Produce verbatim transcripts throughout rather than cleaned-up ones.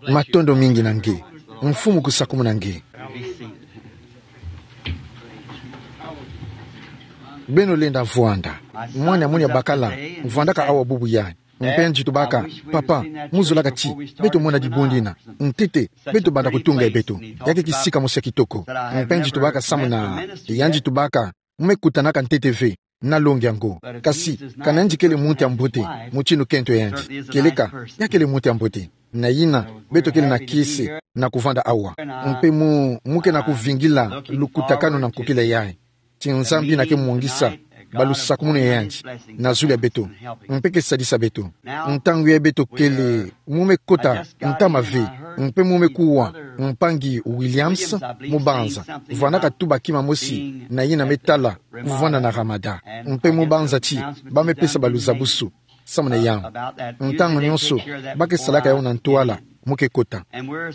Matondo mingi na nge. Mfumu kusakumuna nge. Beno lenda vwanda. Mwana mono ya bakala, vwandaka awa bubu ya. Mpe nzi tubaka, papa, mu zolaka ti beto mona dibundu dina. Ntete, beto banda kutunga e beto. Ya ke kisika mosi ya kitoko. Mpe nzi tubaka samu na, ya nzi tubaka, mu me kutanaka ntete ve na longi yango. Kasi, kana nzi kele muntu ya mbote, mutindu kento ya nzi. Kieleka, ya kele muntu ya mbote. Na yina, beto kele na kiese na kuvwanda awa. Mpe mu, mu ke na kuvingila lukutakanu na nkokila yayi. Ti Nzambi na ke mwangisa balusakumunu ya nzi na zulu ya beto. Mpe ke sadisa beto. Ntangu yayi beto kele, mu me kota ntama ve. Mpe mu me kuwa mpangi Williams, mu banza vwandaka tuba kima mosi na yina me tala kuvwanda na Ramada. Mpe mu banza ti ba me pesa baluzabusu samu na yawu. Ntangu nyonso, ba ke salaka yawu na ntwala, mu ke kota.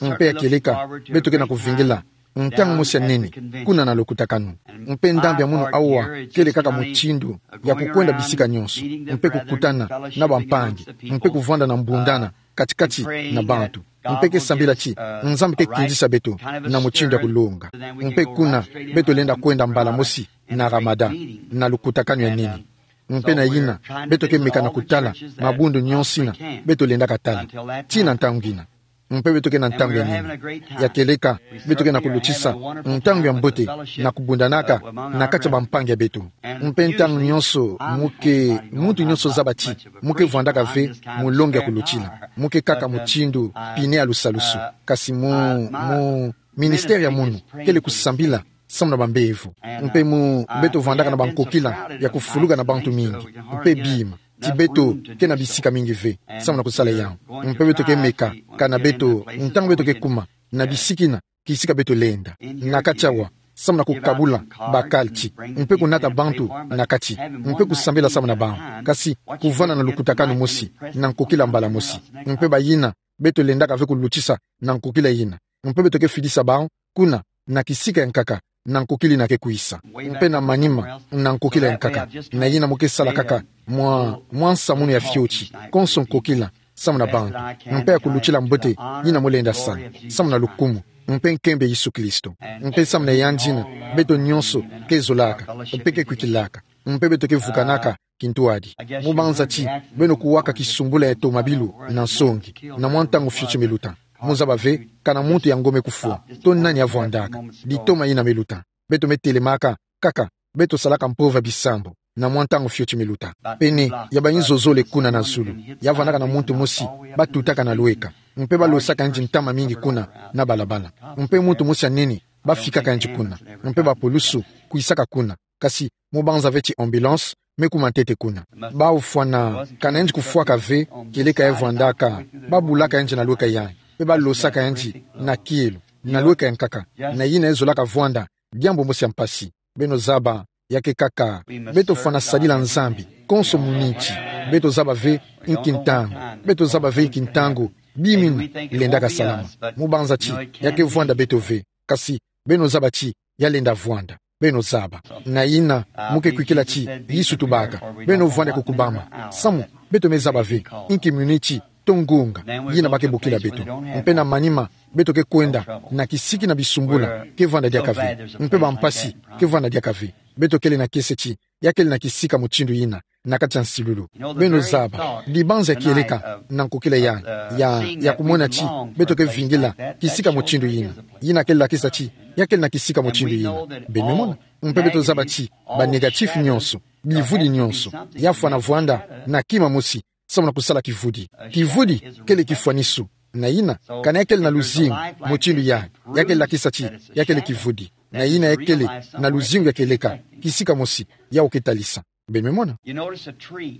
Mpe ya kieleka, beto ke na kuvingila ntangu mosi ya nene, kuna na lukutakanu. Mpe ndambu ya mono awa, kele kaka mutindu ya kukwenda bisika nyonso. Mpe kukutana na bampangi. Mpe kuvwanda na mbundana kati-kati na bantu. Mpe ke sambila ti Nzambi ke kindisa beto na mutindu ya kulonga. Mpe kuna, beto lenda kwenda mbala mosi na Ramada, na lukutakanu ya nene. Mpe na yina, beto ke meka na kutala mabundu nyonso yina beto lendaka tala. Tii na ntangu yina. Mpe beto ke na ntangu ya nene. Ya kieleka, beto ke na kulutisa ntangu ya mbote na kubundanaka na kati ya bampangi ya beto. Mpe ntangu nyonso, mu ke, muntu nyonso zaba ti mu ke vwandaka ve mulongi ya kulutila. Mu ke kaka mutindu pine ya lusalusu. Kasi mu, mu ministère ya mono, kele kusambila samu na bambevo. Mpe mu, beto vwandaka na bankokila ya kufuluka na bantu mingi. Mpe bima ti beto ke na bisika mingi ve samu na kusala yawu. Mpe beto ke meka, kana beto, ntangu beto ke kuma na bisika yina, kisika beto lenda na kati awa, samu na kukabula bakalti, mpe kunata bantu na kati, mpe kusambila samu na bawu. Kasi, kuvwanda na lukutakanu mosi na nkokila mbala mosi. Mpe bayina, beto lendaka ve kulutisa na nkokila yina. Mpe beto ke fidisa bawu kuna, na kisika ya nkaka, na nkokila yina ke kwisa. Mpe na manima, na nkokila ya nkaka, na yina mu ke sala kaka mwa, mwa nsamu mono ya fioti, konso nkokila samu na bantu. Mpe ya kulutila mbote yina mu lenda sala samu na lukumu mpe nkembo ya Yesu Kristo. Mpe samu na yandi yina, beto nyonso ke zolaka, mpe ke kwikilaka. Mpe beto ke vukanaka kintwadi. Mu banza ti beno kuwaka kisumbula ya tomabilu na nsongi, na mwa ntangu fioti me luta. Mu zaba ve, kana muntu yango me kufwa, to nani avwandaka. Ditoma yina me luta. Beto me telemaka kaka, beto salaka mpova bisambu na mwa ntangu fioti me luta. Pene ya bayinzo zole kuna na zulu, ya vwandaka na muntu mosi ba tutaka na lweka. Mpe ba losaka yandi ntama mingi kuna na balabala. Mpe muntu mosi ya nene ba fikaka yandi kuna. Mpe bapulusu kwisaka kuna. Kasi mu banza ve ti ambulance me kuma ntete kuna. Ba ofwana, kana yandi kufwaka ve, kieleka ya vwandaka, ba bulaka yandi na lweka yayi. Mpe ba losaka yandi na kielo, na lweka ya nkaka. Na yina ya zolaka vwanda diambu mosi ya mpasi. Beno zaba, ya ke kaka, beto fwana sadila Nzambi, konso mu niti. Beto zaba ve inki ntangu, beto zaba ve inki ntangu bima yina lendaka salama. Mu banza ti ya ke vwanda beto ve. Kasi, beno zaba ti ya lenda vwanda. Beno zaba. Na yina, mu ke kwikila ti Yesu tubaka, beno vwanda ko kubama. Samu, beto me zaba ve inki miniti to ngonga yina ba ke bokila beto. Mpe na manima, beto ke kwenda na kisika yina bisumbula ke vwanda diaka ve. Mpe bampasi ke vwanda diaka ve. Beto kele na kiese ti ya kele na kisika mutindu yina na kati ya nsilulu. Beno zaba, dibanza ya kieleka na nkokila yayi, ya, ya kumona ti beto ke vingila kisika mutindu yina. Yina ke lakisa ti ya kele na kisika mutindu yina. Beno mona? Mpe beto zaba ti ba négatif nyonso, bivudi nyonso, ya fwana vwanda na kima mosi samu na kusala kivudi. Kivudi kele kifwanisu. Na yina, kana ya kele na luzingu mutindu yayi, ya ke lakisa ti ya kele kivudi. Na yina ya kele na luzingu ya kieleka, kisika mosi, yawu ke talisa. Beno me mona?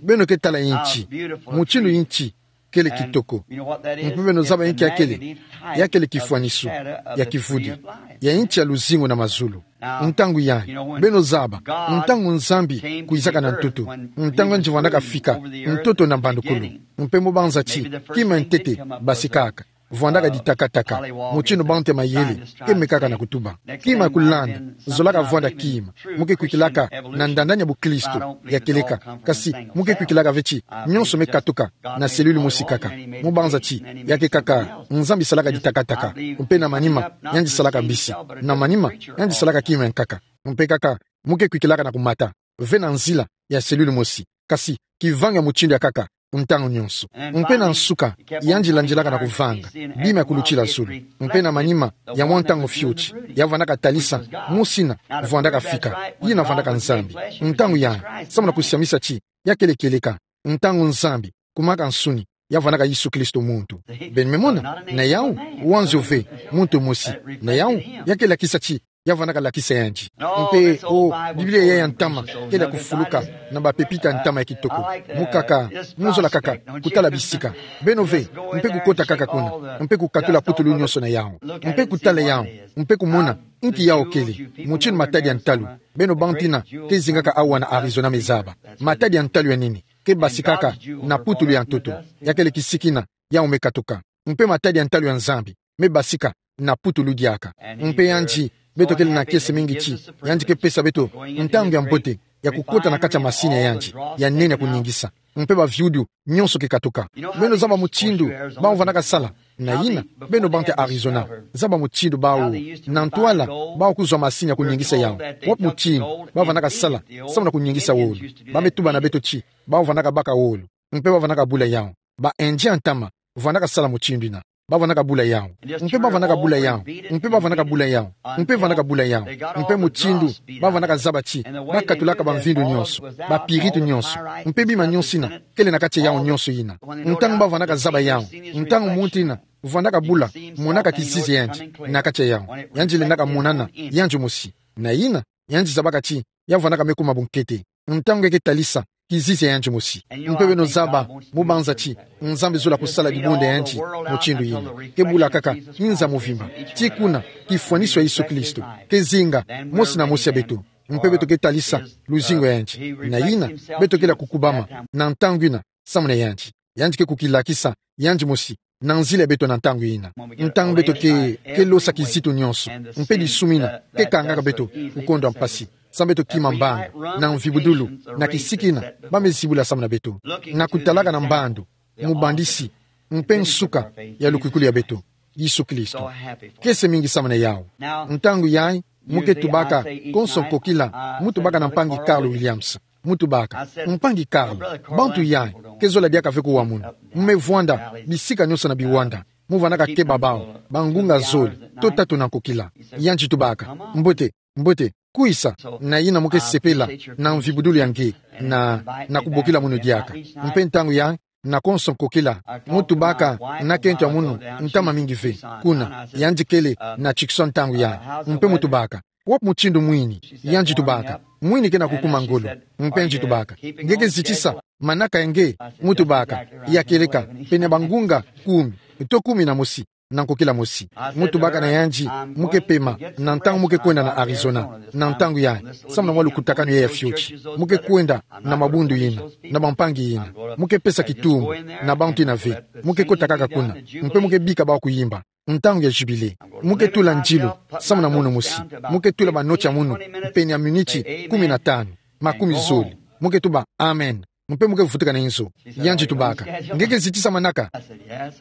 Beno ke tala yinti, mutindu yinti kele kitoko. Mpe beno zaba yinki ya kele? Ya kele kifwanisu ya kivudi ya yinti ya luzingu na mazulu. Ntangu yayi, beno zaba, ntangu Nzambi kwizaka na ntoto, ntangu yandi vwandaka fika ntoto na mbandukulu. Mpe mu banza ti kima ntete basikaka, vwandaka ditakataka, mutindu bantu ya mayele ke mekaka na kutuba. Kima ya kulanda zolaka vwanda kima. Mo ke kwikilaka na ndandani ya buklisto ya kieleka, kasi mo ke kwikilaka ve ti nyonso me katuka na selile mosi kaka. Mo banza ti ya ke kaka Nzambi salaka ditakataka, mpe na manima yandi salaka mbisi, na manima yandi salaka kima ya nkaka. Mpe kaka mo ke kwikilaka na kumata ve na nzila ya selile mosi, kasi kivanga mutindu ya nkaka ntangu nyonso. Mpe na nsuka, yandi landilaka na kuvanga bima ya kulutila zulu. Mpe na manima ya mwa ntangu fioti, ya vwandaka talisa mosi yina vwandaka fika, yina vwandaka Nzambi. Ntangu yayi, samu na kusiamisa ti ya kele kieleka, ntangu Nzambi kumaka nsuni, ya vwandaka Yesu Kristo muntu. Beno me mona, na yawu, wanzio ve, muntu mosi, na yawu, ya ke lakisa ti ya vwandaka lakisa yandi. Mpe o Biblia yayi ya ntama kele ya kufuluka na bapepita ya ntama ya kitoko. Mo kaka, mo zola kaka kutala bisika. Beno ve, mpe kukota kaka kuna, mpe kukatula putulu nyonso na yawu, mpe kutala yawu, mpe kumona inki yawu kele. Mutindu matadi ya ntalu, beno bantu yina ke zingaka awa na Arizona me zaba. Matadi ya ntalu ya nini? Ke basikaka na putulu ya ntoto. Ya kele kisiki yina yawu me katuka. Mpe matadi ya ntalu ya Nzambi me basika na putulu diaka. Mpe yandi, beto kele na kiese mingi ti yandi ke pesa beto ntangu ya mbote ya kukota na kati ya masini ya yandi ya nene ya kuningisa. Mpe baviudu nyonso ke katuka. Beno zaba mutindu bawu vwandaka sala. Na yina, beno bantu ya Arizona, zaba mutindu bawu, na ntwala, bawu kuzwa masini ya kuningisa yawu. Wapi mutindu ba vwandaka sala samu na kuningisa wolo? Ba me tuba na beto ti bawu vwandaka baka wolo, mpe ba vwandaka bula yawu. Ba Indien ya ntama vwandaka sala mutindu yina. Ba vwandaka bula yawu, mpe ba vwandaka bula yawu, mpe ba vwandaka bula yawu, mpe vwandaka bula yawu. Mpe mutindu ba vwandaka zaba ti ba katulaka bamvindu nyonso, bapiritu nyonso, mpe bima nyonso yina kele na kati ya yawu nyonso yina. Ntangu ba vwandaka zaba yawu, ntangu muntu yina vwandaka bula, monaka kizizi ya yandi na kati ya yawu. Yandi lendaka monana yandi mosi. Na yina, yandi zabaka ti ya vwandaka me kuma bunkete ntangu nge ke talisa kizizi ya yandi mosi. Mpe beno zaba, mo banza ti Nzambi zola kusala dibundu ya yandi mutindu yina. Ke bula kaka inza mvimba, tii kuna kifwaniso ya Yesu Kristo ke zinga mosi na mosi ya beto. Mpe beto ke talisa luzingu ya yandi. Na yina, beto kele ya kukubama na ntangu yina samu na yandi. Yandi ke kukilakisa yandi mosi na nzila ya beto na ntangu yina. Ntangu beto ke, ke losa kizitu nyonso, mpe disumu yina ke kangaka beto kukondwa mpasi, samu beto kima mbanga na mvibudulu na kisiki yina ba me zibula samu na beto, na kutalaka na mbandu mubandisi mpe nsuka ya lukwikulu ya beto, Yesu Kristo. Kiese mingi samu na yawu. Ntangu yayi, mo ke tubaka, konso nkokila, mo tubaka na mpangi Carl Williams. Mo tubaka: Mpangi Carl, bantu yayi ke zola diaka ve kuwa munu. Mo me vwanda bisika nyonso na biwanda. Mo vwandaka keba bawu bangunga zole to tatu na nkokila. Yandi tubaka: Mbote, mbote, kwisa. Na yina mo ke sepela na mvibudulu ya nge na, na kubokila munu diaka. Mpe ntangu yayi, na konso nkokila, mo tubaka na kento ya munu ntama mingi ve. Kuna yandi kele na Tucson ntangu yayi. Mpe mo tubaka: Wapi mutindu mwini? Yandi tubaka: Mwini ke na kukuma ngolo. Mpe yandi tubaka: Nge ke zitisa manaka ya nge? Mo tubaka: Ya kieleka, pene bangunga kumi to kumi na mosi na nkokila mosi. Mo tubaka na yandi: Mo ke pema na ntangu mo ke kwenda na Arizona na ntangu yayi, samu na mwa lukutakanu yayi ya fioti. Mo ke kwenda na mabundu yina, na bampangi yina. Mo ke pesa kitumbu na bantu yina ve. Mo ke kota kaka kuna, mpe mo ke bika bawu kuyimba ntangu ya jubile. Mo ke tula ndilu samu na munu mosi. Mo ke tula banoti ya munu pene ya miniti kumi na tanu, makumi zole. Mo ke tuba: Amen. Mpe mo ke vutuka na inzo. Yandi tubaka: Nge ke zitisa manaka?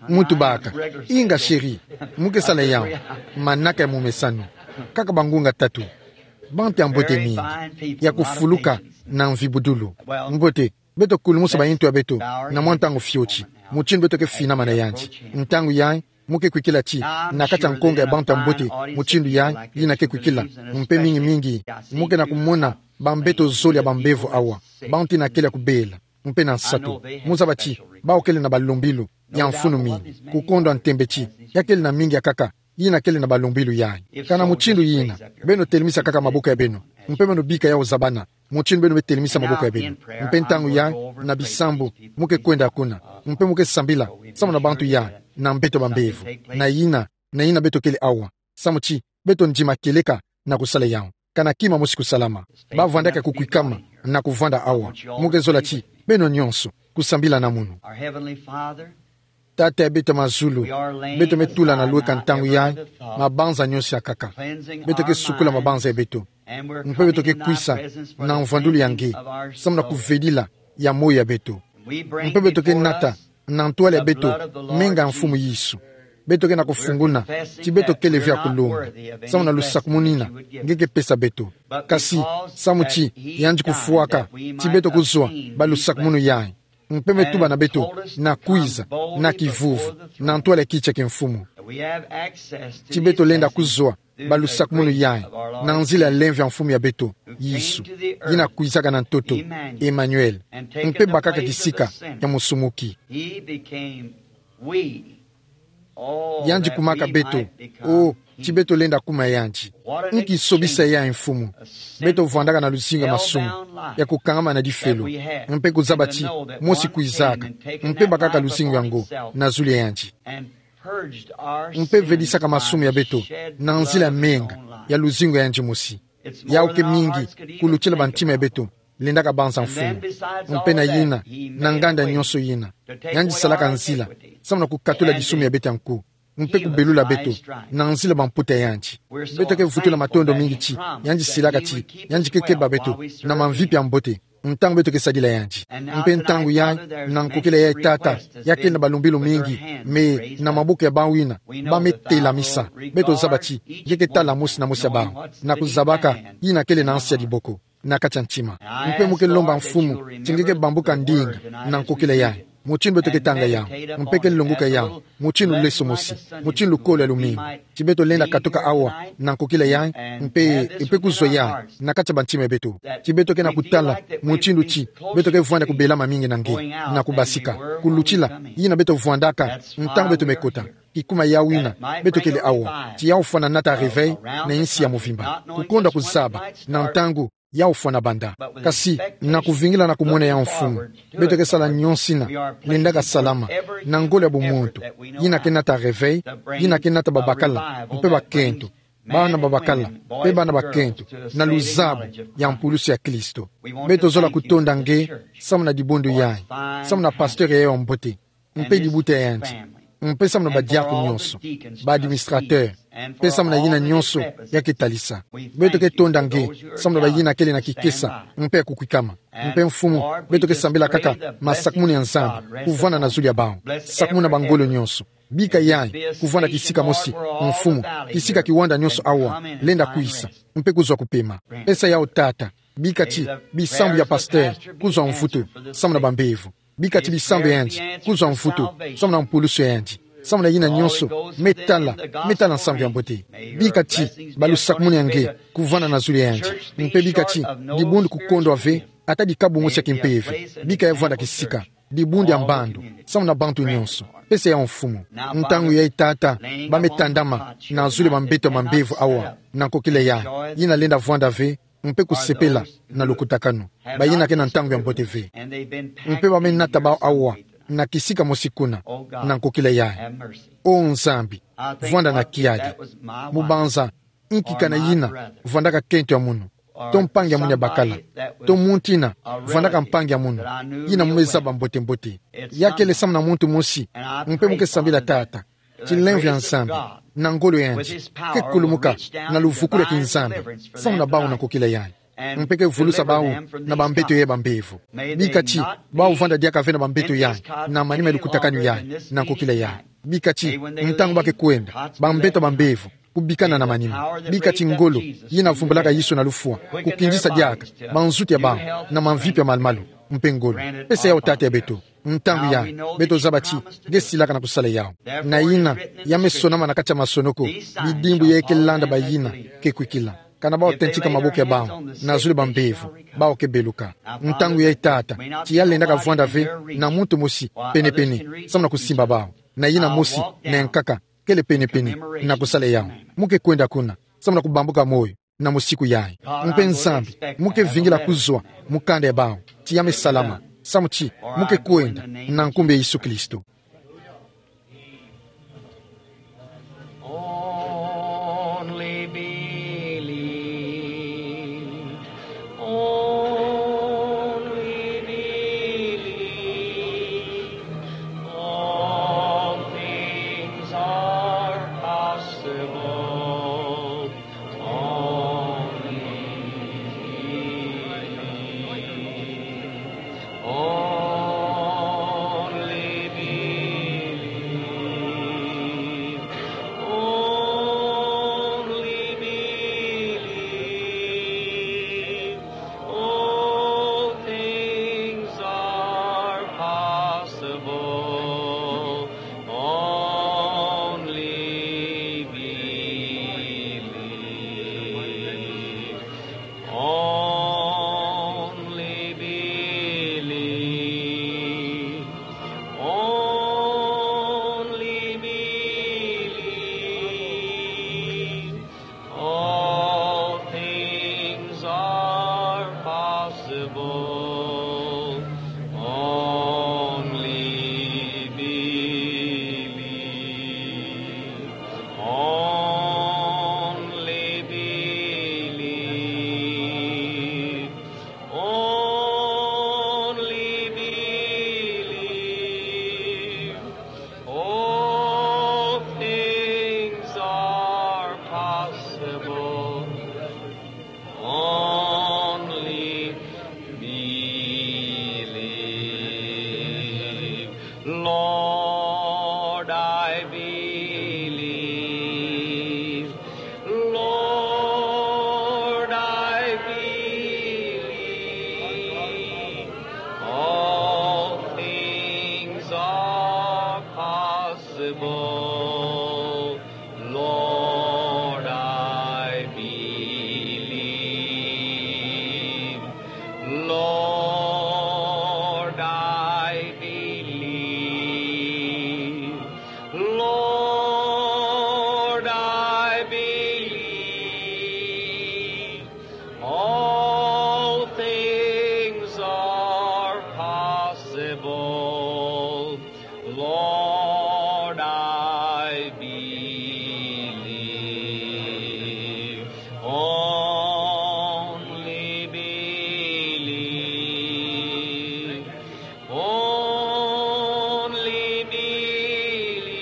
Mo tubaka: Inga, chéri. Mo ke sala yawu manaka ya momesano. Kaka bangunga tatu. Bantu ya mbote mingi, ya kufuluka na mvibudulu. Mbote, beto kulumusa bayintu ya beto na mwa ntangu fioti, mutindu beto ke finama na yandi. Ntangu yayi, mo ke kwikila ti na kati ya nkonga ya bantu ya mbote mutindu yayi, yina ke kwikila, mpe mingi mingi, mo ke na kumona bambeto zole ya bambevo awa, bantu yina kele ya kubela. Mpe na nsatu, mo zaba ti bawu kele na balombilu ya mfunu mingi, kukondwa ntembe ti ya kele na mingi ya nkaka yina kele na balombilu yayi. Kana mutindu yina, beno telemisa kaka maboko ya beno, mpe beno bika yawu zabana mutindu beno me telemisa maboko ya beno. Mpe ntangu yayi, na bisambu, mo ke kwenda kuna, mpe mo ke sambila samu na bantu yayi na mbeto bambevo. Na yina, na yina beto kele awa, samu ti beto ndima kieleka na kusala yawu. Kana kima mosi kusalama. Ba vwandaka kukwikama na kuvwanda awa. Mo ke zola ti beno nyonso kusambila na munu. Our Heavenly Father, Tata ya beto mazulu, beto me tula na lueka ntangu yayi, mabanza nyonso ya nkaka. Beto ke sukula mabanza ya beto. Mpe beto ke kwisa na mvwandulu ya nge, samu na kuvedila ya moyo ya beto. Mpe beto ke nata na ntwala ya beto menga ya Mfumu Yesu. Beto ke na kufunguna ti beto kele ve ya kulomba, samu na lusakumunu yina nge ke pesa beto. Kasi samu ti yandi kufwaka ti beto kuzwa ba lusakumunu yayi, mpe me tuba na beto na kwiza na kivuvu na ntwala ya kiti ya kimfumu, ti beto lenda kuzwa ba lusakumunu yayi na nzila ya lemvo ya Mfumu ya beto Yesu, yina kwizaka na ntoto, Emmanuel, mpe bakaka kisika ya musumuki. Yandi kumaka beto, o, ti beto lenda kuma yandi. Nki sobisa yayi, Mfumu! Beto vwandaka na luzingu ya masumu, ya kukangama na difelo, mpe kuzaba ti mosi kwizaka, mpe bakaka luzingu yango na zulu ya yandi, mpe vedisaka masumu ya beto na nzila ya menga ya luzingu ya yandi mosi. Yawu ke mingi kulutila bantima ya beto lendaka banza, Mfumu. Mpe na yina, na nganda nyonso yina, yandi salaka nzila samu na kukatula disumu ya beto ya nko, mpe kubelula beto na nzila ya bamputa ya yandi. Beto ke vutula matondo mingi ti yandi silaka ti yandi ke keba beto na mamvipi ya mbote ntangu beto ke sadila yandi. Mpe ntangu yayi, na nkokila yayi, Tata, ya kele na balembolo mingi, mais na maboko ya bawu yina ba me telamisa, beto zaba ti nge ke tala mosi na mosi ya bawu, na kuzabaka yina kele na nsi ya diboko na kati ya ntima. Mpe mo ke lomba, Mfumu, ti nge ke bambuka ndinga na nkokila yayi, mutindu beto ke tanga yawu, mpe ke longoka yawu mutindu leso mosi, mutindu kolo ya lumingu, ti beto lenda katuka awa na nkokila yayi, mpe, mpe kuzwa yayi na kati ya bantima ya beto. Ti beto ke na kutala mutindu ti beto ke vwanda kubelama mingi na nge, na kubasika kulutila yina beto vwandaka ntangu beto me kota, kikuma yawu yina beto kele awa, ti yawu fwana nata réveil na insi ya mvimba, kukondwa kuzaba na ntangu yawu fwana banda. Kasi na kuvingila na kumona yawu, Mfumu, beto ke sala nyonso yina lendaka salama na ngolo ya bumuntu, yina ke nata réveil, yina ke nata babakala mpe bakento, bana babakala mpe bana bakento, na luzabu ya mpulusu ya Kristo. Beto zola kutonda nge samu na dibundu yayi, samu na pasteur yayi ya mbote, mpe dibuta ya yandi, mpe samu na badiakono nyonso, ba administrateur, mpe samu na yina nyonso ya ke talisa. Beto ke tonda nge samu na bayina kele na kikesa mpe ya kukwikama. Mpe, Mfumu, beto ke sambila kaka masakumunu ya Nzambi kuvwanda na zulu ya bawu, sakumuna bangolo nyonso. Bika yayi kuvwanda kisika mosi, Mfumu, kisika kiwanda nyonso awa lenda kwisa, mpe kuzwa kupema. Pesa yawu, Tata. Bika ti bisambu ya pasteur kuzwa mvutu samu na bambevo. Bika ti bisambu ya yandi kuzwa mvutu samu na mpulusu ya yandi, samu na yina nyonso me tala, me tala nsangu ya mbote. Bika ti ba lusakumunu ya nge kuvwanda na zulu ya yandi. Mpe bika ti dibundu kukondwa ve, ata dikabu mosi ya kimpeve, bika ya vwanda kisika, dibundu ya mbandu samu na bantu nyonso. Pesa yawu, Mfumu. Ntangu yayi, Tata, ba me tandama na zulu ya bambeto ya mambevo awa na nkokila yayi, yina lenda vwanda ve mpe kusepela na lukutakanu, bayina ke na ntangu ya mbote ve. Mpe ba me nata bawu awa na kisika mosi kuna na nkokila yayi. O Nzambi, vwanda na kiadi. Mu banza, nki kana yina vwandaka kento ya munu, to mpangi ya munu ya bakala, to muntu yina vwandaka mpangi ya munu, yina mu me zaba mbote-mbote? Ya kele samu na muntu mosi. Mpe mo ke sambila, Tata, ti lemvo ya Nzambi na ngolo ya yandi ke kulumuka na luvukulu ya kinzambi samu na bawu na nkokila yayi, mpe ke vulusa bawu na bambeto yayi ya bambevo. Bika ti bawu vwanda diaka ve na bambeto yayi na manima ya lukutakanu yayi na nkokila yayi. Bika ti ntangu ba ke kwenda, bambeto ya bambevo kubikana na manima. Bika ti ngolo yina vumbulaka Yesu na lufwa kukindisa diaka banzutu ya bawu na mamvipi ya malu-malu mpe ngolo. Pesa yawu, Tata ya beto. Ntangu yayi, beto zaba ti nge silaka na kusala yawu. Na yina, ya me sonama na kati ya masonoko, bidimbu yayi ke landa bayina ke kwikila. Kana bawu tentika maboko ya bawu na zulu ya bambevo, bawu ke beluka. Ntangu yayi, Tata, ti ya lendaka vwanda ve na muntu mosi pene-pene samu na kusimba bawu. Na yina mosi na ya nkaka kele pene-pene na kusala yawu. Mo ke kwenda kuna samu na kubambuka moyo na musiku yayi. Mpe Nzambi, mo ke vingila kuzwa mu kanda ya bawu, ti ya me salama, samu ti mo ke kwenda, na nkumbu ya Yesu Kristo. Only believe. Only believe. are possible. Only believe. Only believe. Only believe. All things are possible. Only believe. Only believe. Only believe. All things are possible. Only believe. Only believe. Only believe. All things are possible. Only believe. Lord, I believe. Lord, I believe. All things are possible. Lord, I believe. Lord, I believe. Lord, I believe. All things are possible. Lord, I believe. Only believe. Only believe.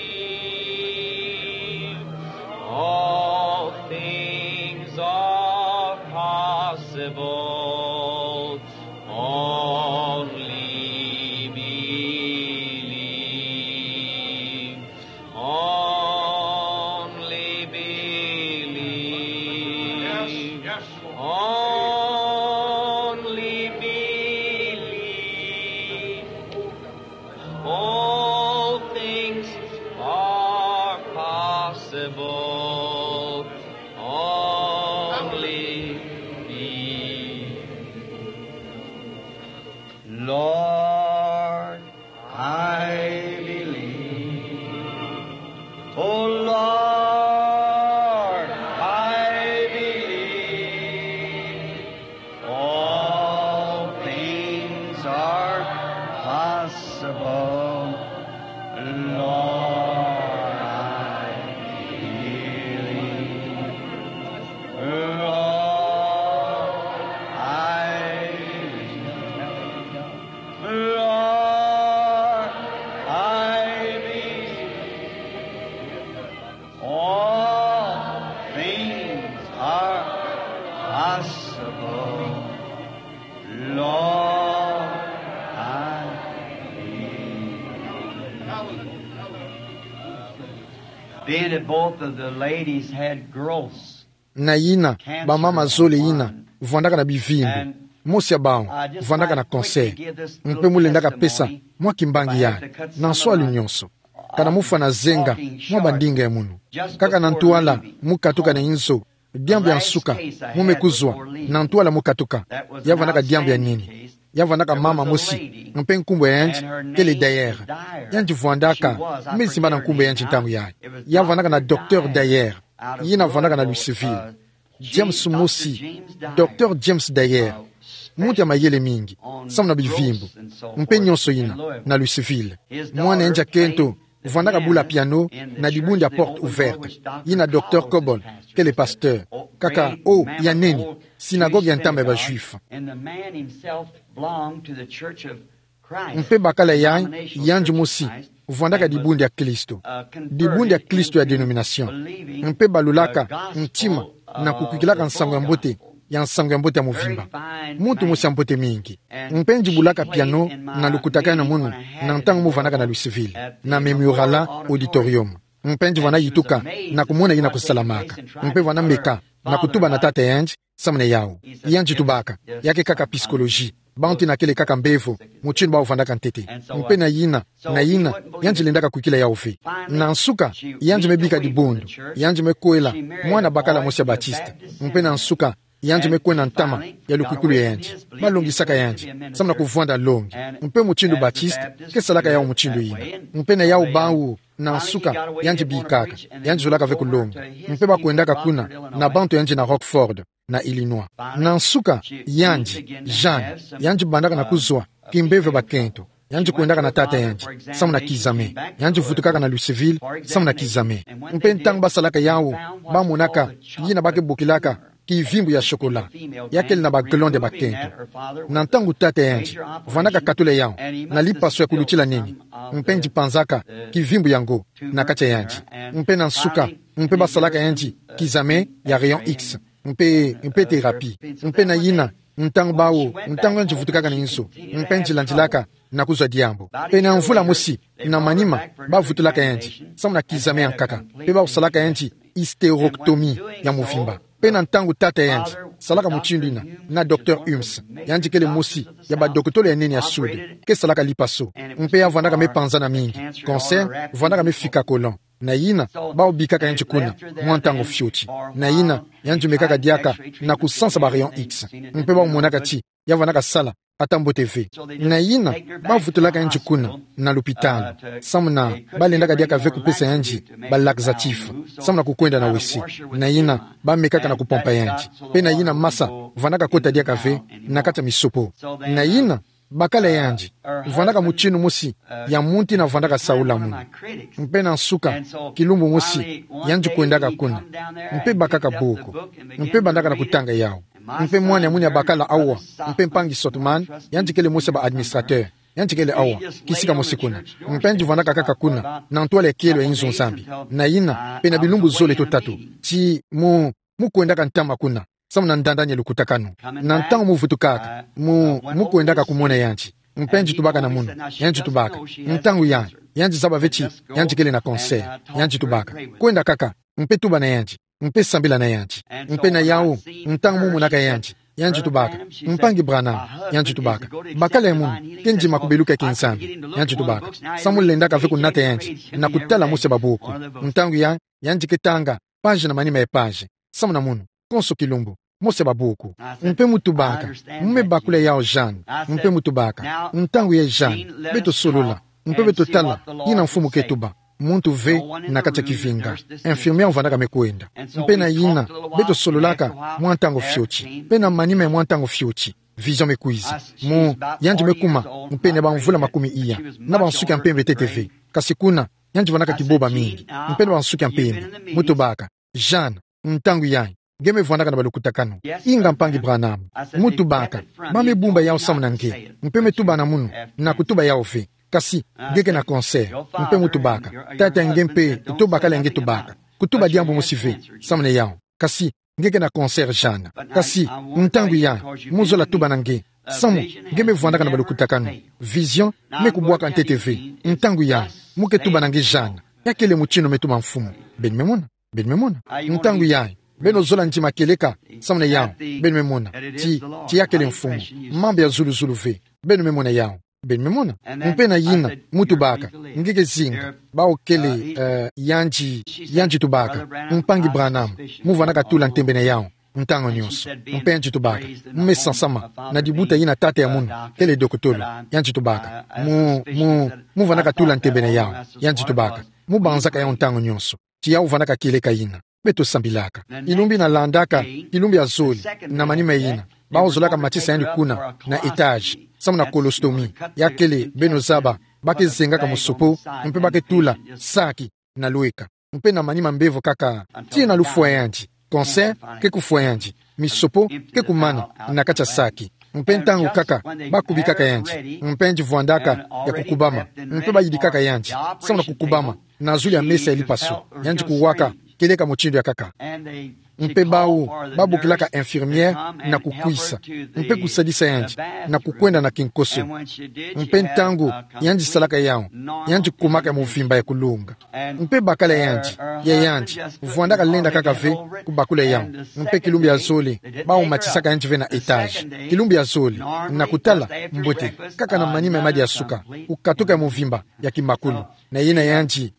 All things are possible. Only believe. Only believe. Yes, yes, Lord. Only believe. All things are possible. Only believe. Lord, I believe. Oh Lord, I believe. All things are possible. Lord, I believe. Lord, I believe. Lord, I believe. All things are possible. Lord, I believe. Being that both of the ladies had growths. Na yina, bamama zole yina vwandaka na bivimbu. Mosi ya bawu vwandaka na cancer. Mpe mu lendaka pesa mwa kimbangi yayi, na nso'alu nyonso, ka na mufwana zenga mwa bandinga ya munu. Kaka na ntwala mu katuka na inzo, diambu ya nsuka mu me kuzwa, na ntwala mu katuka. Ya vwandaka diambu ya nini? Ya vwandaka mama mosi, mpe nkumbu ya yandi kele Dyer. Yandi vwandaka, me zimbana nkumbu ya yandi ntangu yayi. Ya vwandaka na Docteur Dyer, yina vwandaka na Louisville. James mosi, Docteur James Dyer, muntu ya mayele mingi, samu na bivimbu, mpe nyonso yina, na Louisville. Mwana yandi ya kento vwandaka bula piano na dibundu ya Porte Ouverte, yina Docteur Coble kele pasteur. Kaka, oh, ya nene, synagogue ya ntama ya ba Juifs. And the man himself belonged to the Church of Christ. Mpe bakala yayi, yandi mosi vwandaka dibundu ya Kristo. Dibundu ya Kristo ya denomination. Mpe balulaka ntima na kukwikilaka nsangu ya mbote, ya nsangu ya mbote ya mvimba. Muntu mosi ya mbote mingi. Mpe ngieti bulaka piano na lukutakanu munu, na ntangu mo vwandaka na Louisville, na Memorial Auditorium. Mpe ngieti vwanda yituka na kumona yina kusalamaka. Mpe vwanda meka na kutuba na tata yandi, samu na yawu. Yandi tubaka, ya ke kaka psychologie. Bantu yina kele kaka mbevo, mutindu bawu vwandaka ntete. Mpe na yina, na yina, yandi lendaka kwikila yawu ve. Na nsuka, yandi me bika dibundu, yandi me kwela mwana bakala mosi ya Baptiste. Mpe na nsuka, yandi me kwenda ntama ya lukwikulu ya yandi. Balongisaka yandi, samu na kuvwanda longi. Mpe mutindu Baptiste ke salaka yawu mutindu yina. Mpe na yawu bawu, na nsuka, yandi bikaka, yandi zolaka ve kulonga. Mpe bakwendaka kuna na bantu yandi na Rockford, na Illinois. Na nsuka, yandi, Jeanne, yandi bandaka na kuzwa kimbevo ya bakento. Yandi kwendaka na tata yandi, samu na kizame. Yandi vutukaka na Louisville, samu na kizame. Mpe ntangu basalaka yawu, bamonaka yina ba ke bokilaka kivimbu ya chocolat, ya kele na ba glande ya bakento. Na ntangu tata yandi vwandaka katula yawu na lipaso ya kulutila nini, mpe ngieti panzaka kivimbu yango na kati ya yandi. Mpe na nsuka, mpe basalaka yandi kizame ya rayon X, mpe, mpe thérapie. Mpe na yina, ntangu bawu, ntangu yandi vutukaka na inzo, mpe ngieti landilaka na kuzwa diambu. Mpe na mvula mosi, na manima, bavutulaka yandi, samu na kizame ya nkaka. Mpe basalaka yandi hystérectomie ya mvimba. Mpe na ntangu tata yandi salaka mutindu yina na Docteur Humes, yandi kele mosi ya badokotolo ya nene ya Sud, ke salaka lipaso. Mpe ya vwandaka me panzana mingi, cancer, vwandaka me fika colon. Na yina, bawu bikaka yandi kuna mwa ntangu fioti. Na yina, yandi mekaka diaka na kusansa ba rayon X. Mpe bawu monaka ti ya vwandaka sala ata mbote ve. Na yina, bavutulaka yandi kuna na lopitalo, samu na balendaka diaka ve kupesa yandi ba laxatif, samu na kukwenda na wese. Na yina, bamekaka na kupompa yandi. Mpe na yina masa vwandaka kota diaka ve na kati ya misopo. Na yina, bakala yandi vwandaka mutindu mosi ya muntu yina vwandaka saula munu. Mpe na nsuka, kilumbu mosi, yandi kwendaka kuna. Mpe bakaka buku, mpe bandaka na kutanga yawu. Mpe mwana ya munu ya bakala awa, mpe mpangi Sotman, yandi kele mosi ya ba administrateur, yandi kele awa, kisika mosi kuna. Mpe ngieti vwandaka kaka kuna na ntwala ya kielo ya inzo Nzambi. Na yina, pene bilumbu zole to tatu, ti mu, mu kwendaka ntama kuna, samu na ndandani ya lukutakanu. Na ntangu mu vutukaka, mu, mu kwendaka kumona yandi. Mpe ngieti tubaka na munu, yandi tubaka. Ntangu yayi, yandi zaba ve ti yandi kele na cancer. Yandi tubaka: Kwenda kaka, mpe tuba na yandi, mpe sambila na yandi. Mpe na yawu, ntangu mu monaka yandi, yandi tubaka: Mpangi Branham, yandi tubaka, bakala ya munu ke ndima kubeluka ya Nzambi. Yandi tubaka: Samu lendaka ve kunata yandi na kutala mosi ya babuku. Ntangu yayi, yandi ke tanga page na manima ya page, samu na munu, konso kilumbu, mosi ya babuku. Mpe mu tubaka: Mu me bakula yawu, Jeanne. Mpe mu tubaka: Ntangu yayi, Jeanne, beto solola, mpe beto tala yina mfumu ke tuba. Muntu ve na kati ya kivinga. Infirmière vwandaka me kwenda. Mpe na yina, beto sololaka mwa ntangu fioti. Mpe na manima ya mwa ntangu fioti, vision me kwiza. Mu, yandi me kuma, mpe na bamvula makumi iya, na bansuki ya mpembe ntete ve. Kasi kuna, yandi vwandaka kiboba mingi, mpe na bansuki ya mpembe. Mu tubaka: Jeanne, ntangu yayi, nge me vwandaka na balukutakanu. Inga, Mpangi Branham. Mu tubaka: Ba me bumba yawu samu na nge, mpe me tuba na munu na kutuba yawu ve. Kasi nge ke na cancer. Mpe mu tubaka: Tata, nge mpe to bakala nge tubaka. Kutuba diambu mosi ve samu na yawu. Kasi nge ke na cancer, Jeanne. Kasi ntangu yayi, mu zola tuba na nge, samu nge me vwandaka na balukutakanu. Vision me kubwaka ntete ve. Ntangu yayi, mu ke tuba na nge, Jeanne. Ya kele mutindu me tuba mfumu. Beno me mona? Beno me mona? Ntangu yayi, beno zola ndima kieleka samu na yawu. Beno me mona? Ti, ti ya kele mfumu. Mambu ya zuluzulu ve. Beno me mona yawu? Beno me mona? Mpe na yina, mu tubaka: Nge ke zinga? Bawu kele, eh, yandi, yandi tubaka: Mpangi Branham, mu vwandaka tula ntembe na yawu ntangu nyonso. Mpe yandi tubaka: Mu me sansama na dibuta yina tata ya munu, kele dokotolo. Yandi tubaka: Mu, mu, mu vwandaka tula ntembe na yawu. Yandi tubaka: Mu banzaka yawu ntangu nyonso. Ti yawu vwandaka kieleka yina. Beto sambilaka. Kilumbu yina landaka, kilumbu ya zole, na manima yina, bawu zolaka matisa yandi kuna na étage, samu na colostomy. Ya kele, beno zaba, ba ke zengaka musopo, mpe ba ke tula saki na lweka. Mpe na manima mbevo kaka, tii na lufwa yandi. Cancer ke kufwa yandi. Misopo ke kumana na kati ya saki. Mpe ntangu kaka bakubikaka yandi, mpe yandi vwandaka ya kukubama, mpe bayidikaka yandi, samu na kukubama na zulu ya mesa ya lipaso, yandi kuwaka, kieleka mutindu ya kaka. Mpe bawu babokilaka infirmière na kukwisa, mpe kusadisa yandi na kukwenda na kinkoso. Mpe ntangu yandi salaka yawu, yandi kumaka ya muvimba ya kulonga. Mpe bakala yandi, ya yandi vwandaka lenda kaka ve kubakula yawu. Mpe kilumbu ya zole, bawu matisaka yandi ve na étage. Kilumbu ya zole, na kutala mbote, kaka na manima ya madi ya suka, kukatuka ya muvimba ya kimakulu. Na yina yandi,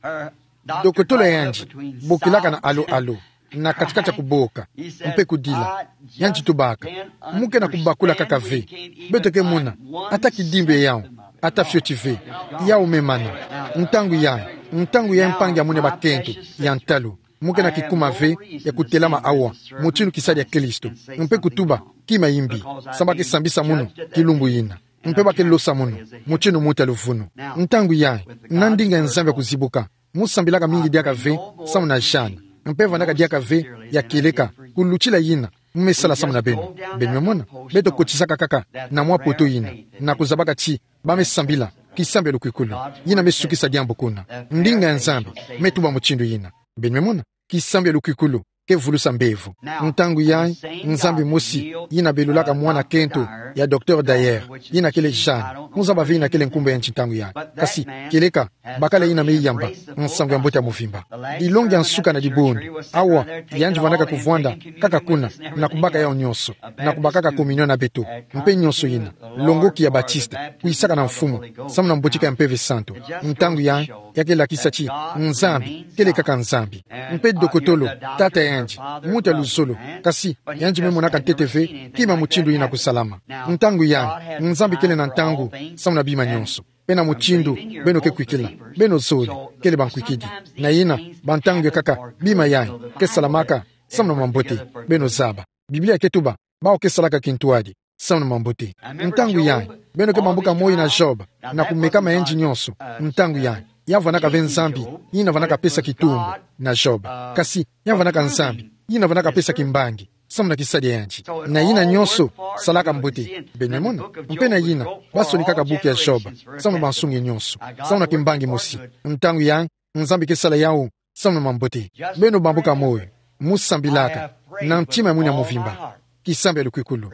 dokotolo ya yandi bokilaka na alo-alo, na kati-kati ya kuboka, mpe kudila. Yandi tubaka: Mu ke na kubakula kaka ve, beto ke mona ata kidimbu ya yawu, ata fioti ve. Yawu me mana. Ntangu yayi, ntangu yayi, mpangi ya muna bakento ya ntalu, mu ke na kikuma ve ya kutelama awa, mutindu kisadi ya Kristo, mpe kutuba: Kima imbi, samu ba ke sambisa munu kilumbu yina, mpe ba ke losa munu mutindu muta luvunu. Ntangu yayi, na ndinga ya Nzambi ya kuzibuka, mu sambilaka mingi diaka ve samu na Jeanne, mpe vandaka diaka ve ya kieleka: Kulutila yina, mu me sala samu na beno. Beno me mona, beto kotisaka kaka na mwa poto yina, na kuzabaka ti ba me sambila kisambi ya lukwikulu, yina me sukisa diambu kuna. Ndinga ya Nzambi me tuba mutindu yina. Beno me mona, kisambi ya lukwikulu ke vulusa mbevo. Ntangu yayi, Nzambi mosi yina belulaka mwana kento ya Docteur Dyer, yina kele Jeanne, mu zaba ve yina kele nkumbu ya yandi ntangu yayi. Kasi kieleka bakala yina me yamba nsangu ya mbote ya muvimba. Dilongi ya nsuka na dibundu, awa yandi vwandaka kuvwanda kaka kuna, na kubaka yawu nyonso, na kubakaka communion na beto, mpe nyonso yina, longoki ya Batiste, kwisaka na Mfumu, samu na mbotika ya Mpeve Santu. Ntangu yayi, ya ke lakisa ti Nzambi kele kaka Nzambi. Mpe dokotolo, tata yandi, muta luzolo, kasi yandi me monaka ntete ve kima mutindu yina kusalama. Ntangu yayi, Nzambi kele na ntangu samu na bima nyonso, mpe na mutindu beno ke kwikila. Beno zole kele bankwikidi. Na yina, bantangu ya kaka, bima yayi ke salamaka samu na mambote. Beno zaba, Biblia ke tuba: Bawu ke salaka kintwadi samu na mambote. Ntangu yayi, beno ke bambuka moyo na Job, na kumeka ma yandi nyonso. Ntangu yayi, ya vwandaka ve Nzambi yina vwandaka pesa kitumbu na Job, kasi ya vwandaka Nzambi yina vwandaka pesa kimbangi samu na kisadi ya yandi. Na yina nyonso salaka mbote. Beno me mona, mpe na yina, basonikaka buku ya Job samu na bansungi nyonso, samu na kimbangi mosi. Ntangu yayi, Nzambi ke sala yawu samu na mambote. Beno bambuka moyo, mu sambilaka na ntima ya mwini ya muvimba, kisambi ya lukwikulu.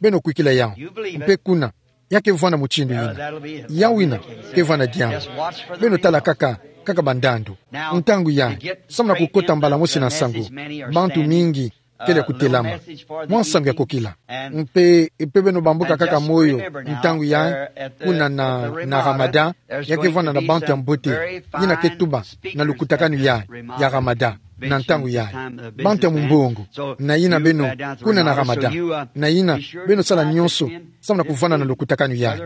Beno kwikila yawu, mpe kuna, ya ke vwanda mutindu yina. Yawu yina ke vwanda diambu. Beno tala kaka, kaka bandandu. Ntangu yayi, samu na kukota mbala mosi na nsangu, bantu mingi kele kutelama mwa nsangu ya kokila. Mpe, mpe beno bambuka kaka moyo, ntangu yayi, kuna na, na Ramada, ya ke vwanda na bantu ya mbote yina ke tuba na lukutakanu yayi ya Ramada, na ntangu yayi, bantu ya mumbongo. Na yina beno, kuna na Ramada, na yina beno sala nyonso samu na kuvwanda na lukutakanu yayi.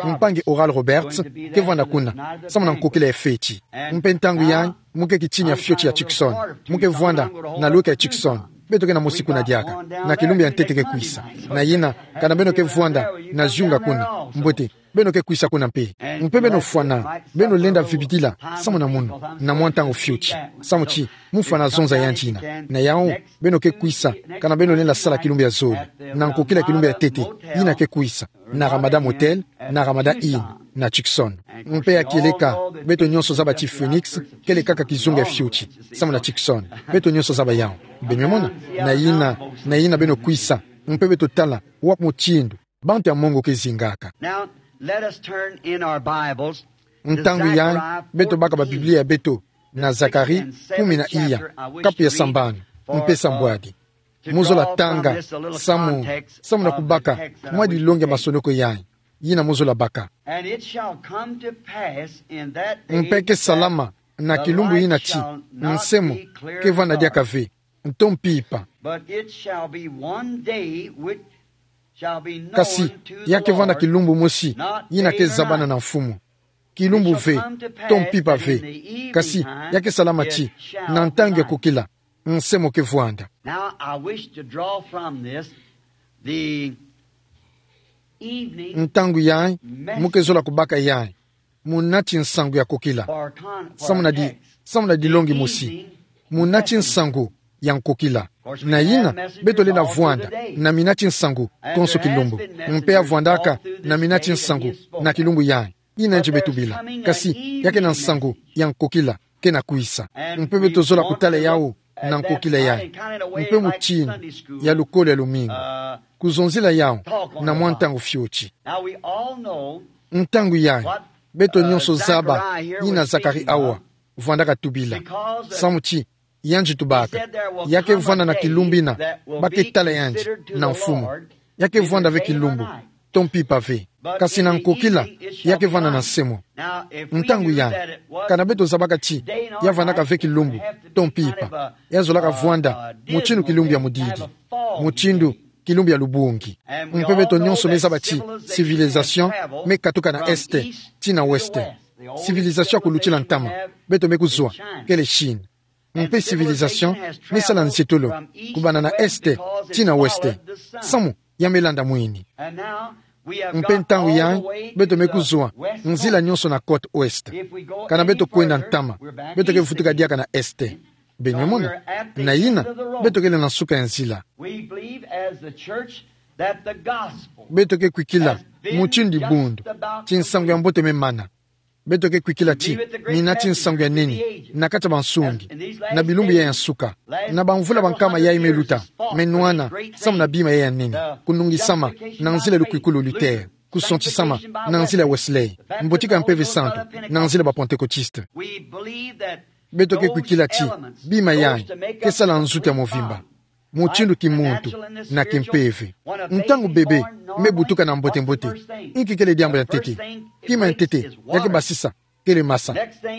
Mpangi Oral Roberts ke vwanda kuna samu na nkokila ya feti. Mpe ntangu yayi, mu ke kitini ya fioti ya Tucson, mu ke vwanda na lweka ya Tucson. Beto ke na mosi kuna diaka, na kilumbu ya ntete ke kwisa. Na yina, kana beno ke vwanda na ziunga kuna, mbote, beno ke kwisa kuna mpe. Mpe beno fwana, beno lenda vibidila samu na munu, na mwa ntangu fioti, samu ti mu fwana zonza yandi yina. Na yawu, beno ke kwisa, kana beno lenda sala kilumbu ya zole, na nkokila kilumbu ya ntete yina ke kwisa, na Ramada Motel, na Ramada Inn, na Tucson. Mpe ya kieleka, beto nyonso zaba ti Phoenix kele kaka kizunga ya fioti samu na Tucson. Beto nyonso zaba yawu. Beno me mona, na yina, na yina beno kwisa, mpe beto tala wapi mutindu bantu ya mongo ke zingaka. Now, let us turn in our Bibles to Ntangu yayi, Zechariah beto baka ba Biblia ya beto na Zacharie kumi na iya, kapu ya sambanu mpe sambwadi. Mu zola tanga samu, samu na kubaka mwa dilongi ya masonoko yayi, yina mu zola baka. And it shall come to pass in that day Mpe ke salama na kilumbu yina ti nsemo ke vwanda diaka ve, nto mpimpa. But it shall be one day which shall be known Kasi to the ya ke vwanda Lord, kilumbu mosi yina ke zabana na Mfumu. Kilumbu ve, nto mpimpa ve. Kasi ya ke salama ti na ntangu ya kokila, nsemo ke vwanda. Now, I wish to draw from this the evening Ntangu yayi, mu ke zola kubaka yayi, mu nati nsangu ya kokila. Samu na di, samu na dilongi mosi. Mu nati nsangu ya nkokila. Na yina, beto lenda vwanda na mina ti nsangu konso kilumbu. Mpe ya vwandaka na mina ti nsangu na kilumbu yayi, yina nje beto bila. Kasi, ya kena nsangu ya nkokila, kena kwisa. Mpe beto zola kutala yawu na nkokila yayi. Mpe mutindu ya lukolo ya lumingu. Kuzonzila yawu na mwa ntangu fioti. Ntangu yayi, beto nyonso zaba yina Zacharie awa vwandaka tubila. Samu ti, yandi tubaka, ya ke vwanda na kilumbu yina ba ke tala yandi na mfumu. Ya ke vwanda ve kilumbu, to mpimpa ve. Kasi na nkokila, ya ke vwanda na nse mo. Ntangu yayi, kana beto zabaka ti ya vwandaka ve kilumbu, to mpimpa, ya zolaka vwanda mutindu kilumbu ya mudidi, mutindu kilumbu ya lubungi. Mpe beto nyonso me zaba ti civilisation me katuka na est tii na ouest. Civilisation ya kulutila ntama, beto me kuzwa, kele Chine. Mpe civilisation me sala nzietolo kubanda na est tii na ouest, samu ya me landa mwini. Mpe ntangu yayi, beto me kuzwa nzila nyonso na côte ouest. Kana beto kwenda ntama, beto ke vutuka diaka na est. Beno me mona? Na yina, beto kele na nsuka ya nzila. Beto ke kwikila mutindu dibundu ti nsangu ya mbote me mana. Beto ke kwikila ti mina ti nsangu ya nene na kati ya bansungi, na bilumbu yayi ya nsuka, na bamvula bankama yayi me luta, me nwana, samu na bima yayi ya nene: kunungisama na nzila ya lukwikulu Luther, kusontisama na nzila ya Wesley, mbotika ya Mpeve Santu na nzila ya ba Pentecôtistes. Beto ke kwikila ti bima yayi ke sala nzutu ya movimba, mutindu kimuntu na kimpeve. Ntangu bebe me butuka na mbote-mbote, inki kele diambu ya ntete? Kima ya ntete ya ke basisa kele masa.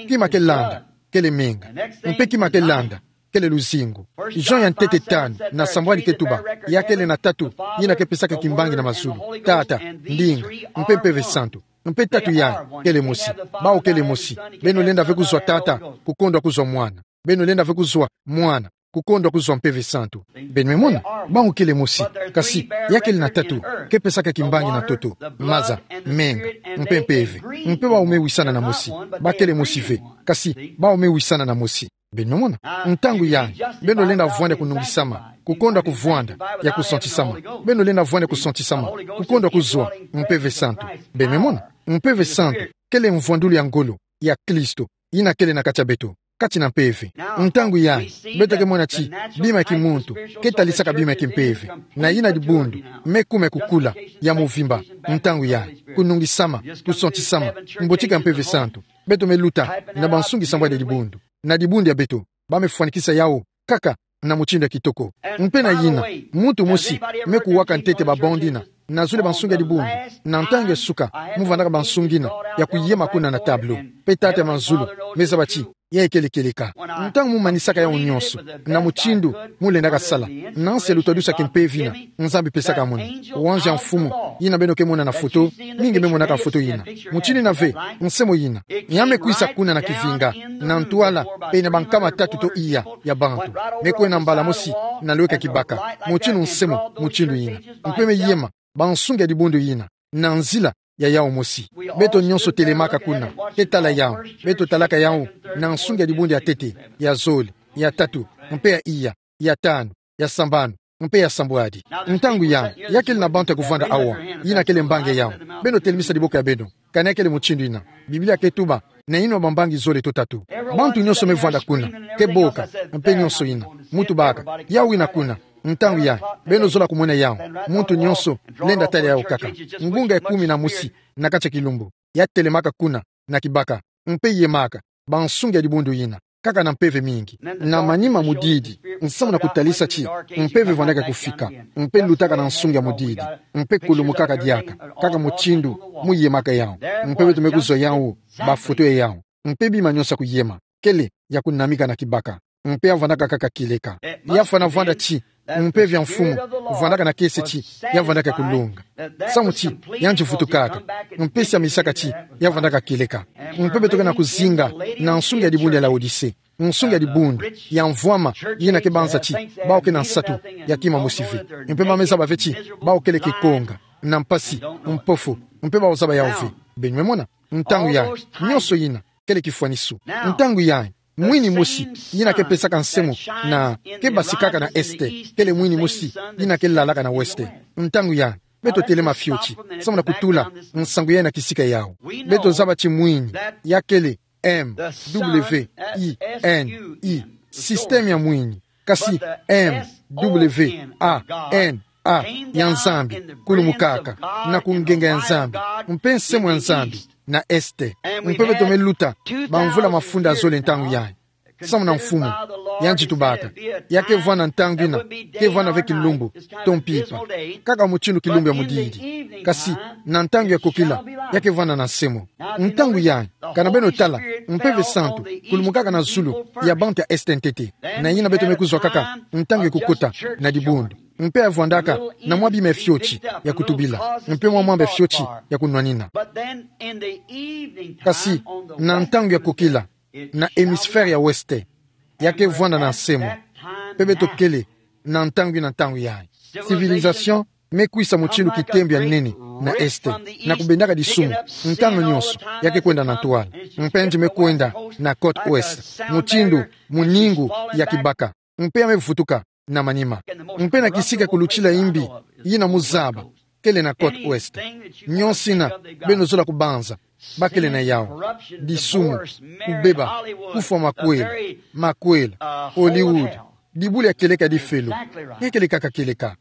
Kima ke landa kele menga. Mpe kima ke landa kele luzingu. Jean ya ntete tanu na sambwadi ke tuba: Ya kele na tatu yina ke pesaka kimbangi na mazulu: Tata, Ndinga, mpe Mpeve Santu. Mpe tatu yayi kele mosi. Bawu kele mosi. Beno lenda ve kuzwa Tata, kukondwa kuzwa Mwana. Beno lenda ve kuzwa Mwana, kukondwa kuzwa Mpeve Santu. Beno me mona? Bawu kele mosi. Kasi, ya kele na tatu ke pesaka kimbangi na ntoto: maza, menga, mpe mpeve. Mpe bawu me wisana na mosi. Ba kele mosi ve. Kasi, bawu me wisana na mosi. Beno me mona? Ntangu yayi, beno lenda vwanda kunungisama, kukondwa kuvwanda ya kusontisama. Beno lenda vwanda kusontisama, kukondwa kuzwa Mpeve Santu. Beno me mona? Mpeve Santu kele mvwandulu ya ngolo ya Kristo, yina kele na kati ya beto, kati na mpeve. Ntangu yayi, beto ke mona ti bima ya kimuntu ke talisaka bima ya kimpeve. Na yina dibundu me kuma ya kukula, ya movimba. Ntangu yayi, kunungisama, kusontisama, mbotika ya Mpeve Santu. Beto me luta na bansungi sambwadi ya dibundu. Na dibundu ya beto, ba me fwanikisa yawu kaka na mutindu ya kitoko. Mpe na yina, muntu mosi me kuwaka ntete ba bande yina: Na zole bansungi ya dibundu. Na ntangu ya suka, mu vandaka bansungi yina ya kuyema kuna na tableau. Mpe Tata ya mazulu me zaba ti yayi kele kieleka. Ntangu mu manisaka yawu nyonso, na mutindu mu lendaka sala, na nsi ya lutadusu ya kimpeve yina Nzambi pesaka muna, wanzi ya mfumu, yina beno ke mona na foto, mingi me monaka foto yina. Mutindu yina ve, nse mo yina, ya me kwisa kuna na kivinga, na ntwala, pene bankama tatu to iya ya bantu. Me kwenda mbala mosi na lweka kibaka, mutindu nse mo mutindu yina. Mpe me yema bansungi ya dibundu yina na nzila ya yawu mosi. Beto nyonso telemaka kuna, ke tala yawu. Beto talaka yawu na nsungi ya dibundu ya ntete, ya zole, ya tatu, mpe ya iya, ya tanu, ya sambanu, mpe ya sambwadi. Ntangu yayi, ya kele na bantu ya kuvanda awa, yina kele mbangi ya yawu. Beno telemisa diboko ya beno, kana ya kele mutindu yina. Biblia ke tuba na yinwa bambangi zole to tatu. Bantu nyonso me vanda kuna, ke boka, mpe nyonso yina. Mu tubaka, yawu yina kuna. Ntangu yayi, beno zola kumona yawu. Muntu nyonso lenda tala yawu kaka. Ngunga ya kumi na mosi na kati ya kilumbu, ya telemaka kuna na kibaka, mpe yemaka bansungi ya dibundu yina, kaka na mpeve mingi. Na manima mudidi, nsamu na kutalisa ti mpeve vandaka kufika, mpe lutaka na nsungi ya mudidi, mpe kulumukaka diaka, kaka mutindu mu yemaka yawu. Mpe beto me kuzwa yawu, bafoto ya yawu. Mpe bima nyonso ya kuyema kele ya kunamika na kibaka. Mpe ya vandaka kaka kieleka. Ya fana vanda ti mpeve ya mfumu vandaka na kiese ti ya vandaka ya kulonga, samu ti yandi vutukaka, mpe siamisaka ti ya vandaka kieleka. Mpe beto ke na kuzinga na nsungi ya dibundu ya Laodicee, nsungi ya dibundu ya mvwama, yina ke banza ti bawu ke na nsatu ya kima mosi ve. Mpe ba me zaba ve ti bawu kele kikonga, na mpasi, mpofu, mpe bawu zaba yawu ve. Beno me mona? Ntangu yayi, nyonso yina kele kifwanisu. Ntangu yayi, Mwini mosi, yina ke pesaka nsemo, na ke basikaka na este, kele mwini mosi, yina ke lalaka na weste. Ntangu ya, beto telema fioti, samu na kutula nsangu ya na kisika yau. Beto zaba ti mwini, ya kele M W I N I, système ya mwini. Kasi M W A N A ya Nzambi, kulumukaka na ku ngenga ya Nzambi, mpe nsemo ya Nzambi na este. Mpe beto me luta bamvula mafunda zole ntangu yayi. Samu na mfumu, yandi tubaka, ya ke vwanda ntangu yina, ke vwanda ve kilumbu, to mpimpa. Kaka mutindu kilumbu ya mudidi. Kasi, na ntangu ya kokila, ya ke vwanda na nsemo. Ntangu yayi, kana beno tala, Mpeve Santu kulumukaka na zulu ya bantu ya este ntete. Na yina beto me kuzwa kaka ntangu ya kukota na dibundu. Mpe ya vwandaka na mwa bima ya fioti ya kutubila, mpe mwa mamba ya fioti ya kunwanina. Kasi, na ntangu ya kokila, na hémisphère ya weste, ya ke vwanda na nsemo. Mpe beto kele na ntangu yina, ntangu yayi, civilisation me kwisa mutindu kitembo ya nene na este, na kubendaka disumu, ntangu nyonso ya ke kwenda na ntwala. Mpe yandi me kwenda na côte ouest, mutindu muningu ya kibaka. Mpe ya me vutuka na manima. Mpe na kisika kulutila imbi, yina mu zaba, kele na côte ouest. Nyonso yina beno zola kubanza, ba kele na yau: disumu, kubeba, kufwa makwela, makwela, Hollywood, dibulu ya kieleka ya difelo. Nge kieleka ka kieleka.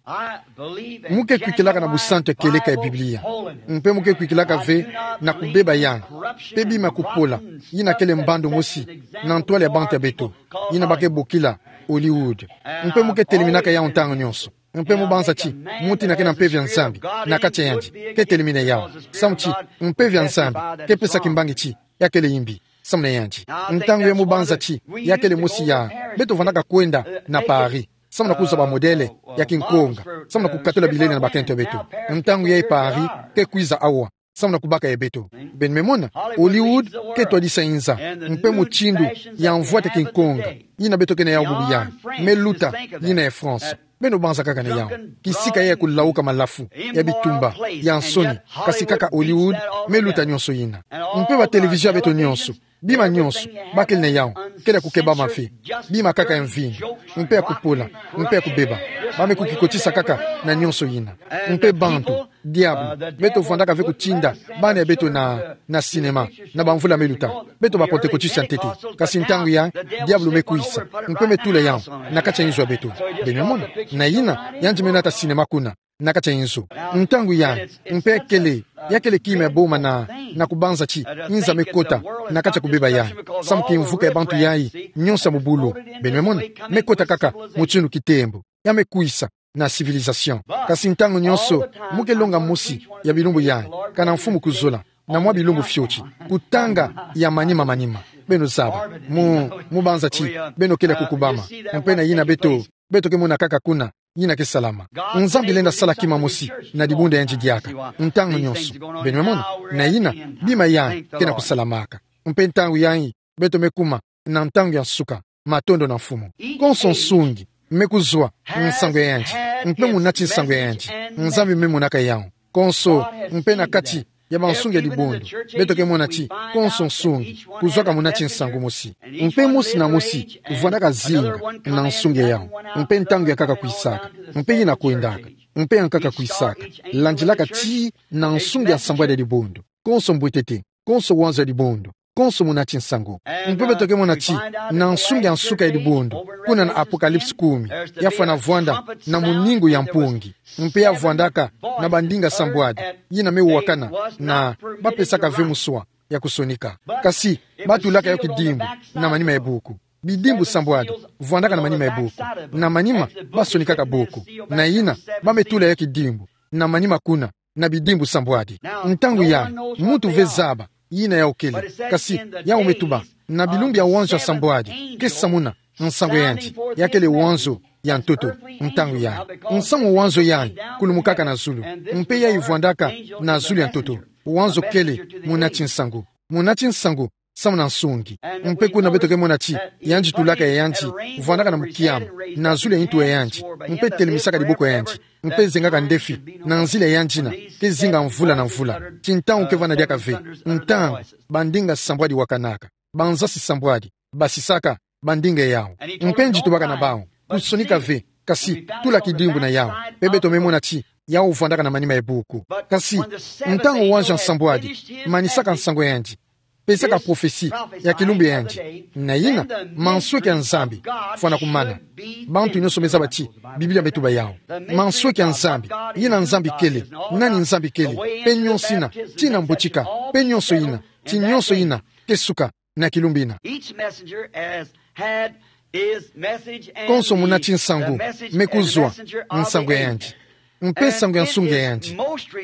Mu ke kwikilaka na busantu ya kieleka ya Biblia. Mpe mu ke kwikilaka ve na kubeba yandi, mpe bima ya kupola, yina kele mbandu mosi na ntwala ya bantu ya beto, yina ba ke bokila Hollywood. Mpe mu ke teleminaka yau ntangu nyonso. Mpe mu banza ti muntu yina ke na Mpeve ya Nzambi na kati ya yandi ke telemina yau. Samu ti Mpeve ya Nzambi ke pesa kimbangi ti ya kele imbi samu na yandi. Ntangu ya mu banza ti ya kele mosi ya beto vandaka kwenda na Paris, samu na kuzwa bamodèle ya kinkonga, samu na kukatula bilele na bakento ya beto. Ntangu yayi Paris ke kwiza awa samu na kubaka ya beto. Beno me mona, Hollywood ke twadisa inza, mpe mutindu ya mvwatu ya kinkonga yina beto ke na yau bubu yayi, me luta yina ya France. Beno banza kaka na yau, kisika ya kulauka malafu, ya bitumba, ya nsoni, kasi kaka Hollywood me luta nyonso yina. Mpe ba télévision ya beto nyonso, bima nyonso ba kele na yau, kele ya kukebama ve, bima kaka ya mvindu, mpe ya kupola, mpe ya kubeba. Ba me kukikotisa kaka na nyonso yina. Mpe bantu, diabulu, beto vandaka ve kutinda bana ya beto na, na cinéma, na bamvula me luta, beto ba Pentecôtiste ya ntete. Kasi ntangu yayi, diabulu me kwisa, mpe me tula yau na kati ya inzo ya beto. Beno me mona, na yina, yandi me nata cinéma kuna na kati ya inzo. Ntangu yayi, mpe kele, ya kele kima ya boma na, na kubanza ti inza me kota na kati ya kubeba yayi, samu kimvuka ya bantu yayi nyonso ya mubulu, beno me mona, me kota kaka mutindu kitembo. Ya me kwisa na civilisation. Kasi ntangu nyonso, mu ke longa mosi ya bilumbu yayi, kana mfumu kuzola, na mwa bilumbu fioti, kutanga ya manima manima. Beno zaba, mu, mu banza ti beno kele ya kukubama. Mpe na yina beto, beto ke mona kaka kuna yina ke salama. Nzambi lenda sala kima mosi na dibundu ya yandi diaka ntangu nyonso. Beno me mona, na yina, bima yayi ke na kusalamaka. Mpe ntangu yayi, beto me kuma na ntangu ya nsuka. Matondo na Mfumu. Konso nsungi me kuzwa nsangu ya yandi, mpe munati nsangu ya yandi. Nzambi me monaka yau konso, mpe na kati ya bansungi ya dibundu, beto ke mona ti konso nsungi kuzwaka munati nsangu mosi. Mpe mosi na mosi vwandaka zinga na nsungi ya yau, mpe ntangu ya nkaka kwisaka, mpe yina kwendaka, mpe ya nkaka kwisaka, landilaka tii na nsungi ya nsambwadi ya dibundu. Konso mbwetete, konso wanzo ya dibundu, konso munati nsangu. Mpe beto ke mona ti na nsungi ya nsuka ya dibundu, kuna na Apocalypse kumi, ya fwana vwanda na muningu ya mpungi, mpe ya vwandaka na bandinga sambwadi, yina me wakana, na ba pesaka ve muswa ya kusonika. Kasi ba tulaka yo kidimbu na manima ya buku. Bidimbu sambwadi vwandaka na manima ya buku. Na manima ba sonikaka buku. Na yina, ba me tula yo kidimbu na manima kuna na bidimbu sambwadi. Ntangu yayi, muntu ve zaba yina yau kele, kasi yau me tuba, na bilumbu ya wanzo ya sambwadi ke samuna nsangu ya yandi, ya kele wanzo ya ntoto. Ntangu yayi, nsamu wanzo yayi kulumukaka na zulu, mpe yayi vwandaka na zulu ya ntoto. Wanzo kele munati nsangu. Munati nsangu samu na nsungi. Mpe kuna beto ke mona ti yandi tulaka ya yandi vwandaka na mukiamu na zulu ya ntu ya yandi, mpe telemisaka diboko ya yandi, mpe zengaka ndefi na nzila ya yandi yina ke zinga mvula na mvula. Ti ntangu ke vwanda diaka ve, ntangu bandinga sambwadi wakanaka, banzasi sambwadi, basisaka bandinga yawu. Mpe nzi tubaka na bawu, kusonika ve, kasi tula kidimbu na yawu, mpe beto me mona ti yawu vwandaka na manima ya buku. Kasi ntangu wazio nsambwadi manisaka nsangu yandi, pesaka prophetie ya kilumbu yandi, na yina mansweki ya Nzambi fwana kumana. Bantu nyonso me zaba ti Biblia me tuba yawu. Mansweki ya Nzambi, yina Nzambi kele, nani Nzambi kele, mpe nyonso yina, tii na mbutika, mpe nyonso yina, ti nyonso yina ke suka na kilumbu yina. Each messenger has had his message and konso munati nsangu me kuzwa nsangu ya yandi, mpe nsangu ya nsungi ya yandi.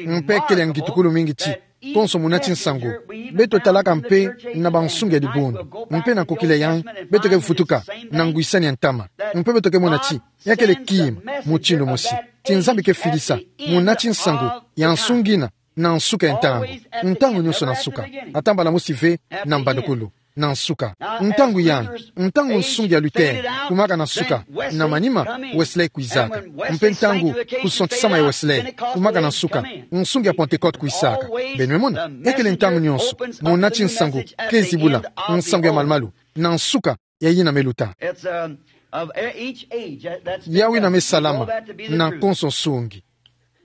Mpe kele ya ngitukulu mingi ti konso munati nsangu, beto talaka mpe na bansungi ya dibundu, mpe na nkokila yayi beto ke vutuka na ngwisani ya ntama, mpe beto ke mona ti ya kele kima mutindu mosi, ti Nzambi ke filisa munati nsangu ya nsungi yina na nsuka ya ntangu. Ntangu nyonso na nsuka. Ata mbala mosi ve na mbandukulu, na nsuka. Ntangu yayi, ntangu nsungi ya Luther kumaka na nsuka, na manima Wesley kwizaka. Mpe ntangu kusontisama ya Wesley kumaka na nsuka, nsungi ya Pentecote kwisaka. Beno me mona, ya kele ntangu nyonso munati nsangu ke zibula nsangu ya malumalu na nsuka ya yina me luta. It's, um, of e-, each age, that, that's been, yawu yina me salama na konso nsungi.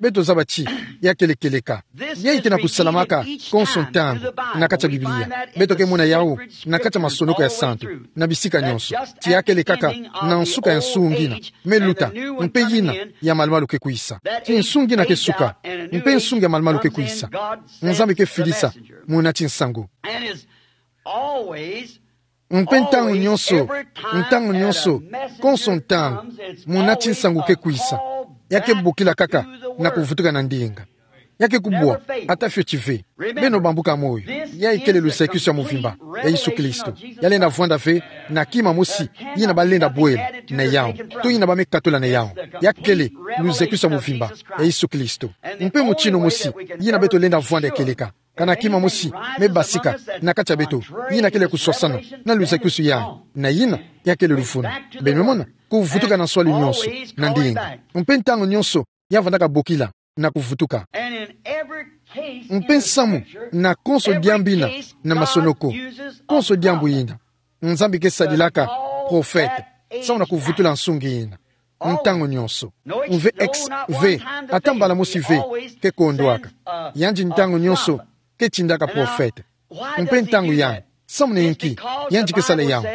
Beto zaba ti ya kele kieleka. Yayi ke na kusalamaka konso ntangu na kati ya Biblia. Beto ke mona yawu na kati ya masonoko ya santu, na bisika nyonso. Ti ya kele kaka na nsuka ya nsungi yina me luta, mpe yina ya malumalu ke kwisa. Ti nsungi yina ke suka, mpe nsungi ya malumalu ke kwisa. Nzambi ke filisa munati nsangu. Mpe ntangu nyonso, ntangu nyonso, konso ntangu munati nsangu ke kwisa, ya ke bokila kaka na kuvutuka na ndinga. Ya ke kubwa ata fioti ve. Beno bambuka moyo, yayi kele luzakisu ya muvimba ya Yesu Kristo. Ya lenda vwanda ve na kima mosi yina ba lenda bwela na yawu, to yina ba me katula na yawu. Ya kele luzakisu ya muvimba ya Yesu Kristo. Mpe mutindu mosi yina beto lenda vwanda ya kieleka, kana kima mosi me basika na kati ya beto, yina kele kuswasana na luzakisu yayi, na yina ya kele luvunu. Beno me mona, kuvutuka na nswalu nyonso na ndinga. Mpe ntangu nyonso ya vwandaka bokila na kuvutuka. Mpe nsamu na konso diambu yina na masonoko, konso diambu yina, Nzambi ke sadilaka profete samu na kuvutula nsungi yina. Ntangu nyonso. Mve ex ve, ata mbala mosi ve ke kondwaka. Yandi ntangu nyonso ke tindaka profete. Mpe ntangu yayi, samu na inki yandi ke sala yawu?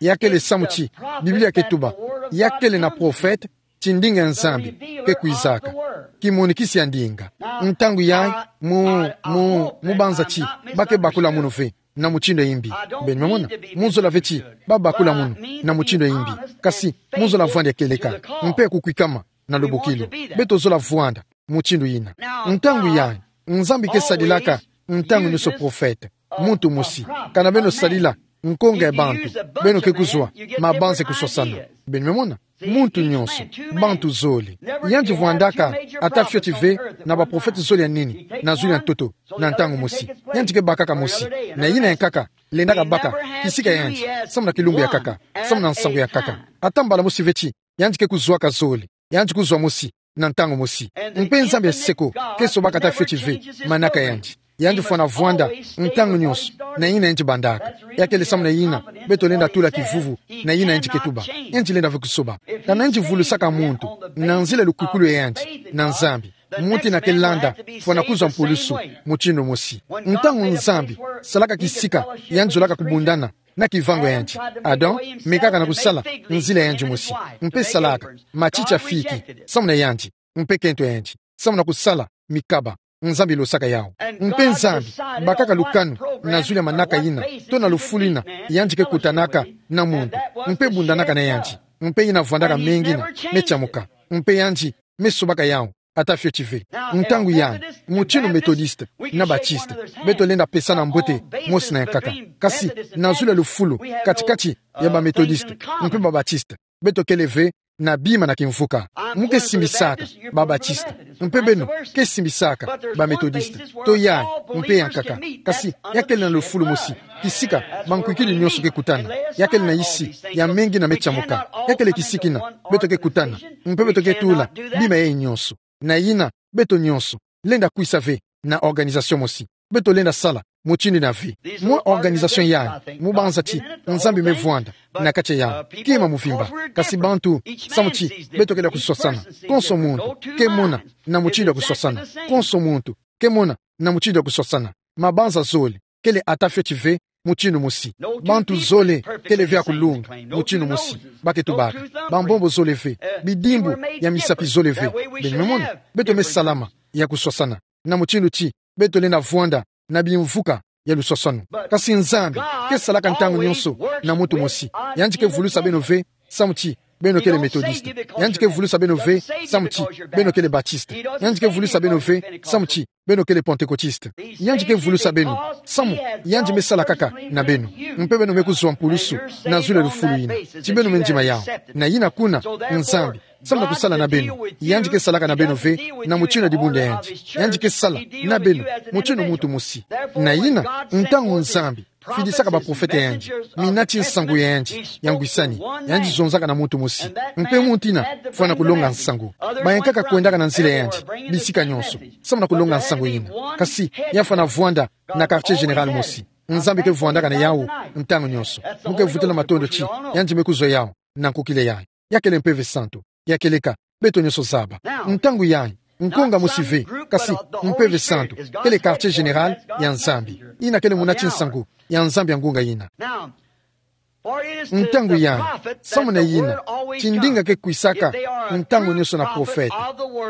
Ya kele samu ti Biblia ke tuba, ya kele na profete, ti ndinga ya Nzambi ke kwizaka. Kimonikisi ya ndinga. Ntangu yayi, mu, mu, mu banza ti ba ke bakula munu ve na mutindu ya imbi. Beno me mona, mu zola ve ti ba bakula munu na mutindu ya imbi. Kasi mu zola vwanda ya kieleka, mpe kukwikama na lubokilo. Beto zola vwanda mutindu yina. Ntangu yayi, Nzambi ke sadilaka ntangu nyonso profete, muntu mosi. Kana beno sadila nkonga ya bantu, beno ke kuzwa mabanza ya kuswasana. Beno me mona, muntu nyonso, bantu zole. Yandi vwandaka ata fioti ve na baprofete zole ya nini na zulu ya ntoto na ntangu mosi. Yandi ke bakaka mosi, na yina ya nkaka lendaka baka kisika yandi samu na kilumbu ya nkaka, samu na nsangu ya nkaka. Ata mbala mosi ve ti yandi ke kuzwaka zole, yandi kuzwa mosi na ntangu mosi. Mpe Nzambi ya seko ke sobaka ata fioti ve manaka ya yandi. Yandi fwana vwanda ntangu nyonso na yina yandi bandaka. Ya kele samu na yina beto lenda tula kivuvu na yina yandi ke tuba. Yandi lenda ve kusoba. Kana yandi vulusaka muntu na nzila ya lukwikulu ya yandi na Nzambi, muntu yina ke landa fwana kuzwa mpulusu mutindu mosi. Ntangu Nzambi salaka kisika, yandi zolaka kubundana na kivango ya yandi. Adam mekaka na kusala nzila ya yandi mosi, mpe salaka matiti ya fiki samu na yandi, mpe kento ya yandi, samu na kusala mikaba. Nzambi losaka yawu. Mpe Nzambi bakaka lukanu na zulu ya manaka yina, to na lufulu yina yandi ke kutanaka na muntu, mpe bundanaka na yandi, mpe yina vwandaka mengi yina me tiamuka, mpe yandi me sobaka yawu ata fioti ve. Ntangu yayi, mutindu Methodiste na Baptiste, beto lenda pesana mbote mosi na ya nkaka. Kasi na zulu ya lufulu katikati ya ba Methodiste mpe ba Baptiste, beto kele ve na bima na kimvuka. Mu ke simbisaka ba Baptiste, mpe beno ke simbisaka ba Methodiste. To yayi, mpe ya nkaka. Kasi ya kele na lufulu mosi kisika bankwikili nyonso ke kutana. Ya kele na isi ya mengi yina me tiamuka. Ya kele kisika yina beto ke kutana, mpe beto ke tula bima yayi nyonso. Na yina beto nyonso lenda kwisa ve na organisation mosi. Beto lenda sala mutindu ina ve. Mwa organisation yayi, mu banza ti Nzambi me vwanda na kati yawu, kima muvimba. Kasi bantu, samu ti beto kele ya kuswasana. Konso muntu ke mona na mutindu ya kuswasana. Konso muntu ke mona na mutindu ya kuswasana. Mabanza zole kele ata fioti ve mutindu mosi. Bantu zole kele ve ya kulunga mutindu mosi. Ba ke tubaka. Bambombo zole ve. Bidimbu ya misapi zole ve. Beno me mona, beto me salama ya kuswasana na mutindu ti beto lenda vwanda na bimvuka ya luswaswanu. Kasi Nzambi ke salaka ntangu nyonso na muntu mosi. Yandi ke vulusa beno ve samu ti beno kele Methodiste. Yandi ke vulusa beno ve samu ti beno kele Baptiste. Yandi ke vulusa beno ve samu ti beno kele Pentecôtiste. Yandi ke vulusa beno samu yandi me sala kaka na beno. Mpe beno me kuzwa mpulusu na zulu ya lufulu yina, ti beno me ndima yawu. Na yina kuna, Nzambi, samu na kusala na beno, yandi ke salaka na beno ve na mutindu ya dibundu ya yandi. Yandi ke sala na beno mutindu muntu mosi. Na yina, ntangu Nzambi fidisaka baprofete ya yandi, minati nsangu ya yandi ya ngwisani, yandi zonzaka na muntu mosi. Mpe muntu yina fwana kulonga nsangu. Bayankaka kwendaka na nzila ya yandi bisika nyonso samu na kulonga nsangu yina. Kasi ya fwana vwanda na quartier général mosi. Nzambi ke vwandaka na yawu ntangu nyonso. Mu ke vutula matondo ti yandi me kuzwa yawu na nkukila yayi. Ya kele Mpeve Santu ya kieleka, beto nyonso zaba. Ntangu yayi, nkonga mosi ve, kasi Mpeve Santu kele quartier général ya Nzambi. Yina kele munati nsangu ya Nzambi ya ngunga yina. Ntangu yayi, samu na yina, ti ndinga ke kwisaka ntangu nyonso na profete.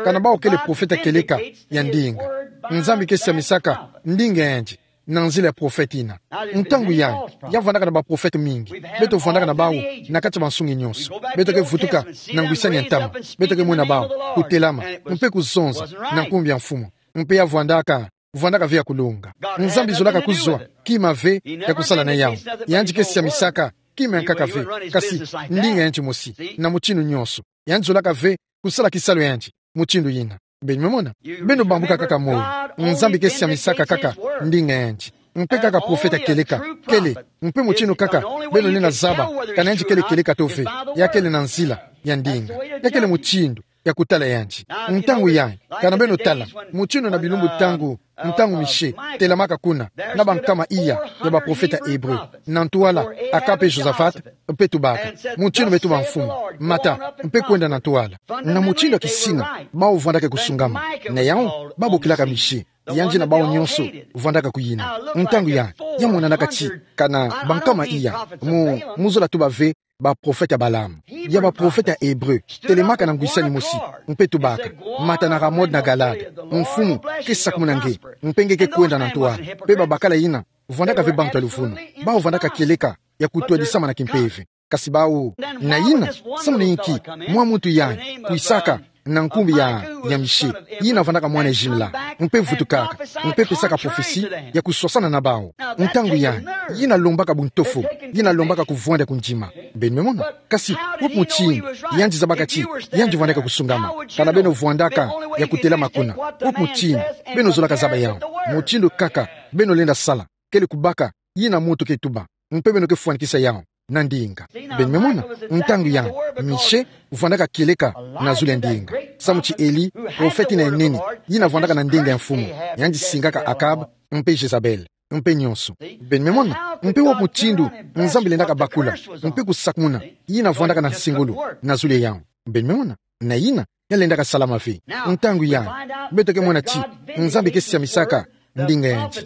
Kana bawu kele profete ya kieleka ya ndinga. Nzambi ke siamisaka ndinga ya yandi na nzila ya profete yina. Ntangu yayi, ya vwandaka na baprofete mingi. Beto vwandaka na bawu na kati ya bansungi nyonso. Beto ke vutuka na ngwisani ya ntama. Beto ke mwena bawu kutelama mpe kuzonza na nkumbu ya Mfumu. Mpe ya vwandaka, vwandaka ve ya kulunga. Nzambi zolaka kuzwa kima ve ya kusala na yawu. Yandi ke siamisaka kima ya nkaka ve, kasi ndinga ya yandi mosi, na mutindu nyonso. Yandi zolaka ve kusala kisalu ya yandi mutindu yina. Beno me mona? Beno bambuka kaka moyo. Nzambi ke siamisaka kaka ndinga ya yandi. Mpe kaka profete ya kieleka kele, mpe mutindu kaka beno lenda zaba kana yandi kele kieleka to ve, ya kele na nzila ya ndinga. Ya kele mutindu ya kutala yandi. Ntangu yayi, kana beno tala mutindu na bilumbu ntangu, ntangu Michel telamaka kuna na bankama iya ya baprofete ya Hébreu, na ntwala Akab mpe Josaphat, mpe tubaka: Mutindu me tuba Mfumu, mata mpe kwenda na ntwala. Na mutindu ya kisina, bawu vwandaka kusungama. Na yawu, babokilaka Michel, yandi na bawu nyonso vwandaka kuyina. Ntangu yayi, ya monanaka ti kana bankama iya mu, mu zola tuba ve baprofete ya Balaam, ya baprofete ya Hébreu telemaka na ngwisani mosi, mpe tubaka: Mata na Ramot na Galaad, Mfumu ke sakumuna nge, mpe nge ke kwenda na ntwala. Mpe babakala yina, vwandaka ve bantu ya luvunu. Bawu vwandaka kieleka ya kutwadisama na kimpeve. Kasi bawu, na yina, samu na inki mwa muntu yayi kwisaka na nkumbu ya, ya Michel, yina vwandaka mwana Jimla, mpe vutukaka, mpe pesaka prophetie ya kuswasana na bawu? Ntangu yayi, yina lombaka buntofo, yina lombaka kuvwanda kundima. Beno me mona? Kasi wapi mutindu yandi zabaka ti yandi vwandaka kusungama, kana beno vwandaka ya kutelama kuna? Wapi mutindu beno zolaka zaba yawu? Mutindu kaka beno lenda sala kele kubaka yina muntu ke tuba, mpe beno ke fwanikisa yawu na ndinga. Beno me mona? Ntangu yayi, Michel vwandaka kieleka na zulu ya ndinga. Samu ti Elie, profete yina ya nene, yina vwandaka na ndinga ya Mfumu, yandi singaka Akab mpe Jezabel, mpe nyonso. Beno me mona? Mpe wapi mutindu Nzambi lendaka bakula mpe kusakumuna yina vwandaka na nsengulu na zulu ya yawu? Beno me mona? Na yina, ya lendaka salama ve. Ntangu yayi, beto ke mona ti Nzambi ke siamisaka ndinga ya yandi,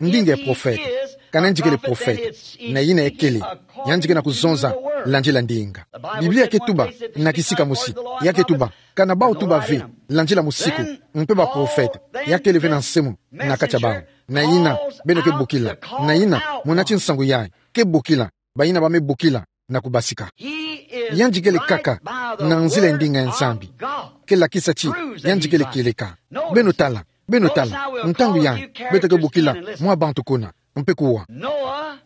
ndinga ya profete. Kana yandi kele profete, na yina ya kele, yandi ke na kuzonza landila ndinga. Biblia ke tuba na kisika mosi, ya ke tuba: Kana bawu tuba ve, landila musiku, mpe baprofete, ya kele ve na nsemo na kati ya bawu. Na yina, beno ke bokila. Na yina, munati nsangu yayi ke bokila bayina ba me bokila na kubasika. Yandi kele kaka na nzila ya ndinga ya Nzambi. Ke lakisa ti yandi kele kieleka. Beno tala, beno tala, ntangu yayi, beto ke bokila mwa bantu kuna, mpe kuwa.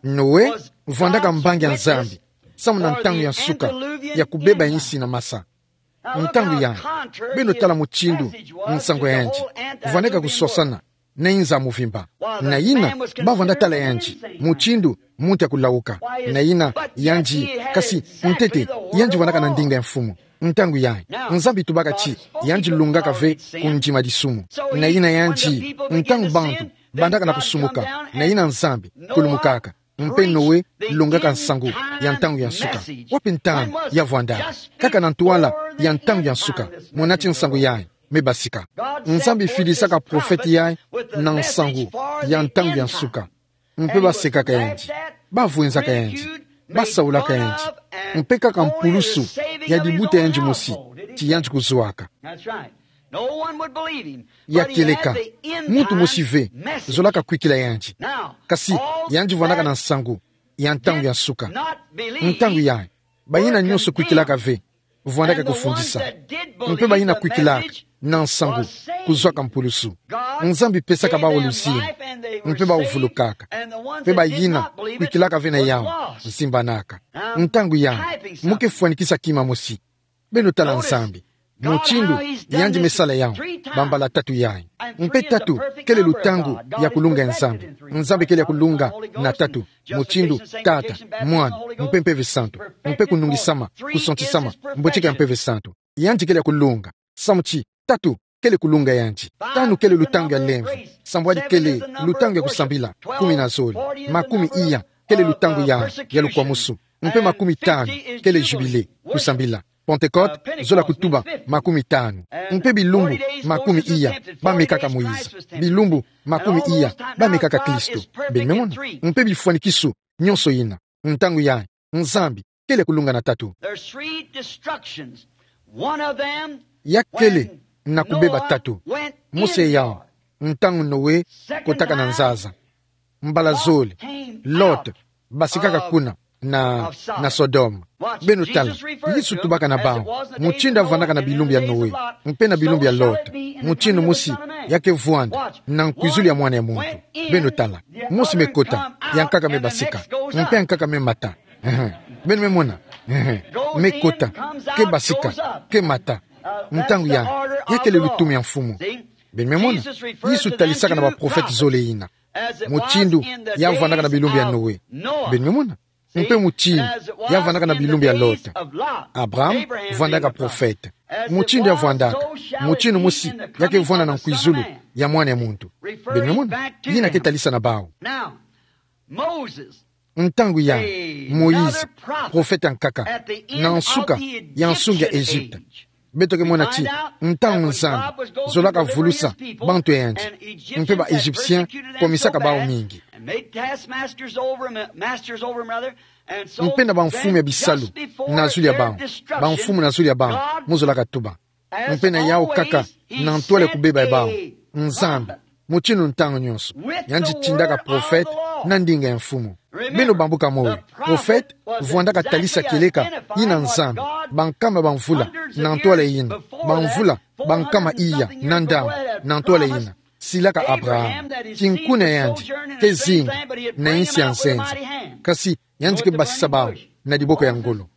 Noe vwandaka mbangi ya Nzambi, samu na ntangu ya nsuka ya kubeba ya insi na masa. Ntangu yayi, beno tala mutindu nsangu ya yandi vwandaka kuswasana na inza muvimba. Na yina, ba vwanda tala yandi mutindu muntu ya kulawuka. Na yina, yandi, kasi ntete, yandi vwandaka na ndinga ya Mfumu. Ntangu yayi, Nzambi tubaka ti yandi lungaka ve kundima disumu. Na yina yandi, ntangu bantu Bandaka na kusumuka, na yina Nzambi kulumukaka. Mpe Noe longaka nsangu ya ntangu ya nsuka. Wapi ntangu yavwandaka? Kaka na ntwala ya ntangu ya nsuka, muna ti nsangu yayi me basika. Nzambi filisaka profete yayi na nsangu ya ntangu ya nsuka. Mpe basekaka yandi, bavwenzaka yandi, basaulaka yandi. Mpe kaka mpulusu ya dibuta yandi mosi, ti yandi kuzwaka. Ya kieleka, muntu mosi ve zolaka kwikila yandi. Kasi yandi vwandaka na nsangu ya ntangu ya nsuka. Ntangu yayi, bayina nyonso kwikilaka ve vwandaka kufundisa. Mpe bayina kwikilaka na nsangu kuzwaka mpulusu. Nzambi pesaka bawu luzingu, mpe bawu vulukaka. Mpe bayina kwikilaka ve na yawu zimbanaka. Ntangu yayi, mu ke fwanikisa kima mosi. Beno tala Nzambi mutindu yandi me sala yawu, bambala tatu yayi. Mpe tatu kele lutangu ya kulunga ya Nzambi. Nzambi kele ya kulunga na tatu, mutindu Tata, Mwana, mpe Mpeve Santu. Mpe kunungisama, kusontisama, mboteka ya Mpeve Santu. Yandi kele ya kulunga. Samu ti tatu kele kulunga yandi. Tanu kele lutangu ya lemvo. Sambwadi kele lutangu ya kusambila. Kumi na zole. Makumi iya kele lutangu ya, ya lukwamusu. Mpe makumi tanu kele jubile, kusambila. Pentekote, zola kutuba makumi tanu. Mpe bilumbu makumi iya bamekaka Moïse. Bilumbu makumi iya bamekaka Kristo. Beno me mona? Mpe bifwanikisu nyonso yina. Ntangu yayi, Nzambi kele ya kulunga na tatu. There's three destructions. One of them, ya kele na kubeba tatu. Mosi yawu, ntangu Noe kotaka na nzaza. Mbala zole, Lot basikaka kuna na, na Sodome. Beno tala, Yesu tubaka na bawu mutindu avwandaka na bilumbu ya Noe mpe na bilumbu ya Lot. Mutindu mosi ya ke vwanda na nkwizulu ya Mwana ya muntu. Beno tala, mosi me kota, ya nkaka me basika, mpe ya nkaka me mata. Ehe. Beno me mona? Ehe. Me kota, ke basika, ke mata. Ntangu yayi, ya kele lutumu ya Mfumu. Beno me mona? Yesu talisaka na baprofete zole yina mutindu ya vwandaka na bilumbu ya Noe. Beno me mona? Mpe mutindu ya vwandaka na bilumbu ya Lot. Abraham vwandaka profete. Mutindu ya vwandaka, mutindu mosi ya ke vwanda na nkwizulu ya Mwana ya muntu. Beno me mona? Yina ke talisa na bawu. Ntangu yayi, Moïse, profete ya nkaka, na nsuka ya nsunga ya Egypte. Beto ke mona ti ntangu Nzambi zolaka vulusa bantu ya yandi, mpe ba Egyptiens kwamisaka bawu mingi. Mpe na bamfumu ya bisalu na zulu ya bawu, bamfumu na zulu ya bawu, mu zolaka tuba. Mpe na yawu kaka, na ntwala ya kubeba ya bawu, Nzambi, mutindu ntangu nyonso, yandi tindaka profete na ndinga ya Mfumu. Beno bambuka moyo, profete vwandaka talisa kieleka yina Nzambi, bankama bamvula na ntwala yina, bamvula bankama iya na ndambu na ntwala yina, silaka Abraham, kinkuna ya yandi ke zingi na insi ya nzenza. Kasi yandi ke basisa bawu na diboko ya ngolo.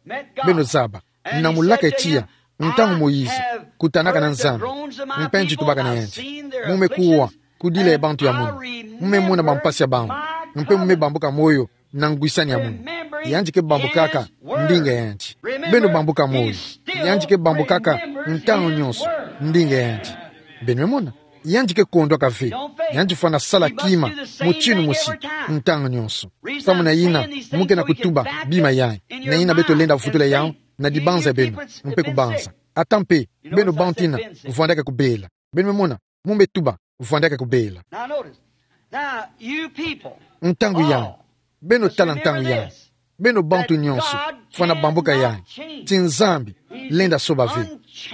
Beno zaba, na mulaka ya tiya, ntangu Moïse kutanaka na Nzambi, mpe yandi tubaka na yandi: Mu me kuwa kudila ya bantu ya munu, mu me mona bampasi ya bawu, mpe mu me bambuka moyo na ngwisani ya munu. Yandi ke bambukaka ndinga ya yandi. Beno bambuka moyo, yandi ke bambukaka ntangu nyonso ndinga ya yandi. Beno me mona? Yandi ke kondwaka ve. Yandi fwana sala kima mutindu mosi ntangu nyonso. Samu na yina mu ke na kutuba bima yayi, na yina beto lenda vutula yawu na dibanza ya beno, mpe kubanza. Ata mpe beno bantu yina vwandaka kubela. Beno me mona? Mu me tuba, vwandaka kubela. Now notice. Now, you people, ntangu yayi, beno tala ntangu yayi. Beno bantu nyonso, fwana bambuka yayi, ti Nzambi lenda soba ve.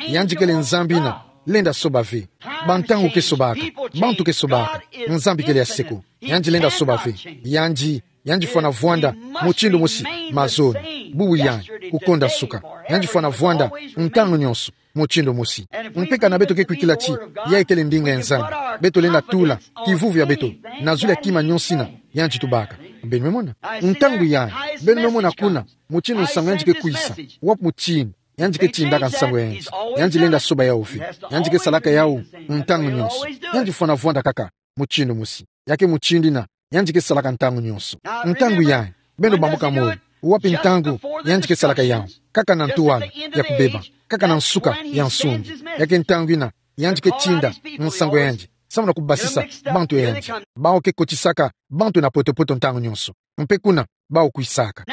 Yandi kele Nzambi yina lenda soba ve. Bantangu ke sobaka, bantu ke sobaka, Nzambi kele ya seko. Yandi lenda soba ve. Yandi, yandi fwana vwanda mutindu mosi, mazono, bubu yayi, kukonda nsuka. Yandi fwana vwanda ntangu nyonso mutindu mosi. Mpe kana beto ke kwikila ti yayi kele ndinga ya Nzambi, beto lenda tula kivuvu ya beto na zulu ya kima nyonso yina yandi tubaka. Beno me mona? Ntangu yayi, beno me mona kuna mutindu nsangu yandi ke kwisa? Wapi mutindu yandi ke tindaka nsangu ya yandi? Yandi lenda soba yawu ve. Yandi ke salaka yawu ntangu nyonso. Yandi fwana vwanda kaka mutindu mosi. Ya ke mutindu yina yandi ke salaka ntangu nyonso. Ntangu yayi, beno bambuka moyo, wapi ntangu yandi ke salaka yawu? Kaka na ntwala ya kubeba, kaka na nsuka ya nsungi. Ya ke ntangu yina yandi ke tinda nsangu ya yandi samu na kubasisa bantu ya yandi. Bawu ke kotisaka bantu na poto-poto ntangu nyonso. Mpe kuna, bawu kwisaka.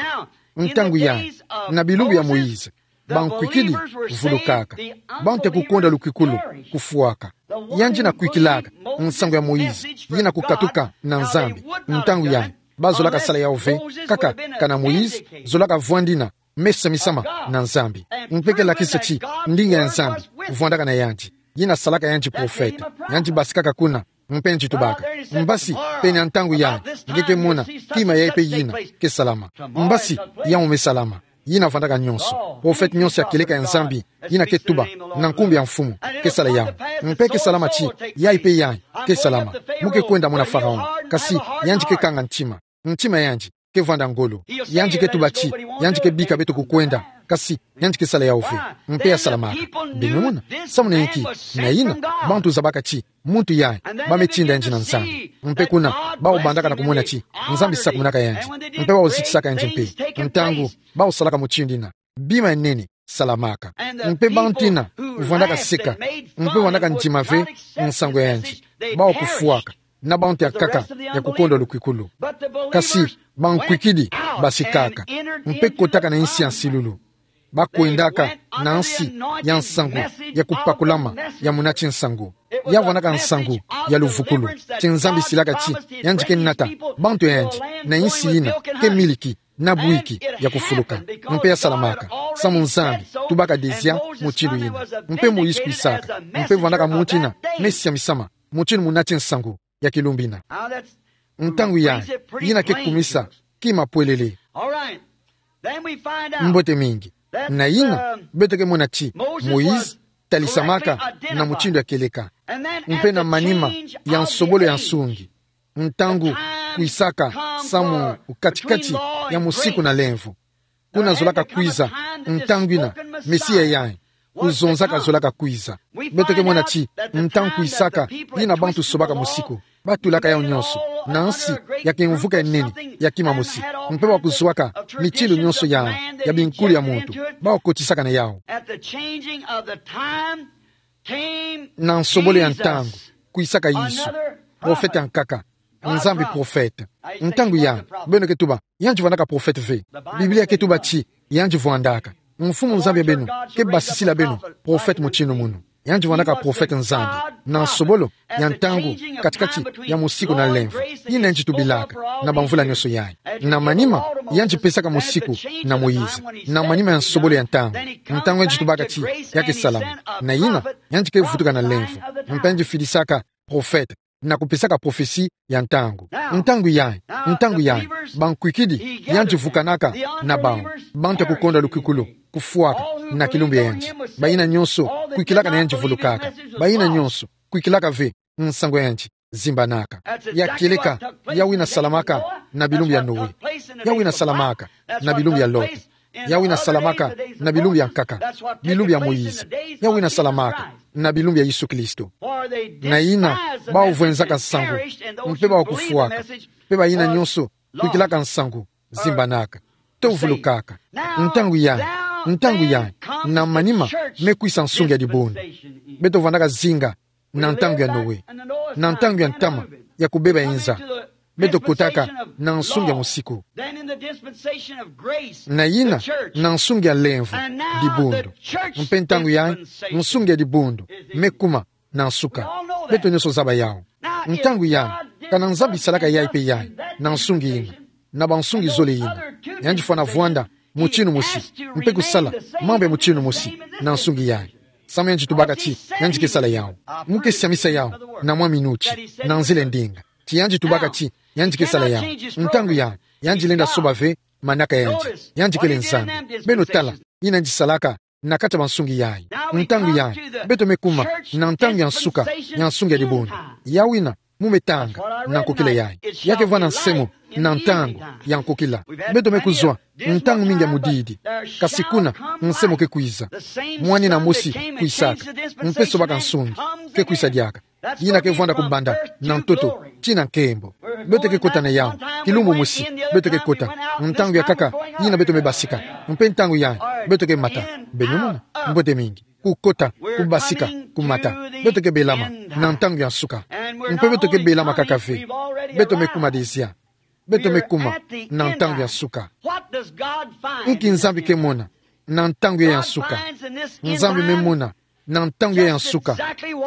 Ntangu yai, na bilumbu ya Moïse, bankwikidi vulukaka. Bantu ya kukonda lukwikulu kufwaka. Yandi na kwikilaka nsangu ya Moïse, yina kukatuka na Nzambi. Ntangu yai, bazolaka sala yawu ve, kaka kana Moïse zolaka vwandina, mesa misama na Nzambi. Mpe ke lakisa ti ndinga ya Nzambi vwandaka na yandi. Yina salaka yandi profete. Yandi basikaka kuna, mpe yandi tubaka: Mbasi, pene ya ntangu yai, nge ke mona kima yai mpe yina ke salama. Mbasi, yawu me salama. Yina vwandaka nyonso. Profete nyonso ya kieleka ya Nzambi, yina ke tuba na nkumbu ya Mfumu, ke sala yawu. Mpe ke salama ti yai mpe yai ke salama. Mu ke kwenda muna Pharaon, kasi yandi ke kanga ntima. Ntima ya yandi ke vwanda ngolo. Yandi ke tuba ti yandi ke bika beto kukwenda, kasi yandi ke sala yawu ve. Mpe ya salamaka. Beno mona, samu na inki? Na yina, bantu zabaka ti muntu yai, ba me tinda yandi na Nzambi. Mpe kuna, bawu bandaka na kumona ti Nzambi sakumunaka yandi. Mpe bawu zitisaka yandi mpe. Ntangu bawu salaka mutindu yina, bima ya nene salamaka. Mpe bantu yina vwandaka seka, mpe vwandaka ndima ve nsangu ya yandi, bawu kufwaka na bantu ya nkaka ya kukonda lukwikulu. Kasi bankwikidi basikaka, mpe kotaka na insi ya nsilulu. Bakwendaka na nsi ya nsangu ya kupakulama ya munati nsangu. Ya vwandaka nsangu ya luvukulu, ti Nzambi silaka ti yandi ke nata bantu ya yandi na insi yina ke miliki na bwiki ya kufuluka. Mpe ya salamaka, samu Nzambi tubaka désir mutindu yina. Mpe Moïse kwisaka, mpe vwandaka muntu yina me sia misama mutindu munati nsangu ya kilumbu yina. Ntangu yai, yina ke kumisa kima pwelele. Mbote mingi. Na yina, beto ke mona ti Moïse talisamaka na mutindu ya kieleka, mpe na manima ya nsobolo ya nsungi. Ntangu kwisaka samu kati-kati ya musiku na lemvo. Kuna zolaka kwiza ntangu yina Mesia yai kuzonzaka zolaka kwiza. Beto ke mona ti ntangu kwisaka, yina bantu sobaka musiku, batulaka yawu nyonso na nsi ya kimvuka ya nene ya kima mosi. Mpe bawu kuzwaka mitindu nyonso ya, ya binkulu ya muntu, bawu kotisaka na yawu. Na nsobolo ya ntangu, kwisaka Yesu, profete ya nkaka, Nzambi profete. Ntangu yandi, beno ke tuba, yandi vwandaka profete ve. Biblia ke tuba ti yandi vwandaka. Mfumu Nzambi ya beno ke basisila beno profete mutindu munu. Yandi vwandaka profete Nzambi. Na nsobolo ya ntangu kati-kati ya musiku na lemvo, yina yandi tubilaka na bamvula nyonso yai. Na manima, yandi pesaka musiku na Moïse, na manima ya nsobolo ya ntangu, ntangu yandi tubaka ti ya ke salama. Na yina, yandi ke vutuka na lemvo, mpe yandi fidisaka profete na kupesaka prophetie ya ntangu. Ntangu yai, ntangu yai, bankwikidi, yandi vukanaka na bawu, bantu ya kukonda lukwikulu kufwaka na kilumbu ya yandi. Bayina nyonso kwikilaka na yandi vulukaka. Bayina nyonso kwikilaka ve nsangu ya yandi zimbanaka. Ya kieleka yawu yina salamaka na bilumbu ya Noe. Yawu yina salamaka na bilumbu ya Lot. Yawu yina salamaka na bilumbu ya nkaka, bilumbu ya Moïse. Yawu yina salamaka na bilumbu ya Yesu Kristo. Na yina, bawu vwenzaka nsangu, mpe bawu kufwaka, mpe bayina nyonso kwikilaka nsangu zimbanaka, to vulukaka. Ntangu yai, ntangu yai, na manima me kwisa nsungi ya dibundu. Beto vwandaka zinga na ntangu ya Noe, na ntangu ya ntama ya kubeba inza, beto kotaka na nsungi ya musiku. Na yina, na nsungi ya lemvo, dibundu. Mpe ntangu yai, nsungi ya dibundu me kuma na nsuka. Beto nyonso zaba yawu. Ntangu yai, kana Nzambi salaka yai mpe yai na nsungi yina, na bansungi zole yina, yandi fwana vwanda mutindu mosi, mpe kusala mambu ya mutindu mosi na nsungi yai. Samu yandi tubaka ti yandi ke sala yawu. Mu ke siamisa yawu na mwa minuti, na nzila ya ndinga, ti yandi tubaka ti yandi ke sala yawu. Ntangu yai, yandi lenda soba ve manaka ya yandi. Yandi kele Nzambi. Beno tala yina yandi salaka na kati ya bansungi yai. Ntangu yai, beto me kuma na ntangu ya nsuka ya nsungi ya dibundu. Yawu yina mu me tanga na nkokila yai. Ya ke vwanda nsemo na ntangu ya nkokila. Beto me kuzwa ntangu mingi ya mudidi, kasi kuna nsemo ke kwiza. Mwanina mosi kwisaka, mpe sobaka nsungi, ke kwisa diaka. Yina ke vwanda kubanda na ntoto tii na nkembo. Beto ke kota na yawu. Kilumbu mosi beto ke kota. Ntangu ya nkaka yina beto me basika, mpe ntangu yai beto ke mata. Beno mona? Mbote mingi. Kukota, kubasika, kumata. Beto ke belama na ntangu ya nsuka. Mpe beto ke bela makaka ve. Beto me kuma dezia. Beto me kuma na ntangu ya nsuka. Inki Nzambi ke mona na ntangu ya nsuka? Nzambi me mona na ntangu ya nsuka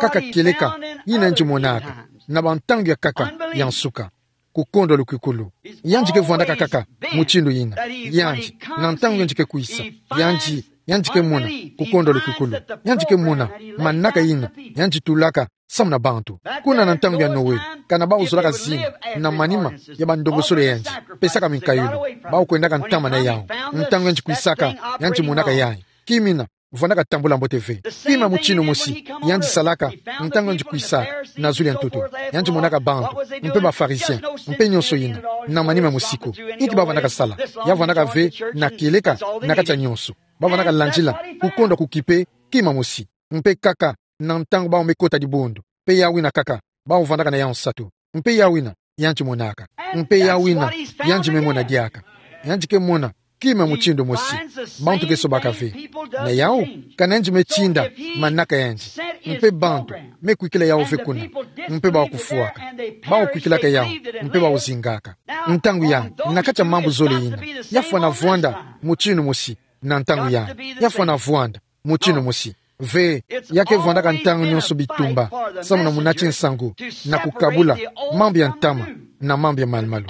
kaka kieleka yina yandi monaka na bantangu ya nkaka ya nsuka. Kukondwa lukukulu. Yandi ke vwandaka kaka mutindu yina. Yandi, na ntangu yandi ke kwisa, yandi, yandi ke mona kukondwa lukukulu. Yandi ke mona manaka yina yandi tulaka samu na bantu. Kuna na ntangu ya Noe, kana bawu zolaka zina na manima ya bandongosolo ya yandi, pesaka minkayulu, bawu kwendaka ntama na yawu. Ntangu yandi kwisaka, yandi monaka yayi. Kimina, vwandaka tambula mbote ve. Kima mutindu mosi yandi salaka ntangu yandi kwisa na zulu ya ntoto. Yandi monaka bantu, mpe ba pharisiens, mpe nionso yina, na manima mosi ko. Inki ba vwandaka sala? Ya vwandaka ve na kieleka na kati ya nionso. Ba vwandaka landila kukondwa kukipe kima mosi. Mpe kaka na ntangu bawu me kota dibundu, mpe yawu yina kaka bawu vwandaka na yawu nsatu. Mpe yawu yina yandi monaka. Mpe yawu yina yandi me mona diaka. Yandi ke mona kima mutindu mosi. Bantu ke sobaka ve. Na yawu, kana yandi me tinda manaka yandi, mpe bantu me kwikila yawu ve kuna, mpe bawu kufwaka. Bawu kwikilaka yawu, mpe bawu zingaka. Ntangu ya, na kati ya mambu zole yina, ya fwana vwanda mutindu mosi. Na ntangu ya, ya fwana vwanda mutindu mosi. Ve, ya ke vwandaka ntangu nionso bitumba samu na munati nsangu na kukabula mambu ya ntama na mambu ya malumalu.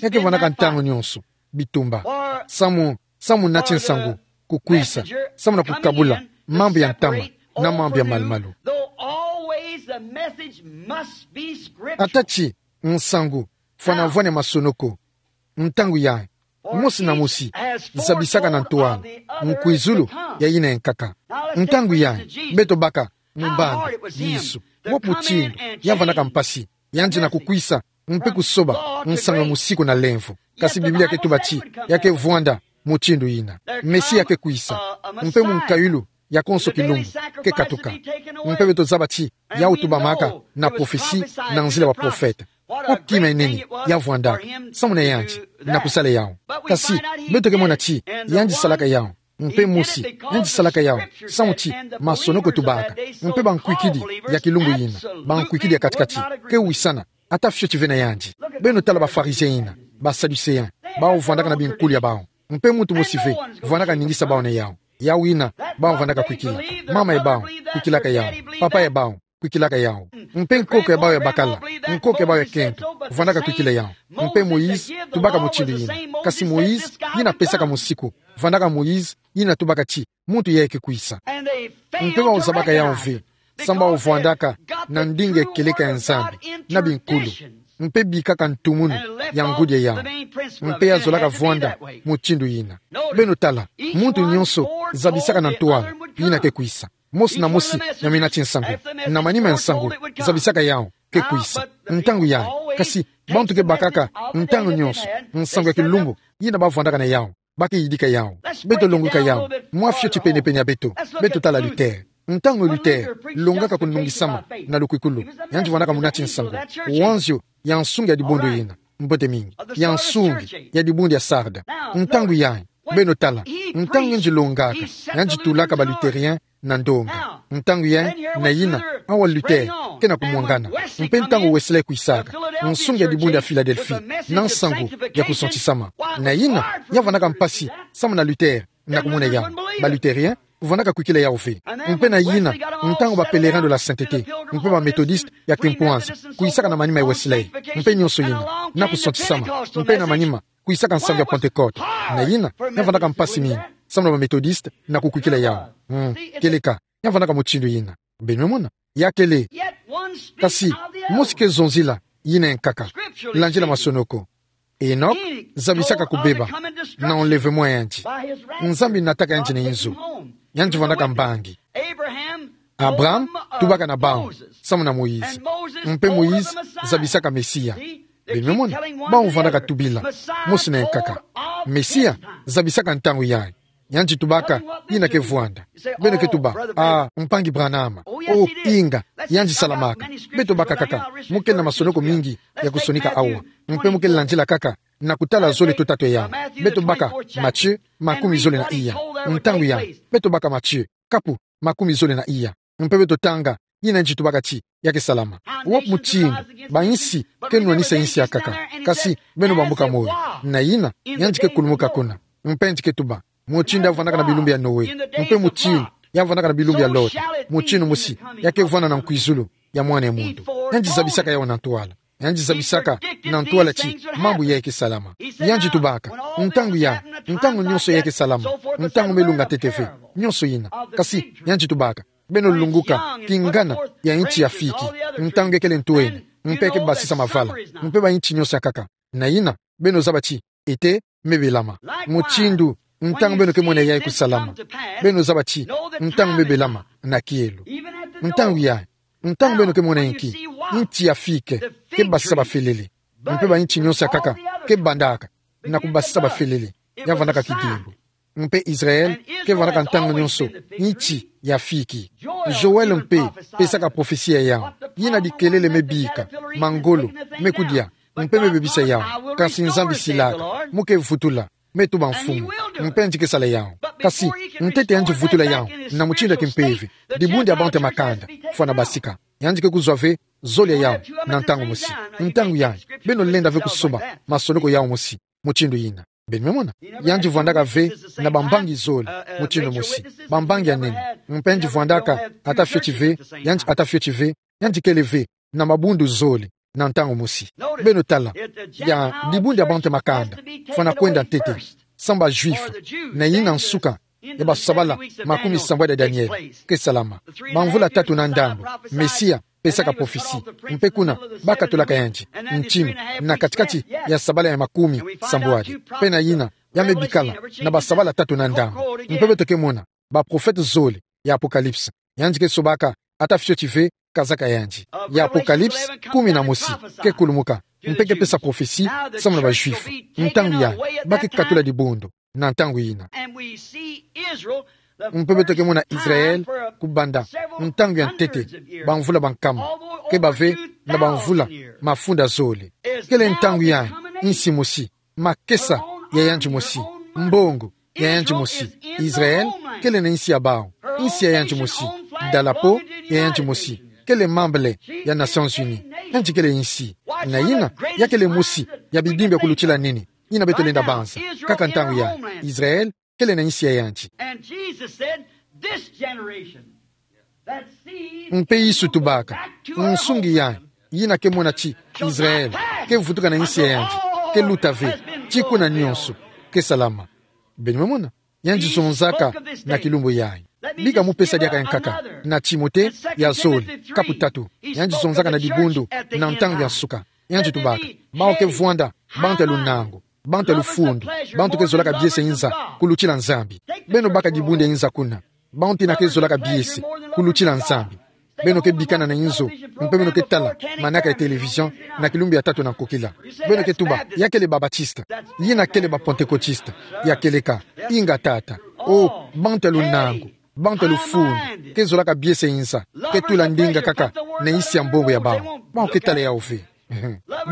Ya ke vwandaka ntangu nionso bitumba samu, samu munati nsangu kukwisa, samu na kukabula mambu ya ntama na mambu ya malumalu. Ata ti nsangu fwana vwani ya masonoko, ntangu yayi, mosi na mosi zabisaka na ntwala nkwizulu ya yina ya nkaka. Ntangu yayi, beto baka mu mbandu Yesu, wapi mutindu ya vwandaka mpasi, yandi na kukwisa mpe kusoba nsangu ya musiku na lemvo. Kasi Biblia ke tuba ti ya ke vwanda mutindu yina. Mesia ke kwisa, mpe munkayulu ya konso kilumbu ke katuka. Mpe beto zaba ti yawu tubamaka na prophetie na nzila ya ba prophète. Wapi kima enene ya vwandaka samu na yandi na kusala yawu? Kasi beto ke mona ti yandi salaka yawu, mpe mosi yandi salaka yawu samu ti masonoko tubaka, mpe bankwikidi ya kilumbu yina, bankwikidi ya kati-kati, ke wisana, ata fioti ve na yandi. Beno tala ba pharisiens yina, ba sadducéens, bawu vwandaka na binkulu ya bawu. Mpe muntu mosi ve vwandaka ningisa bawu na yawu. Yawu yina bawu vwandaka kwikila. Mama ya bawu kwikilaka yawu. Papa ya bawu kwikilaka yawu. Mpe nkoko ya bawu ya bakala, nkoko ya bawu ya kento, vwandaka kwikila yawu. Mpe Moïse tubaka mutindu yina. Kasi Moïse yina pesaka musiku, vwandaka Moïse yina tubaka ti muntu yayi ke kwisa. Mpe bawu zabaka yawu ve, samu bawu vwandaka na ndinga ya kieleka ya Nzambi na binkulu, mpe bikaka ntumunu ya ngudi ya yawu. Mpe ya zolaka vwanda mutindu yina. Beno tala, muntu nionso zabisaka na ntwala yina ke kwisa. Mosi na mosi ya munati nsangu, na manima ya nsangu, zabisaka yawu ke kwisa. Ntangu yayi, kasi bantu ke bakaka ntangu nionso nsangu ya kilumbu yina ba vwandaka na yawu. Ba ke yidika yawu. Beto longuka yawu mwa fioti pene-pene ya beto. Beto tala Luther. Ntangu Luther longaka kunungisama na lukwikulu, yandi vwandaka munati nsangu, wanzio ya nsungi ya dibundu yina, mbote mingi, ya nsungi ya dibundu ya Sarde. Ntangu yayi, beno tala, ntangu yandi longaka, yandi tulaka ba Lutherien na ndonga. Ntangu yayi, na yina, awa Luther ke na kumwangana. Mpe ntangu Wesley kwisaka, nsungi ya dibundu ya Philadelphie, na nsangu ya kusantisama. Na yina ya vwandaka mpasi samu na Luther na kumona yawu. Ba Lutherien vwandaka kwikila yawu ve. Mpe na yina, ntangu ba Pèlerins de la Sainteté, mpe ba Methodistes ya kimpwanza, kwisaka na manima ya Wesley, mpe nionso yina, na kusantisama, mpe na manima kwisaka nsangu ya Pentecôte. Na yina ya vwandaka mpasi mingi samu na ba Methodistes na kukwikila yawu. Hmm, kieleka ya vwandaka mutindu yina. Beno mona? Ya kele. Kasi mosi ke zonzila yina ya nkaka. Landila masonoko. Enoch zabisaka kubeba na enlèvement ya yandi. Nzambi nataka yandi na inzo. Yandi vwandaka mbangi. Abraham tubaka na bawu samu na Moïse. Mpe Moïse zabisaka Mesia. Beno mona? Bawu vwandaka tubila mosi na ya nkaka. Mesia zabisaka ntangu yayi. Yandi tubaka yina ke vwanda. Beno ke tuba, ah, mpangi Branham. Oh, inga, yandi salamaka. Beto baka kaka, mu kele na masonoko mingi ya kusonika awa. Mpe mu kele landila kaka na kutala zole to tatu ya yawu. Beto baka Matthieu makumi zole na iya. Ntangu yayi, beto baka Matthieu kapu makumi zole na iya. Mpe beto tanga yina yandi tubaka ti ya ke salama. Wapi mutindu ba-insi ke nwanisa insi akaka, kasi beno bambuka moyo? Na yina, yandi ke kulumuka kuna, mpe yandi ke tuba, mutindu ya vandaka na bilumbu ya Noe, mpe mutindu ya vandaka na bilumbu ya Lot, mutindu mosi ya ke vwanda na nkwizulu ya Mwana ya Muntu. Yandi zabisaka yawu na ntwala. Yandi zabisaka na ntwala ti mambu yayi ke salama. Yandi tubaka, ntangu ya, ntangu nyonso yayi ke salama, ntangu me lunga ntete ve, nyonso yina. Kasi yandi tubaka, beno lunguka kingana ya insi ya fiki, ntangu ya kele ntwene, mpe ya ke basisa mavala, mpe ba-insi nyonso akaka. Na yina, beno zaba ti, ete, me belama. Mutindu, ntangu beno ke mona yayi kusalama, beno zaba ti, ntangu me belama na kielo. Ntangu yayi, ntangu beno ke mona inki, insi ya fiki ke basisa bafelele, mpe ba-insi nyonso akaka ke bandaka na kubasisa bafelele, ya vandaka kidimbu. Mpe Israel ke vandaka ntangu nyonso insi ya fiki. Joel mpe pesaka prophetie ya yawu, yina bikelele me bika, mangolo me kudia, mpe me bebisa yawu. Kasi Nzambi silaka, mu ke vutula, me tuba mfumu, mpe yandi ke sala yawu. Kasi ntete yandi vutula yawu na mutindu ya kimpeve, dibundu ya bantu ya makanda fwana basika, yandi ke kuzwa ve zole ya yawu na ntangu mosi. Ntangu yayi, beno lenda ve kusomba masoloko yawu mosi mutindu yina. Beno me mona, yandi vwandaka ve na bambangi zole mutindu mosi, bambangi ya nene. Mpe yandi vwandaka, ata fioti ve, yandi ata fioti ve, yandi kele ve na mabundu zole na ntangu mosi. Beno tala, ya dibundu ya bantu ya makanda fwana kwenda ntete, samu ba-Juif, na yina nsuka ya basabala makumi sambwadi ya Daniel ke salama. Bamvula tatu na ndambu, Mesia pesaka prophetie, mpe kuna bakatulaka yandi ntinu na katikati ya sabala ya makumi sambwadi. Mpe na yina, ya me bikala na basabala tatu na ndambu. Mpe beto ke mona baprofete zole ya Apocalypse. Yandi ke sobaka, ata fioti ve kazaka yandi. Ya Apocalypse kumi na mosi ke kulumuka, mpe ke pesa prophetie samu na ba-Juif. Ntangu yayi, ba ke katula dibundu na ntangu yina. Mpe beto ke mona Israel kubanda ntangu ya ntete, bamvula bankama, ke bave na bamvula mafunda zole. Kele ntangu yayi, insi mosi, makesa ya yandi mosi, mbongo ya yandi mosi. Israel kele na insi ya bawu, insi ya yandi mosi, drapeau ya yandi mosi, kele membre ya Nations Unies. Yandi kele insi. Na yina, ya kele mosi ya bidimbu ya kulutila nini, yina beto lenda banza. Kaka ntangu yayi, Israel kele na insi ya yandi. And Jesus said, "This generation that sees," mpe Yesu tubaka, nsungi yayi, yina ke mona ti Israel ke vutuka na insi ya yandi, ke luta ve ti kuna nyonso ke salama. Beno me mona, yandi zonzaka na kilumbu yayi. Bika mu pesa diaka ya nkaka na Timothée ya zole, kapu tatu. Yandi zonzaka na dibundu na ntangu ya nsuka. Yandi tubaka, bawu ke vwanda bantu ya lunangu, bantu ya lufundu, bantu ke zolaka biese inza kulutila Nzambi. Beno baka dibundu ya inza kuna. Bantu yina ke zolaka biese kulutila Nzambi. Beno ke bikana na inzo, mpe beno ke tala manaka ya télévision na kilumbu ya tatu na nkokila. Beno ke tuba, ya kele ba-Baptiste, yina kele ba-Pentecôtiste, ya kieleka, inga tata. O, bantu ya lunangu, bantu ya lufundu, ke zolaka biese inza, ke tula ndinga kaka na insi ya mbongo ya bawu. Bawu ke tala yawu ve.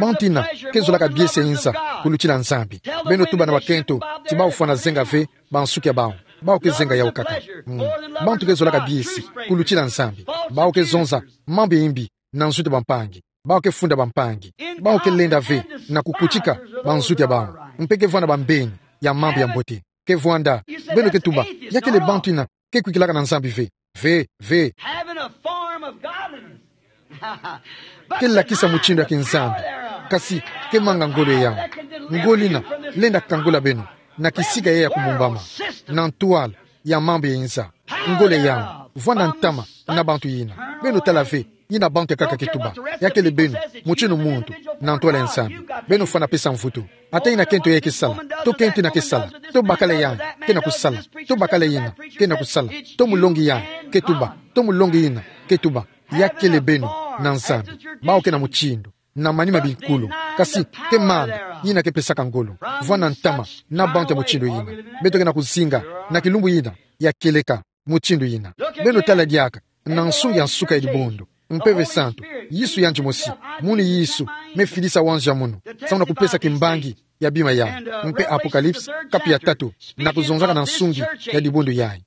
Bantu yina ke zolaka biese inza kulutila Nzambi. Beno tuba na bakento ti bawu fwana zenga ve bansuki ya bawu. Bawu ke zenga yawu kaka. Mm. Bantu ke zolaka biese kulutila Nzambi. Bawu ke zonza mambu ya imbi na nzutu ya bampangi. Bawu ke funda bampangi. Bawu ke lenda ve na kukutika banzutu ya bawu. Mpe ke vwanda bambeni ya mambu ya mbote. Ke vwanda, beno ke tuba, ya kele bantu yina ke kwikilaka na Nzambi ve. Ve, ve. Having a form of godliness. Ke lakisa mutindu ya kinzambi, kasi ke manga ngolo ya yawu. Ngolo yina lenda kangula beno na kisika yayi ya kumumbama, na ntwala ya mambu ya inza. Ngolo ya yawu, vwanda ntama na bantu yina. Beno tala ve, yina bantu ya nkaka ke tuba. Ya kele beno, mutindu muntu, na ntwala ya Nzambi. Beno fwana pesa mvutu. Ata yina kento yayi ke sala, to kento yina ke sala, to bakala yayi ke na kusala, to bakala yina ke na kusala, to mulongi yayi ke tuba, to mulongi yina ke tuba. Ya kele beno na Nzambi, bawu ke na mutindu, na manima binkulu, kasi ke manga yina ke pesaka ngolo. Vwanda ntama na bantu ya mutindu yina. Beto ke na kuzinga na kilumbu yina ya kieleka mutindu yina. Beno tala diaka na nsungi ya nsuka ya dibundu. Mpeve Santu, Yesu yandi mosi, munu Yesu me fidisa wanzu ya munu, samu na kupesa kimbangi ya bima yayi. Mpe Apocalypse, kapu ya tatu, na kuzonzaka na nsungi ya dibundu yayi.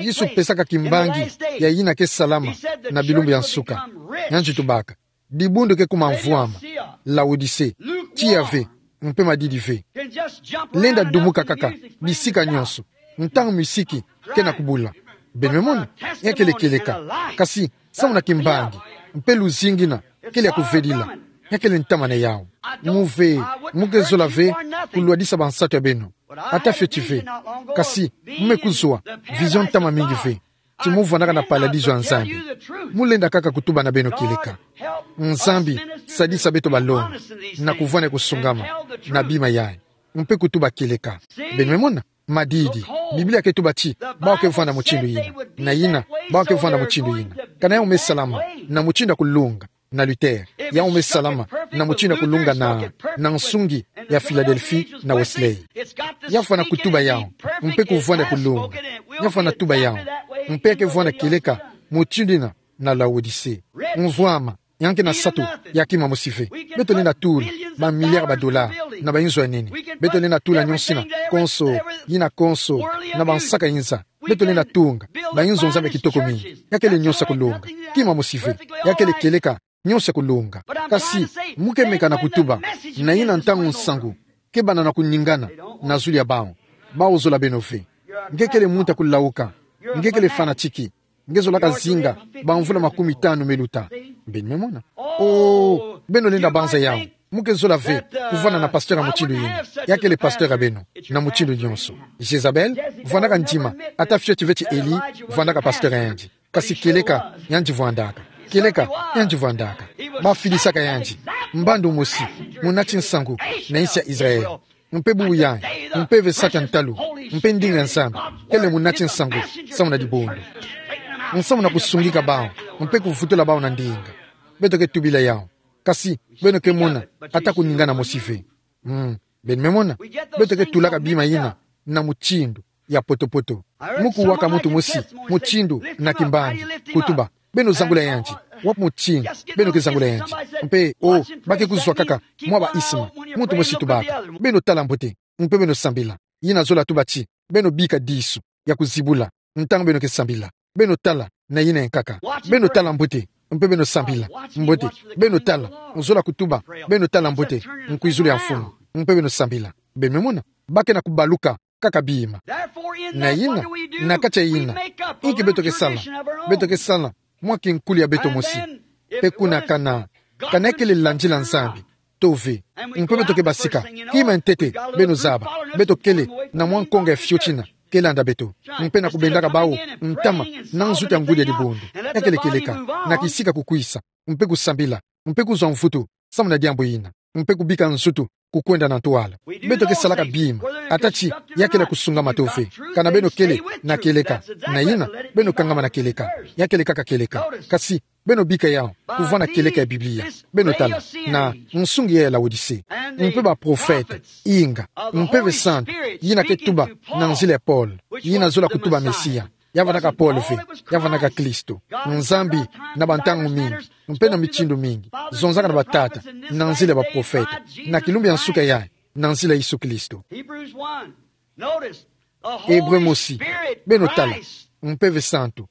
Yesu pesaka kimbangi ya yina ke salama na bilumbu ya nsuka. Yandi tubaka: Dibundu ke kuma mvwama, Laodicée, tiya ve, mpe madidi ve. Lenda dumuka kaka bisika nyonso, ntangu misiki ke na kubula. Beno me mona, ya kele kieleka. Kasi, samu na kimbangi, mpe luzingu yina kele ya kuvedila, ya kele ntama na yawu. Mu ve, mu ke zola ve kulwadisa bansatu ya beno. Ata fioti ve. Kasi, mu me kuzwa vision ntama mingi ve ti mu vwandaka na paradiso ya Nzambi. Mu lenda kaka kutuba na beno kieleka. Nzambi, sadisa beto balongi na kuvwanda kusungama na bima yayi, mpe kutuba kieleka. Beno me mona, madidi. Biblia ke tuba ti bawu ke vwanda mutindu yina, na yina, bawu ke vwanda mutindu yina. Kana yawu me salama na mutindu ya kulunga na Luther, yawu me salama na mutindu ya kulunga na, na nsungi ya Philadelphie na Wesley. Ya fwana kutuba yawu, mpe kuvwanda kulunga. Ya fwana tuba yawu, mpe ya ke vwanda kieleka mutindu yina na Laodicée. Mvwama, ya ke na sato, ya kima mosi ve. Beto lenda tula ba milliards ba dollars na ba inzo ya nene. Beto lenda tula nyonso yina konso, yina konso, na bansaka inza. Beto lenda tunga ba inzo Nzambi ya kitoko mingi. Ya kele nyonso ya kulunga. Kima mosi ve. Ya kele kieleka nyonso ya kulunga. Kasi, mu ke meka na kutuba na yina ntangu nsangu ke banda na kuningana na zulu ya bawu. Bawu zola beno ve. Nge kele muntu ya kulawuka. Nge kele fanatique. Nge zolaka zinga bamvula makumi tanu me luta. Beno me mona. Oh, beno lenda banza yawu. Mu ke zola ve kuvwanda na pasteur ya mutindu yina. Ya kele pasteur ya beno na mutindu nyonso. Jezabel vwandaka ndima, ata fioti ve ti Elie vwandaka pasteur ya yandi. Kasi kieleka yandi vwandaka. Kieleka yandi vwandaka. Ba fidisaka yandi. Mbandu mosi, munati nsangu na insi ya Israël. Mpe bubu yayi, mpeve sata ntalu, mpe ndinga ya Nzambi kele munati nsangu samu na dibundu. Nsamu na kusungika bawu, mpe kuvutula bawu na ndinga. Beto ke tubila yawu. Kasi, beno ke mona ata kuningana mosi ve. Mm, beno me mona, beto ke tulaka bima yina na mutindu ya poto-poto. Mu kuwaka muntu mosi mutindu na kimbangi, kutuba: Beno zangula yandi. Wapi mutindu beno ke zangula yandi? Mpe, oh, ba ke kuzwa kaka mwa ba isma. Muntu mosi tubaka: Beno tala mbote, mpe beno sambila. Yina zola tuba ti beno bika disu ya kuzibula ntangu beno ke sambila. Beno tala na yina ya nkaka. Beno tala mbote, mpe beno sambila. Mbote, beno tala, nzola kutuba: Beno tala mbote, nkwizulu ya mfumu, mpe beno sambila. Beno me mona, ba ke na kubaluka kaka bima. Na yina, na kati ya yina, inki beto ke sala? Beto ke sala mwa kinkulu ya beto mosi. Mpe kuna kana, kana ya kele landila Nzambi to ve. Mpe beto ke basika, kima ya ntete, beno zaba, beto kele na mwa nkonga ya fioti yina ke landa beto, mpe na kubendaka bawu ntama na nzutu ya ngudi ya dibundu. Ya kele kieleka, na kisika kukwisa, mpe kusambila, mpe kuzwa mvutu samu na diambu yina, mpe kubika nzutu kukwenda na ntwala. Beto ke salaka bima, ata ti ya kele ya kusungama to ve. Kana beno kele na kieleka, na yina, beno kangama na kieleka. Ya kele kaka kieleka. Kasi, beno bika yawu kuvwanda kieleka ya Biblia. Beno tala, na nsungi ya Laodicée, mpe baprofete, inga, mpeve santu yina ke tuba na nzila ya Paul, yina zola kutuba Mesia. Ya vwandaka Paul ve, ya vwandaka Kristo. Nzambi na bantangu mingi, mpe na mitindu mingi, zonzaka na batata na nzila ya baprofete, na kilumbu ya nsuka yayi, na nzila ya Yesu Kristo. Hébreu mosi, beno tala, mpeve santu,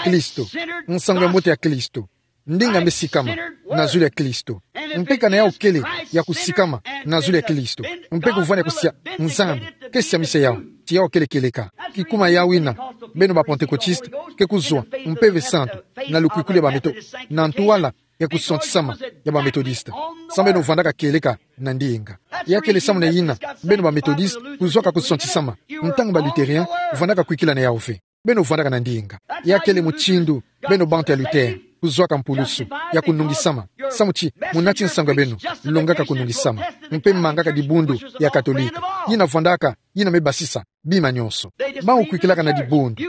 Kristo, nsangu ya mbote ya Kristo, ndinga me sikama na zulu ya Kristo. Mpe kana yawu kele ya kusikama na zulu ya Kristo, mpe kuvwanda kusia, Nzambi ke siamisa yawu ti yawu kele kieleka. Kikuma yawu yina, beno ba Pentecôtistes ke kuzwa mpeve santu na lukwikulu ya ba Meto-, na ntwala ya kusontisama ya ba Methodistes. Samu beno vwandaka kieleka na ndinga. Ya kele samu na yina beno ba Methodistes kuzwaka kusontisama, ntangu ba Luthériens vwandaka kwikila na yawu ve. Beno vwandaka na ndinga. Ya kele mutindu beno bantu ya Luther kuzwaka mpulusu ya kunungisama, samu ti munati nsangu ya beno longaka kunungisama, mpe mangaka dibundu ya Katolika, yina vwandaka, yina me basisa bima nyonso. Bawu kwikilaka na dibundu.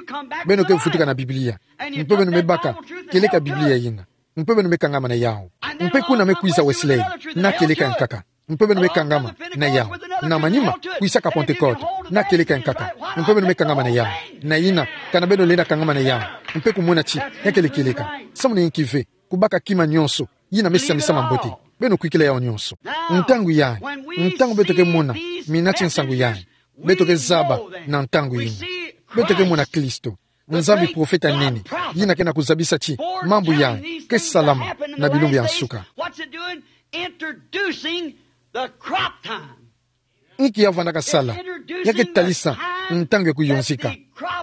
Beno ke vutuka na Biblia, mpe beno me baka kieleka ya Biblia yina, mpe beno me kangama na yawu. Mpe kuna me kwiza Wesley, na kieleka ya nkaka, mpe beno me kangama na yawu. Na manima, kwisaka Pentecôte, na kieleka ya nkaka, mpe beno me kangama na yawu. Na yina, kana beno lenda kangama na yawu, mpe kumona ti ya kele kieleka, samu na yinki ve kubaka kima nyonso yina me siamisama mbote? Beno kwikila yawu nyonso. Ntangu yayi, ntangu beto ke mona minati nsangu yayi, beto ke zaba na ntangu yina beto ke mona Kristo, Nzambi, profeta nene, yina ke na kuzabisa ti mambu yayi ke salama na bilumbu ya nsuka. What's it doing? Introducing the crop time. Inki ya vandaka sala? Ya ke talisa ntangu ya kuyonzika.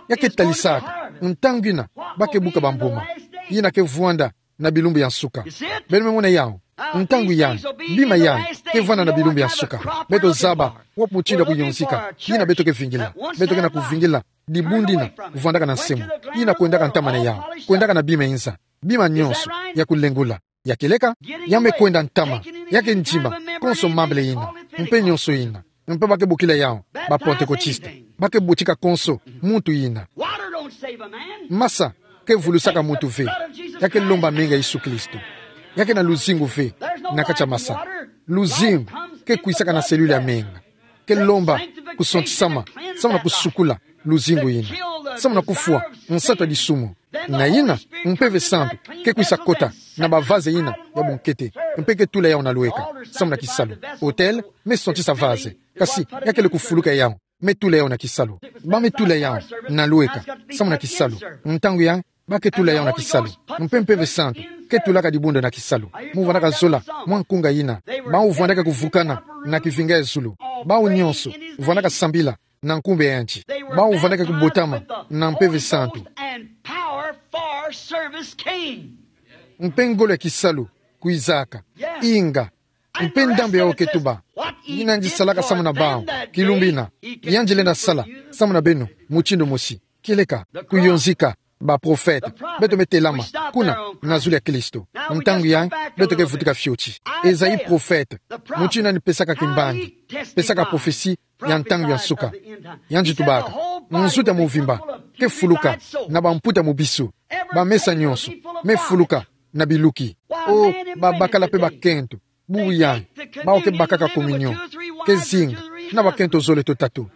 Ya ke talisaka ntangu yina ba ke buka bambuma yina ke vwanda na bilumbu ya nsuka. Beno me mona yawu. Ntangu yayi, bima yayi ke vwanda na bilumbu ya nsuka. Beto zaba wapi mutindu ya kuyonzika yina beto ke vingila. Beto ke na kuvingila dibundu yina vwandaka na nsemo, yina kwendaka ntama na yawu, kwendaka na bima inza, bima nyonso ya kulengula. Ya kieleka, ya me kwenda ntama, ya ke ndima konso mambele yina, mpe nyonso yina, mpe ba ke bokila yawu ba Pantekotiste. Ba ke botika konso muntu yina. Water don't save a man. Masa ke vulusaka muntu ve. Ya ke lomba menga Yesu Kristo. Ya ke na luzingu ve na kati ya masa. Luzingu ke kwisaka na selile ya menga. Ke lomba kusontisama, samu na kusukula luzingu yina, samu na kufwa nsatu ya disumu. Na yina, Mpeve Santu ke kwisa kota na bavaze yina ya bunkete, mpe ke tula yawu na lweka, samu na kisalu. Autel me sontisa vaze, kasi ya kele kufuluka yawu, me tula yawu na kisalu. Ba me tula yawu na lweka, samu na kisalu. Ntangu yayi, ba ke tula yawu na kisalu. Mpe Mpeve Santu ke tulaka dibundu na kisalu. Mu vandaka zola mwa nkunga yina. Bawu vandaka kuvukana na kivinga ya zulu. Bawu nyonso vandaka sambila na nkumbu ya yandi. Bawu vandaka kubotama na Mpeve Santu. Mpe ngolo ya kisalu kwizaka. Inga. Mpe ndambu yawu ke tuba. Yina yandi salaka samu na bawu kilumbu yina, yandi lenda sala samu na beno mutindu mosi. Kieleka, kuyonzika baprofete. Beto me telama kuna na zulu ya Kristo. Ntangu yayi, beto ke vutuka fioti. Esaïe profete, mutindu yandi pesaka kimbangi, pesaka prophetie ya ntangu ya nsuka. Yandi tubaka, nzutu ya mvimba ke fuluka na bamputa mubisu. Bamesa nyonso me fuluka na biluki. O, babakala mpe bakento. Bubu yayi, bawu ke bakaka communion ke zinga na bakento zole to tatu,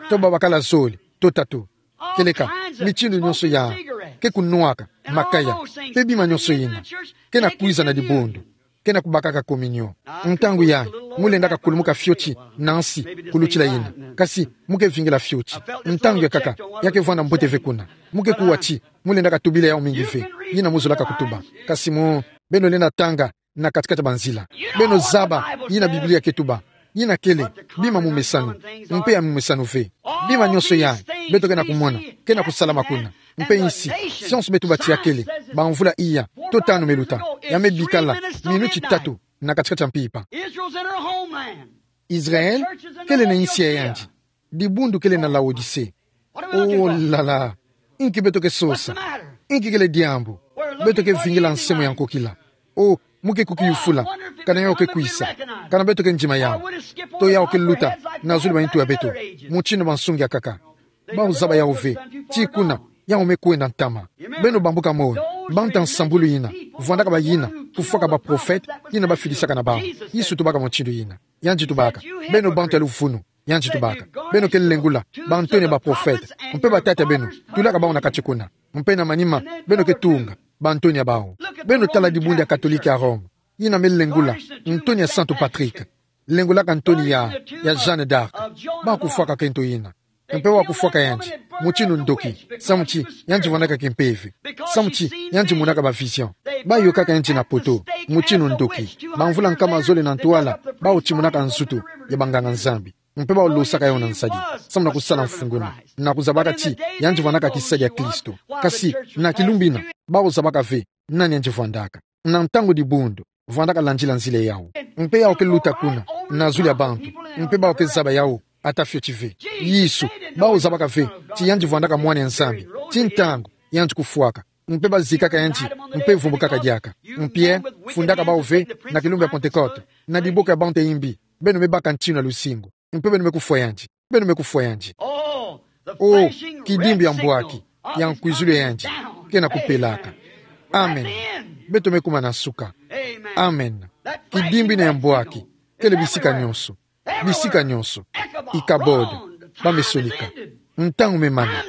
to babakala zole to tatu. Kieleka, mitindu nyonso yayi, ke kunwaka makaya, mpe bima nyonso yina ke na kwiza na dibundu, ke na kubakaka communion. Ntangu yayi, mu lendaka kulumuka fioti na nsi kulutila yina, kasi mu ke vingila fioti. Ntangu ya nkaka, ya ke vwanda mbote ve kuna. Mu ke kuwa ti mu lendaka tubila yawu mingi ve, yina mu zolaka kutuba. Kasi mu, beno lenda tanga na kati-kati ya banzila. Beno zaba yina Biblia ke tuba. Yina kele bima mumesanu, mpe ya mumesanu ve. Bima nyonso yayi beto ke na kumona ke na kusalama kuna. Mpe insi, sionso me tuba ti ya kele bamvula iya to tanu me luta, ya me bikala minuti tatu na kati-kati ya mpimpa. Israel kele na insi ya yandi. Dibundu kele na Laodicée. Oh là là. Inki beto ke sosa? Inki kele diambu? Beto ke vingila nsemo ya nkokila. Oh, mu ke kukiyufula kana yawu ke kwisa, kana beto ke ndima yawu, to yawu ke luta na zulu ba ntu ya beto. Mutindu bansungi akaka, bawu zaba yawu ve ti kuna yawu me kwenda ntama. Beno bambuka moyo, bantu ya nsambulu yina vwandaka bayina kufwaka baprofete, yina bafidisaka na bawu. Yesu tubaka mutindu yina. Yandi tubaka, beno bantu ya luvunu. Yandi tubaka, beno ke lengula bantoni ya baprofete, mpe batata beno tulaka bawu na kati kuna. Mpe na manima beno ke tunga bantoni ya bawu. Beno tala dibundu ya Katolike ya Roma, yina me lengula ntoni ya Santu Patrick, lengulaka ntoni ya, ya Jeanne d'Arc. Bawu kufwaka kento yina. Mpe bawu kufwaka yandi mutindu ndoki, samu ti yandi vwandaka kimpeve, samu ti yandi monaka ba vision. Bayokaka yandi na poto mutindu ndoki. Bamvula nkama zole na ntwala, bawu timonaka nzutu ya banganga-Nzambi. Mpe bawu losaka yawu na nsadi, samu na kusala mfunguni, na kuzabaka ti yandi vwandaka kisadi ya Kristo. Kasi na kilumbu yina, bawu zabaka ve nani yandi vwandaka. Na ntangu dibundu vwandaka landila nzila yawu. Mpe yawu ke luta kuna na zulu ya bantu, mpe bawu ke zaba yawu ata fioti ve. Yesu, bawu zabaka ve ti yandi vwandaka Mwana ya Nzambi ti ntangu yandi kufwaka. Mpe bazikaka yandi, mpe vumbukaka diaka. Mpe fundaka bawu ve na kilumbu ya Pentecote, na diboko ya bantu ya imbi, beno me baka ntinu ya luzingu, mpe beno me kufwa yandi. Beno me kufwa yandi. Oh, kidimbu ya mbwaki ya nkwizulu ya yandi ke na kupelaka. Amen. Beto me kuma na nsuka. Amen. Kidimbu yina ya mbwaki kele bisika nyonso. Bisika nyonso. Ichabod, ba me sonika. Ntangu me mana.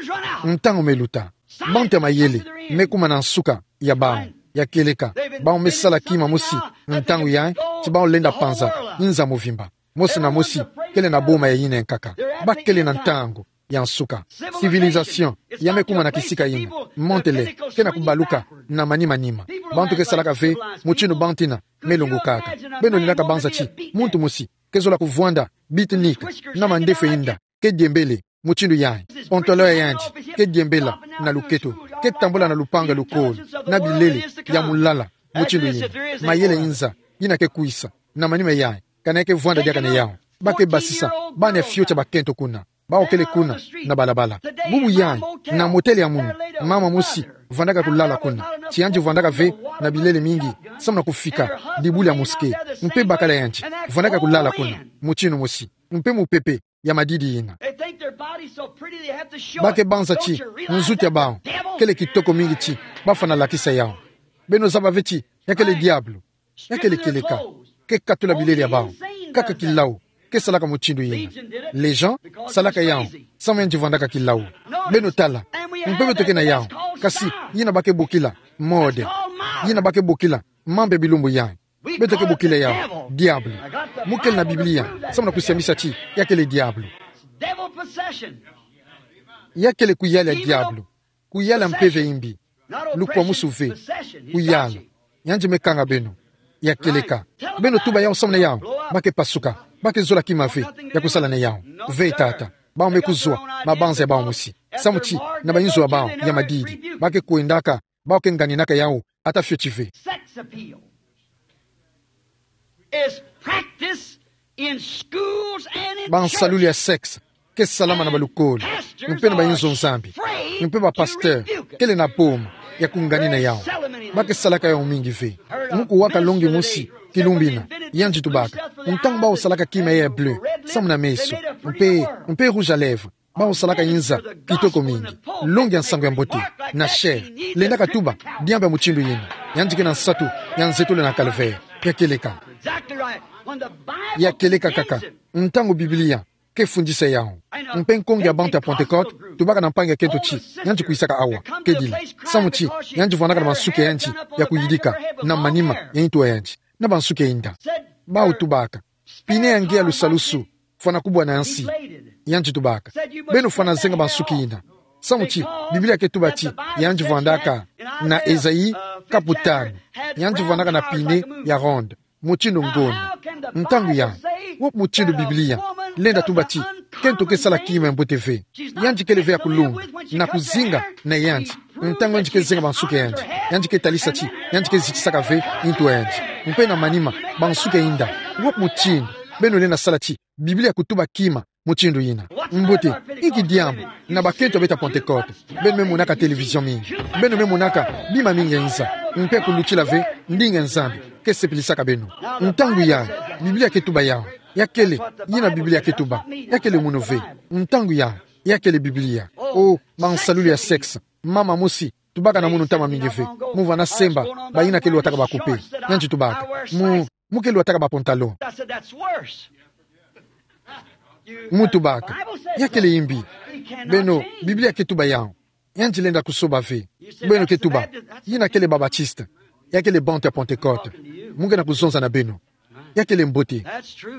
Ntangu me luta. Bantu ya mayele me kuma na nsuka ya bawu. Ya kieleka, bawu me sala kima mosi ntangu yayi, ti bawu lenda panza nza mobimba. Mosi na mosi kele na boma ya yina ya nkaka. Bakele na ntangu ya nsuka. Civilisation ya me kuma na kisika yina. Mondele ke na kubaluka na manima-nima. Bantu ke salaka ve mutindu bantu yina me longokaka. Beno lendaka banza ti muntu mosi ke zola kuvwanda beatnik na mandefu ya yinda ke diembele mutindu yayi. Pantalon ya yandi ke diembela na luketo, ke tambula na lupangu ya lukolo, na bilele ya mulala mutindu yina. Mayele nza yina ke kwisa na manima yayi, kana ya ke vwanda diaka na yawu. Ba ke basisa bana ya fioti ya bakento kuna. Bawu kele kuna na balabala. Bubu yayi, na motele ya munu, mama mosi vandaka kulala kuna. Ti yandi vandaka ve na bilele mingi samu na kufika dibula ya mosquée. Mpe bakala yandi vandaka kulala kuna mutindu mosi. Mpe mupepe ya madidi yina. Ba ke banza ti nzutu ya bawu kele kitoko mingi ti ba fwana lakisa yawu. Beno zaba ve ti ya kele diabulu. Ya kele kieleka ke katula bilele ya bawu. Kaka kilawu ke salaka mutindu yina. Les gens salaka yawu samu yandi vandaka kilawu. Beno tala, mpe beto ke na yawu, kasi yina ba ke bokila mode, yina ba ke bokila mambu ya bilumbu yayi. Beto ke bokila yawu diabulu. Mu kele na Biblia samu na kusiamisa ti ya kele diabulu. Ya kele kuyala ya diabulu. Kuyala mpeve ya imbi. Lukwamusu ve. Kuyala. Yandi me kanga beno. Ya kieleka. Beno tuba yawu samu na yawu. Ba ke pasuka. Ba ke zola kima ve ya kusala na yawu. Ve tata. Bawu me kuzwa mabanza ya bawu mosi. Samu ti na bayinzo ya bawu ya madidi, ba ke kwendaka, bawu ke nganinaka yawu ata fioti ve. Sex appeal is practiced in schools and in churches. Bansalulu ya sexe ke salama na balukolo mpe na bayinzo ya Nzambi. Mpe bapasteur kele na boma ya kunganina yawu. Ba ke salaka yawu mingi ve. Mu kuwaka longi mosi kilumbu yina, yandi tubaka, ntangu bawu salaka kima ya bleu samu na meso, mpe, mpe rouge à lèvres, bawu salaka yinza kitoko mingi, longi ya nsangu ya mbote na chair. Lendaka tuba diambu ya mutindu yina. Yandi ke na nsatu ya nzetolo na calvaire. Ya kieleka. Ya kieleka kaka. Ntangu Biblia ke fundisa yawu, mpe nkonge ya bantu ya Pentecôte tubaka na mpangi ya kento ti yandi kwisaka awa, kedila, samu ti yandi vwandaka na bansuki ya yandi ya kuyidika na manima ya ntu ya yandi, na bansuki ya yinda. Bawu tubaka, pine ya nge ya lusalusu fwana kubwa na nsi. Yandi tubaka, beno fwana zenga bansuki yina. Samu ti Biblia ke tuba ti yandi vwandaka na Esaïe kapu tanu, yandi vwandaka na pine ya ronde mutindu ngona. Ntangu yayi, wapi mutindu Biblia lenda tuba ti kento ke sala kima ya mbote ve? Yandi kele ve ya kulunga na kuzinga na yandi. Ntangu yandi ke zenga bansuki ya yandi, yandi ke talisa ti yandi ke zitisaka ve ntu ya yandi mpe na manima bansuki ya yinda. Wapi mutindu beno lenda sala ti Biblia kutuba kima mutindu yina? Mbote, inki diambu na bakento ya beto ya Pentecôte? Beno me monaka télévision mingi. Beno me monaka bima mingi ya nza, mpe kulutila ve ndinga ya Nzambi ke sepilisaka beno. Ntangu yayi, Biblia ke tuba yawu. Ya kele yina Biblia ke tuba. Ya kele munu ve. Ntangu yayi, ya kele Biblia. O, bansalulu ya sexe. Mama mosi tubaka na munu ntama mingi ve. Mu vana semba bayina ke lwataka ba coupe. Yandi tubaka, mu, mu ke lwataka ba pantalon. Mu tubaka, ya kele imbi. Beno, Biblia ke tuba yawu. Yandi lenda kusoba ve. Beno ke tuba, yina kele ba Baptiste. Ya kele bantu ya Pentecôte. Mu nge na kuzonza na beno. Ya kele mbote.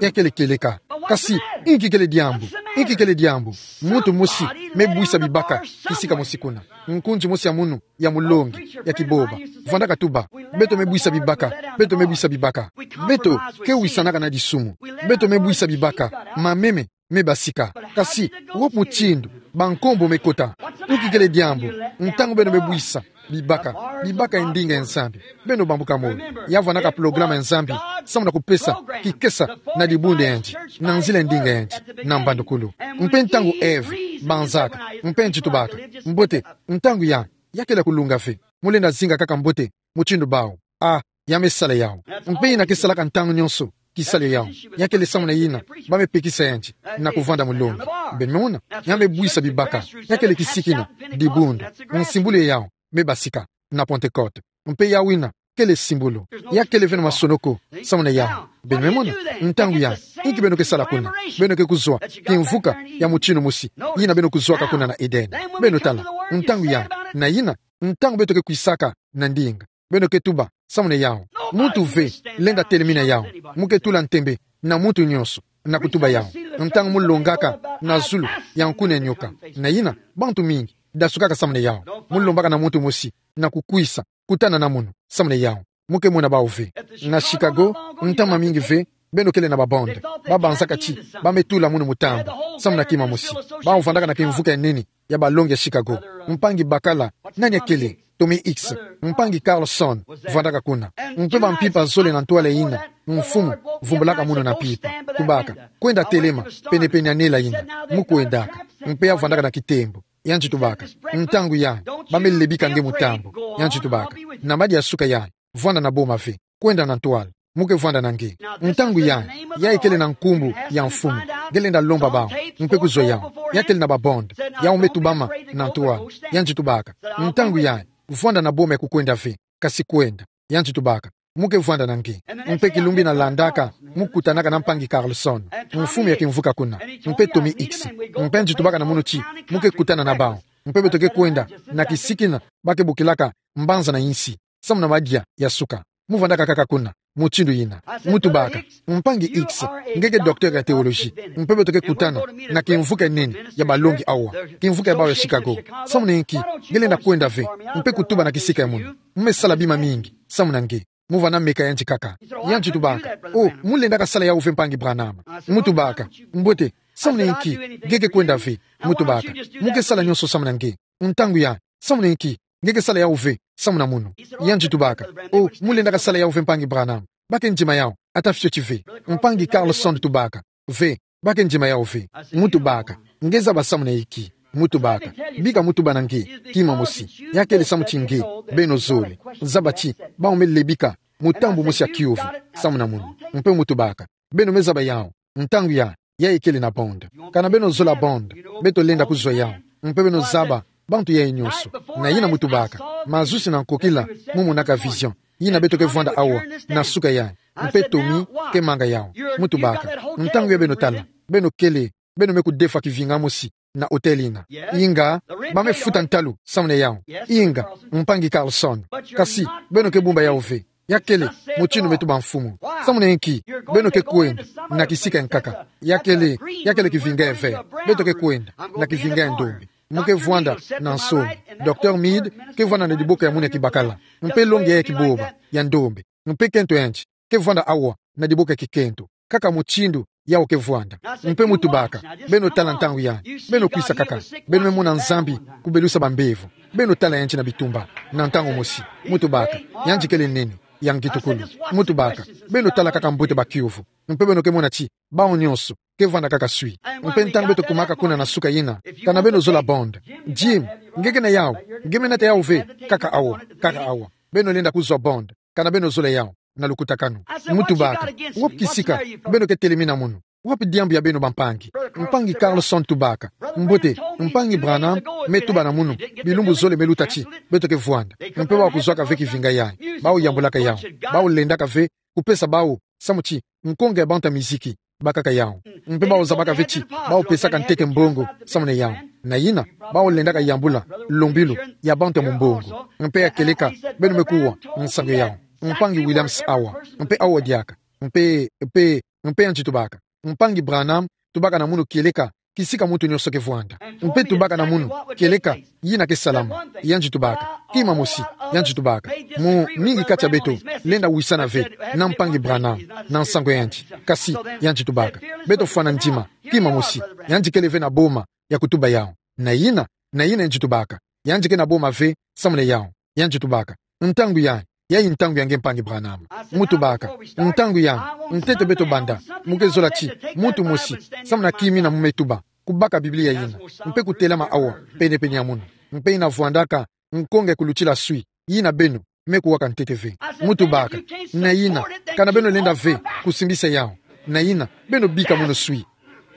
Ya kele kieleka. Kasi, inki kele diambu? Inki kele diambu? Muntu mosi me bwisa bibaka kisika mosi kuna. Nkunzi mosi ya munu ya mulongi ya kiboba vandaka tuba, beto me bwisa bibaka, beto me bwisa bibaka. Beto ke wisanaka na disumu. Beto me bwisa bibaka. Mameme me basika. Kasi, wapi mutindu bankombo me kota? Inki kele diambu ntangu beno me bwisa bibaka, bibaka ya ndinga ya Nzambi? Beno bambuka moyo. Ya vwanaka programa ya Nzambi samu na kupesa kikesa na dibundu ya yandi, na nzila ya ndinga ya yandi, na mbandukulu. Mpe ntangu Ève banzaka, mpe yandi tubaka, mbote, ntangu yayi, ya kele ya kulunga ve. Mu lenda zinga kaka mbote mutindu bawu. A, ya me sala yawu. Mpe yina ke salaka ntangu nyonso kisalu ya yawu. Ya kele samu na yina ba me pekisa yandi na kuvanda mulongi. Beno me mona, ya me bwisa bibaka. Ya kele kisiki na dibundu. Nsimbulu ya yawu me basika na Pentecôte. Mpe yawu yina kele simbulu. Ya kele ve na masonoko samu na yawu. Beno me mona, ntangu yayi, inki beno ke sala kuna? Beno ke kuzwa kimvuka ya mutindu mosi yina beno kuzwaka kuna na Eden. Beno tala, ntangu yayi, na yina, ntangu beto ke kwisaka na ndinga, Beno ke tuba, samuna yawu. Muntu ve lenda telemina yawu. Mu ke tula ntembe na muntu nyonso na kutuba yawu. Ntangu mu longaka na zulu ya nkuna nyoka, na yina bantu mingi dasukaka samuna yawu. Mu lombaka na muntu mosi na kukwisa kutana na munu, samuna yawu. Mu ke mona bawu ve. Na Chicago, ntama mingi ve, beno kele na ba bande. Ba banzaka ti ba me tula munu mutambu, samuna kima mosi. Bawu vandaka na kimvuka ya nene ya balongi ya Chicago. Mpangi bakala, nani akele? Tommy Hicks. Mpangi Carlson vandaka kuna. Mpe bampimpa zole na ntwala yina, mfumu vumbulaka munu na mpimpa, tubaka: Kwenda telema penepene ya nela yina. Mu kwendaka. Mpe ya vandaka na kitembo. Yandi tubaka: Ntangu yayi, ba me lebika nge mutambu. Yandi tubaka: Na madia suka yayi, vwanda na boma ve. Kwenda na ntwala. Mu ke vwanda na nge. Ntangu yayi, yayi kele na nkumbu ya mfumu. Nge lenda lomba bawu, mpe kuzwa yawu. Ya kele na ba bande. Yawu me tubama na ntwala. Yandi tubaka: Ntangu yayi, vwanda na boma ya kukwenda ve, kasi kwenda. Yandi tubaka: Mu ke vwanda na nge. Mpe kilumbu yina landaka, mu kutanaka na mpangi Carlson, mfumu ya kimvuka kuna, mpe Tommy Hicks. Mpe yandi tubaka na munu ti mu ke kutana na bawu. Mpe beto ke kwenda na kisiki yina ba ke bokilaka Mbanza na Insi, samuna madia ya suka. Mu vandaka kaka kuna mutindu yina. Mu tubaka: Mpangi Hicks, nge ke docteur ya théologie. Mpe beto ke kutana na kimvuka ya nene ya balongi awa, kimvuka ya bawu ya Chicago. Samuna inki nge lenda kwenda ve, mpe kutuba na kisika ya munu? Mu me sala bima mingi, samuna nge. Mu vana meka yandi kaka. Yandi tubaka: Oh, mu lendaka sala yawu ve, mpangi Branham. Mu tubaka: Mbote, samuna inki nge ke kwenda ve? Mu tubaka: Mu ke sala nyonso samuna nge. Ntangu yayi, samuna inki nge ke sala yawu ve, samuna munu? Yandi tubaka: Oh, mu lendaka sala yawu ve, mpangi Branham. Ba ke ndima yawu, ata fioti ve. Mpangi Carlson tubaka: Ve, ba ke ndima yawu ve. Mu tubaka: Nge zaba samuna inki? Mu tubaka: Bika mu tuba na nge kima mosi. Ya kele samu ti nge, beno zole, zaba ti bawu me lebika mutambu mosi ya kiuvu, samuna munu. Mpe mu tubaka: Beno me zaba yawu. Ntangu yayi, yayi kele na bande. Kana beno zola bande, beto lenda kuzwa yawu. Mpe beno zaba bantu yayi nyonso. Na yina mu tubaka: Mazusi na nkokila, mu monaka vision. Yina beto ke vwanda awa na suka yayi. Mpe Tommy ke manga yawu. Mu tubaka: Ntangu yayi beno tala, beno kele, beno me kudefwa kivinga mosi na hôtel yina. Inga, ba me futa ntalu, samuna yawu. Inga, mpangi Carlson. Kasi beno ke bumba yawu ve. Ya kele mutindu me tuba mfumu. Samuna inki beno ke kwenda na kisika ya nkaka? Ya kele, ya kele kivinga ya vert. Beto ke kwenda na kivinga ya ndombe. Mu ke vwanda na nsoni. Docteur Mead ke vwanda na diboko ya munu ya kibakala, mpe longi ya kibôba ya ndombe. Mpe kento yandi ke vwanda awa na diboko ya kikento, kaka mutindu yawu ke vwanda. Mpe mu tubaka: Beno tala, ntangu yayi, beno kwisa kaka, beno me mona Nzambi kubelusa bambevo. Beno tala yandi na bitumba na ntangu mosi. Mu tubaka: Yandi kele nene, ya ngitukulu. Mu tubaka: Beno tala kaka mbote ba kiuvu. Mpe beno ke mona ti bawu nyonso ke vwanda kaka swi. Mpe ntangu beto kumaka kuna na suka yina, kana beno zola bande. Jim, nge ke na yawu? Nge me nata yawu ve? Kaka awa, kaka awa. Beno lenda kuzwa bande kana beno zola yawu na lukutakanu. Mu tubaka: Wapi kisika beno ke telemina munu? Wapi diambu ya beno, bampangi? Mpangi Carlson tubaka: Mbote, mpangi Branham me tuba na munu bilumbu zole me luta ti beto ke vwanda. Mpe bawu kuzwaka ve kivinga yayi, bawu yambulaka yawu. Bawu lendaka ve kupesa bawu samu ti nkonga ya bantu ya miziki bakaka yawu. Mpe bawu zabaka ve ti bawu pesaka ntete mbongo samuna yawu. Na yina, bawu lendaka yambula lombilu ya bantu ya mumbongo. Mpe ya kieleka beno me kuwa nsangu yawu, mpangi Williams awa, mpe awa diaka. Mpe, mpe, mpe yandi tubaka: Mpangi Branham, tubaka na munu kieleka kisika muntu nyonso ke vwanda. Mpe tubaka na munu kieleka yina ke salama. Yandi tubaka: Kima mosi. Yandi tubaka: Mu mingi kati ya beto lenda wisana ve na mpangi Branham na nsangu ya yandi. Kasi yandi tubaka: Beto fwana ndima kima mosi. Yandi kele ve na boma ya kutuba yawu. Na yina, na yina yandi tubaka: Yandi ke na boma ve samuna yawu. Yandi tubaka: Ntangu yayi, yayi ntangu ya nge, mpangi Branham. Mu tubaka: Ntangu yayi, ntete beto banda, mu ke zola ti muntu mosi samuna kimina mu me tuba, kubaka Biblia yina, mpe kutelama awa penepene ya munu. Mpe yina vwandaka nkonga ya kulutila swi yina beno me kuwaka ntete ve. Mu tubaka: Na yina, kana beno lenda ve kusimbisa yawu, na yina beno bika munu swi.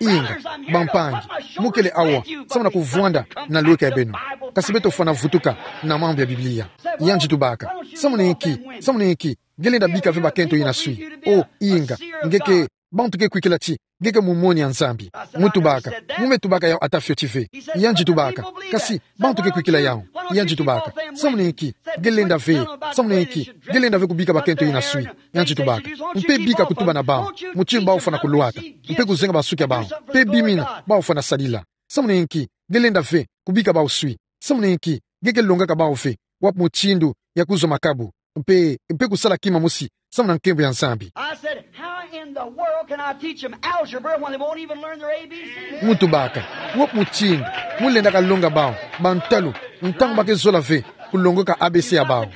Inga, bampangi, mu kele awa samuna kuvwanda na lweka ya beno. Kasi beto fwana vutuka na mambu ya Biblia. Yandi tubaka: Samuna inki, samuna inki nge lenda bika ve bakento yina swi? Oh, inga, nge ke Bantu ke kwikila ti, nge ke mumoni ya Nzambi. Mu tubaka, mu me tubaka yawu ata fioti ve. Yandi tubaka, kasi, bantu ke kwikila yawu. Yandi tubaka, samuna nki, nge lenda ve, samuna nki, nge lenda ve kubika bakento yina swi. Yandi tubaka, mpe bika kutuba na bawu, mutindu bawu fwana kulwata, mpe kuzenga ba nsuki ya bawu, mpe bimina, bawu fwana sadila. Samuna nki, nge lenda ve, kubika bawu swi. Samuna nki, nge ke longaka bawu ve, wapi mutindu ya kuzwa makabu, mpe, mpe kusala kima mosi, samuna nkembo ya Nzambi. I said, "How in the world can I teach them algebra when they won't even learn their A B Cs?" Mu tubaka, wapi mutindu, mu lendaka longa bawu, bantalu, ntangu ba ke zola ve, kulongoka A B C ya bawu.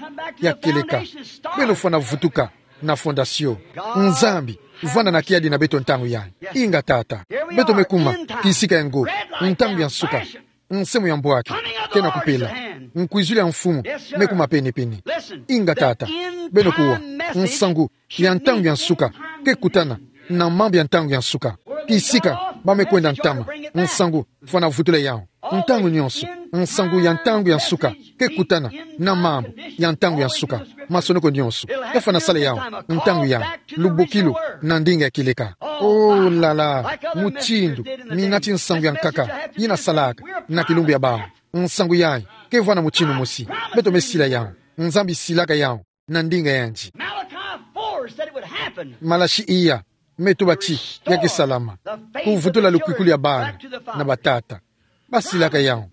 Ya kieleka, beno fwana vutuka na fondasio. Nzambi, vwanda na kiadi na beto ntangu yayi. Inga Tata. Beto me kuma, kisika ya ngo, ntangu ya nsuka. Nsemo ya mbwaki, kena kupela. Nkwizulu ya mfumu, me kuma penepene. Inga Tata. Beno kuwa, nsangu ya ntangu ya nsuka, ke kutana, na mambu ya ntangu ya nsuka. Kisika, ba me kwenda ntama, nsangu, fwana vutula yawu. Ntangu nyonso, nsangu ya ntangu ya nsuka, ke kutana, na mambu, ya ntangu ya nsuka. Masonoko nyonso, ke fwana sala yawu, ntangu yayi, lubokilu, na ndinga ya kieleka. Oh la la, mutindu, minati nsangu ya nkaka, yina salaka, na kilumbu ya bawu. Nsangu yayi, ke vwanda mutindu mosi, beto me sila yawu, Nzambi silaka yawu, na ndinga yandi. Malachi four said it would happen. Malaki iya, me tuba ti, ya ke salama. Kuvutula lukwikulu ya bana, na batata. Ba silaka yawu.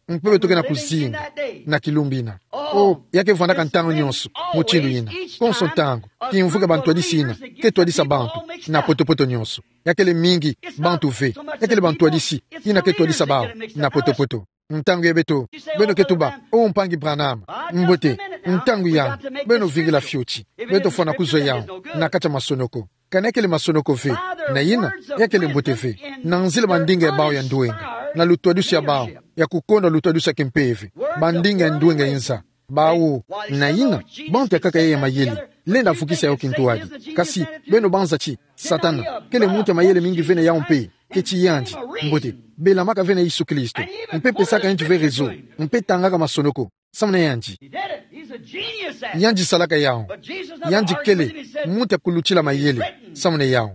Mpe beto ke na kuzinga, na kilumbu yina. Oh, ya ke vwandaka ntangu nyonso, mutindu yina. Konso ntangu, kimvuka bantwadisi yina, ke twadisa bantu, na potopoto nyonso. Ya kele mingi, bantu ve. Ya kele bantwadisi, yina ke twadisa bawu, na potopoto. Ntangu yayi beto, beno ke tuba, oh mpangi Branham, mbote, ntangu yayi, beno vingila fioti, beto fwana kuzwa yawu, na kati ya masonoko. Kana ya kele masonoko ve, na yina, ya kele mbote ve, na nzila bandinga ya bawu ya ndwenga, na lutwadusu ya bawu, ya kukondwa lutwadusu ya kimpeve, bandinga ya ndwenga inza, bawu, na yina, bantu ya nkaka ya mayele, lenda vukisa yawu kintwadi. Kasi, beno banza ti, Satana, kele muntu ya mayele mingi ve na yawu mpe, keti yandi, mbote, belamaka ve na Yesu Kristo, mpe pesaka yandi ve raison, mpe tangaka masonoko, samu na yandi. He did it. He's a genius at it. Yandi salaka yawu. But Jesus never Yandi argued with kele, him. He said, muntu ya kulutila mayele, "It's written." Samu na yawu.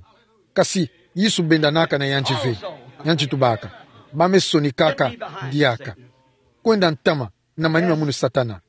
Kasi, Yesu bendanaka na yandi ve. Also. Yandi tubaka. Ba me sonikaka, Get thee behind me, diaka. Satan. Kwenda ntama, na manima munu Satana.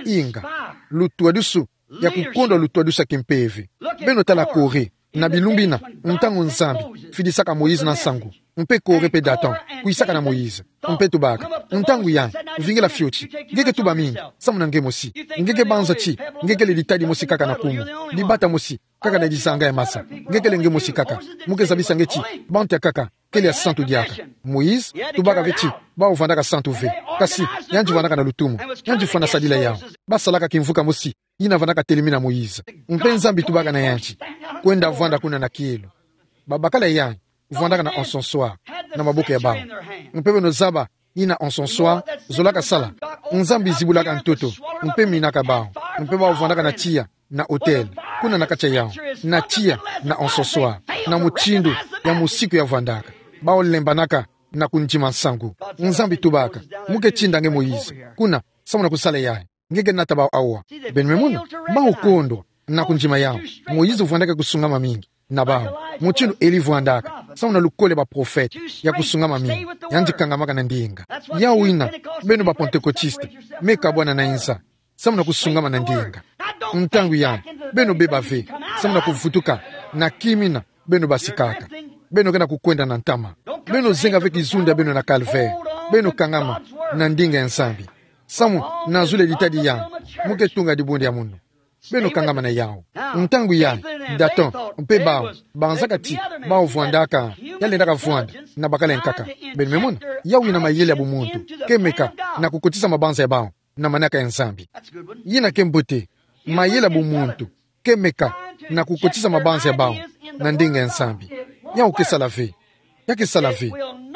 Yes. Inga. Uninspired. Lutwadusu, ya kukondwa lutwadusu ya kimpeve. Beno tala Kore, na bilumbu yina, ntangu Nzambi fidisaka Moïse na nsangu, mpe Kore mpe Dathan, kwisaka na Moïse, mpe tubaka, ntangu yayi, vingila fioti, nge ke tuba mingi, samu na nge mosi, nge ke banza ti, nge kele ditadi mosi kaka na kumu, dibata mosi, kaka na dizanga ya masa, nge kele nge mosi kaka, mu ke zabisa nge ti, bantu ya nkaka, kele ya santu diaka. Moïse, tubaka ve ti, bawu vwandaka santu ve, kasi, yandi vwandaka na lutumu, yandi fwana sadila yawu, ba salaka kimvuka mosi, yina vwandaka telemi na Moïse. Mpe Nzambi tubaka na yandi. Kwenda vwanda kuna na kielo. Babakala yayi, vwandaka na encensoir, na maboko ya bawu. Mpe beno zaba, yina encensoir, zolaka sala. Nzambi zibulaka ntoto, mpe minaka bawu. Mpe bawu vwandaka na tiya, na autel. Kuna na kati ya yawu. Na tiya, na encensoir. Na mutindu, ya musiku ya vwandaka. Bawu lembanaka, na kundima nsangu. Nzambi tubaka. Mu ke tinda nge Moïse. Kuna, samu na kusala yayi. Nge ke nata bawu awa. Beno me mona, bawu kondwa, na kundima yawu. Moïse vwandaka kusungama mingi, na bawu. Mutindu Elie vwandaka, samu na lukole baprofete, ya kusungama mingi. Yandi kangamaka na ndinga. Yawu yina, beno ba Pentecôtiste, me kabwana na inza. Samu na kusungama na ndinga. Ntangu yayi, beno beba ve, samu na kuvutuka, na kimina, beno basikaka. Beno ke na kukwenda na ntama. Beno zenga ve kizundu ya beno na calvaire. Beno kangama na ndinga ya Nzambi. Samu na zulu ya ditadi yayi, mu ke tunga dibundu ya munu. Beno kangama na yawu. Ntangu yayi, Dathan, mpe bawu, banzaka ti, bawu vwandaka, ya lendaka vwanda, na bakala ya nkaka. Beno me mona, yawu yina mayele ya bumuntu, ke meka, na kukotisa mabanza ya bawu na manaka ya Nzambi. Yina ke mbote, mayele ya bumuntu, ke meka, na kukotisa mabanza ya bawu, na ndinga ya Nzambi. Yawu ke sala ve. Ya ke sala ve.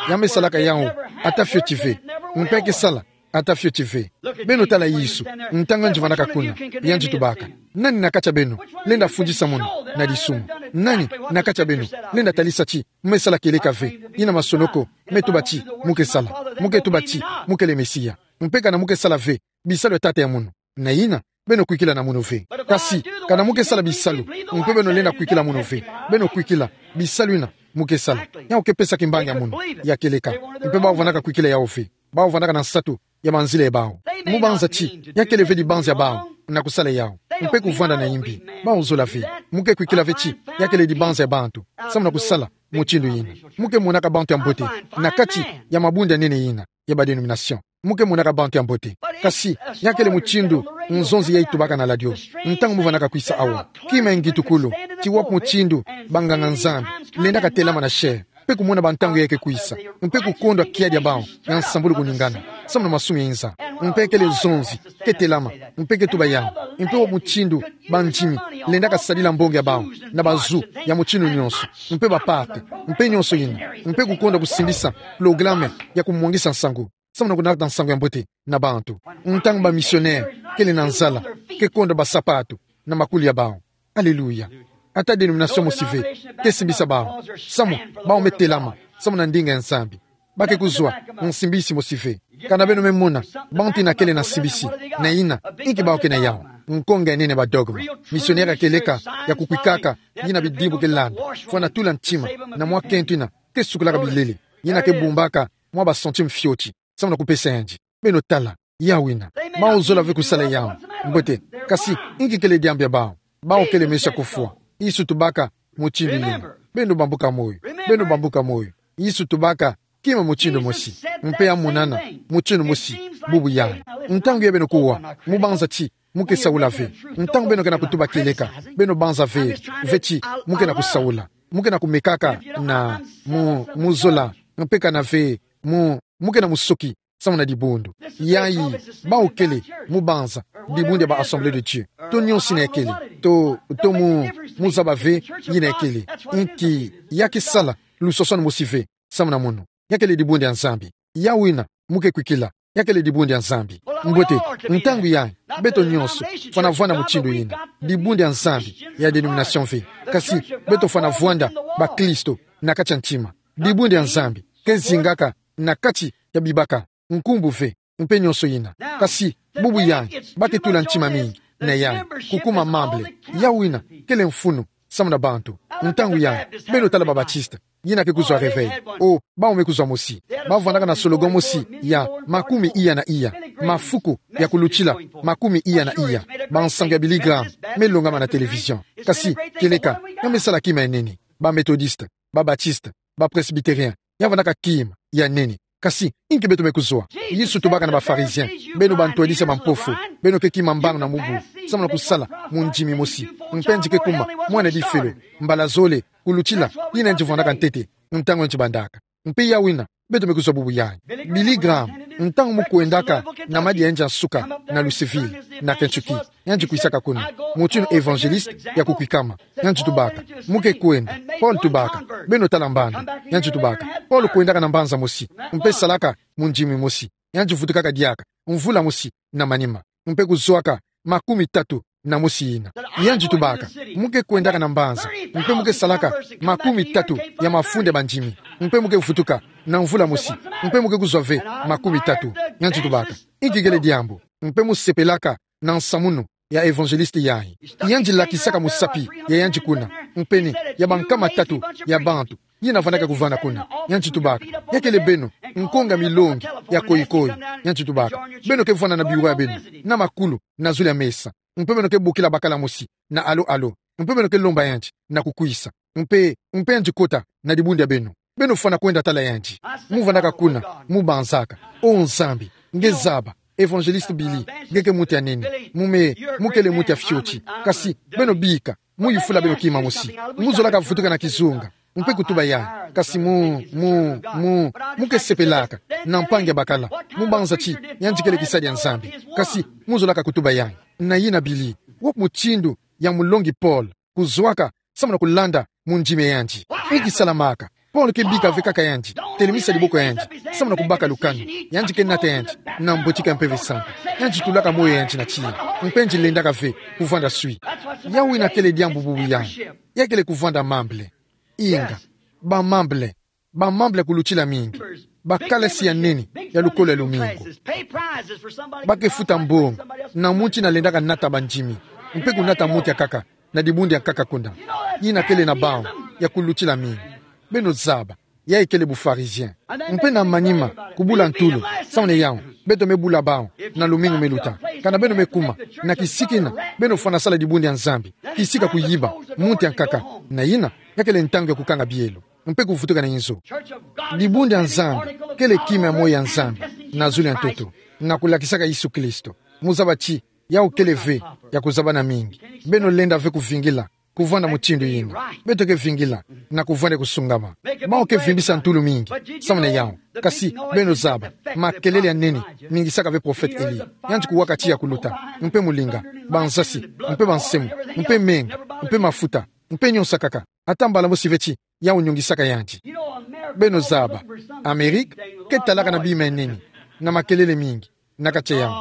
Ya me salaka yawu, ata fioti ve. Mpe ya ke sala, ata fioti ve. Beno tala Yesu, ntangu yandi vwandaka kuna, yandi tubaka. Nani na kati ya beno, lenda fundisa munu, na disumu? Nani, na kati ya beno, lenda talisa ti, mu me sala kieleka ve, yina masonoko, me tuba ti, mu ke sala, mu ke tuba ti, mu kele Mesia. Mpe kana mu ke sala ve, bisalu ya tata ya munu. Na yina, beno kwikila na munu ve. Kasi, kana mu ke sala bisalu, mpe beno lenda kwikila munu ve, beno kwikila, bisalu ina mu ke sala, yawu ke pesa kimbangi ya munu ya kieleka. Mpe bawu vandaka kwikila yawu ve. Bawu vandaka na nsatu ya manzila ya bawu. Mu banza ti, ya kele ve dibanza ya bawu na kusala yawu, mpe kuvanda na imbi. Bawu zola ve. Mu ke kwikila ve ti, ya kele dibanza ya bantu, samu na kusala mutindu yina. Mu ke monaka bantu ya mbote na kati ya mabundu ya nene yina ya ba dénomination. Mu ke monaka bantu ya mbote. Kasi, ya kele mutindu nzonzi yayi tubaka na ladio. Ntangu mu vandaka kwisa awa, kima ya ngitukulu, ti wapi mutindu banganga-Nzambi lendaka telama na chair, mpe kumona bantangu yayi ke kwisa, mpe kukondwa kiadi ya bawu ya nsambulu kuningana, samu na masumu ya inza. Mpe kele zonzi ke telama, mpe ke tuba yawu, mpe wapi mutindu bandimi lendaka sadila mbongi ya bawu na bazu ya mutindu nyonso, mpe ba parti, mpe nyonso yina, mpe kukondwa kusimbisa pologalame ya kumwangisa nsangu, samu na kunata nsangu ya mbote na bantu. Ntangu ba missionnaire kele na nzala, ke kondwa basapatu na makulu ya bawu. Aleluya. Ata dénomination mosi ve ke simbisa bawu, samu bawu me telama samu na ndinga ya Nzambi. Ba ke kuzwa nsimbisi mosi ve. Kana beno me mona bantu yina kele na nsimbisi, na yina, inki bawu ke na yawu? Nkonga ya nene ya ba dogme. Missionnaire ya kieleka, ya kukwikaka, yina bidimbu ke landa, fwana tula ntima na mwa kento yina ke sukolaka bilele, yina ke bumbaka mwa ba centime fioti, samu na kupesa yandi. Beno tala, yawu ina. Bawu zola ve kusala yawu. Mbote, kasi, inki kele diambu ya bawu? Bawu kele meso ya kufwa. Yesu tubaka mutindu yina. Beno bambuka moyo. Beno bambuka moyo. Yesu tubaka kima mutindu mosi, mpe ya monana mutindu mosi bubu yayi. Ntangu yayi beno kuwa, mu banza ti mu ke saula ve. Ntangu beno ke na kutuba kieleka, beno banza ve, ve ti mu ke na kusaula. Mu ke na kumekaka na mu, mu zola, mpe kana ve mu, mu ke na musoki samu na dibundu. Yayi, bawu kele, mu banza, dibundu ya ba Assemblée de Dieu. To nyonso yina ya kele, to, to mu, mu zaba ve yina ya kele. Inki, ya ke sala luswaswani mosi ve samu na munu. Ya kele dibundu ya Nzambi. Yawu ina mu ke kwikila, ya kele dibundu ya Nzambi. Mbote, ntangu yayi, beto nyonso fwana vwanda mutindu yina. Dibundu ya Nzambi ya dénomination ve. Kasi, beto fwana vwanda bakristo na kati ya ntima. Dibundu ya Nzambi ke zingaka na kati ya bibaka, nkumbu ve, mpe nyonso yina. Kasi, bubu yayi, ba ke tula ntima mingi na yayi, kukuma membre. Yawu ina kele mfunu samu na bantu. Ntangu yayi, beno tala ba Baptiste, yina ke kuzwa réveil. O, bawu me kuzwa mosi. Ba vwandaka na slogan mosi ya makumi iya na iya. Mafuku ya kulutila makumi iya na iya. Bansangu ya Billy Graham me longama na télévision. Kasi, kieleka, ya me sala kima ya nene. Ba Methodiste, ba Baptiste, ba Presbytérien, ya vwandaka kima ya nene. Kasi, inki beto me kuzwa? Yesu tubaka na ba Pharisiens: Beno bantwadisi ya mampofu, beno ke kima mbangu na mubu, samu na kusala mundimi mosi. Mpe yandi ke kuma mwana difelo, mbala zole, kulutila yina yandi vwandaka ntete ntangu yandi bandaka. Mpe yawu ina beto me kuzwa bubu yayi. Billy Graham, ntangu mu kwendaka na madia ya yandi ya nsuka na Louisville, na Kentucky, yandi kwisaka kuna. Mutindu évangéliste ya kukwikama. Yandi tubaka: Mu ke kwenda. Paul tubaka: Beno tala mbanda. Yandi tubaka: Paul kwendaka na mbanza mosi, mpe salaka mundimi mosi. Yandi vutukaka diaka mvula mosi na manima, mpe kuzwaka makumi tatu na mosi yina. Yandi tubaka: Mu ke kwendaka na mbanza, mpe mu ke salaka makumi tatu ya mafunda ya bandimi, mpe mu ke vutuka na mvula mosi, mpe mu ke kuzwa ve makumi tatu. Yandi tubaka: Inki kele diambu? Mpe mu sepelaka na nsamununu ya évangéliste yayi. Yandi lakisaka musapi ya yandi kuna, mpe ni ya bankama tatu ya bantu yina vwandaka kuvanda kuna. Yandi tubaka: Ya kele beno nkonga milongi ya koyi-koyi. Yandi tubaka: Beno ke vwanda na biwa ya beno, na makulu, na zulu ya mesa. Mpe beno ke bokila bakala mosi na alo-alo. Mpe beno ke lomba yandi na kukwisa. Mpe, mpe yandi kota na dibundu ya beno. Beno fwana kwenda tala yandi. Mu vwandaka kuna, mu banzaka: O Nzambi, nge zaba évangéliste Billy, nge ke muntu ya nene. Mu me, mu kele muntu ya fioti. Kasi, beno bika, mu yufula beno kima mosi. Mu zolaka vutuka na kizunga, mpe kutuba yayi. Kasi mu, mu, mu, mu ke sepelaka na mpangi ya bakala. Mu banza ti yandi kele kisadi ya Nzambi. Kasi, mu zolaka kutuba yayi. Na yina Billy, wapi mutindu ya mulongi Paul kuzwaka samu na kulanda mundimi ya yandi? Inki salamaka? Paul ke bika ve kaka yandi telemisa diboko ya yandi samu na kubaka lukanu. Yandi ke nata yandi na mbotiki ya Mpeve Santu. Yandi tulaka moyo ya yandi na tiya, mpe yandi lendaka ve kuvwanda swi. Yawu ina kele diambu bubu yayi. Ya kele kuvwanda membre. Inga, ba membre, ba membre kulutila mingi. Bakalasi ya nene ya lukolo ya lumingu. Ba ke futa mbongo na muntu ina lendaka nata bandimi, mpe kunata muntu ya nkaka na dibundu ya nkaka kuna. Ina kele na bau ya kulutila mingi. Beno zaba, yayi kele bu-Pharisien. Mpe na manima, kubula ntulu, samu na yawu, beto me bula bau na lumingu me luta. Kana beno me kuma na kisiki ina, beno fwana sala dibundu ya Nzambi, kisika kuyiba muntu ya nkaka. Na ina, ya kele ntangu ya kukanga bielo mpe kuvutuka na inzo. Dibundu ya Nzambi kele kima ya moyo ya Nzambi na zulu ya ntoto, na kulakisaka Yesu Kristo. Mu zaba ti yawu kele ve ya kuzabana mingi. Beno lenda ve kuvingila kuvwanda mutindu ina. Beto ke vingila na kuvwanda kusungama. Bau ke vimbisa ntulu mingi samu na yawu. Kasi beno zaba, makelele ya nene ningisaka ve prophète Elie. Yandi kuwaka ti ya kuluta, mpe mulinga, bansasi, mpe bansemo, mpe menga, mpe mafuta, mpe nionso akaka. Ata mbala mosi ve ti yawu nyongisaka yandi. Beno zaba, Amerika ke talaka na bima ya nene, na makelele mingi na kati ya yawu.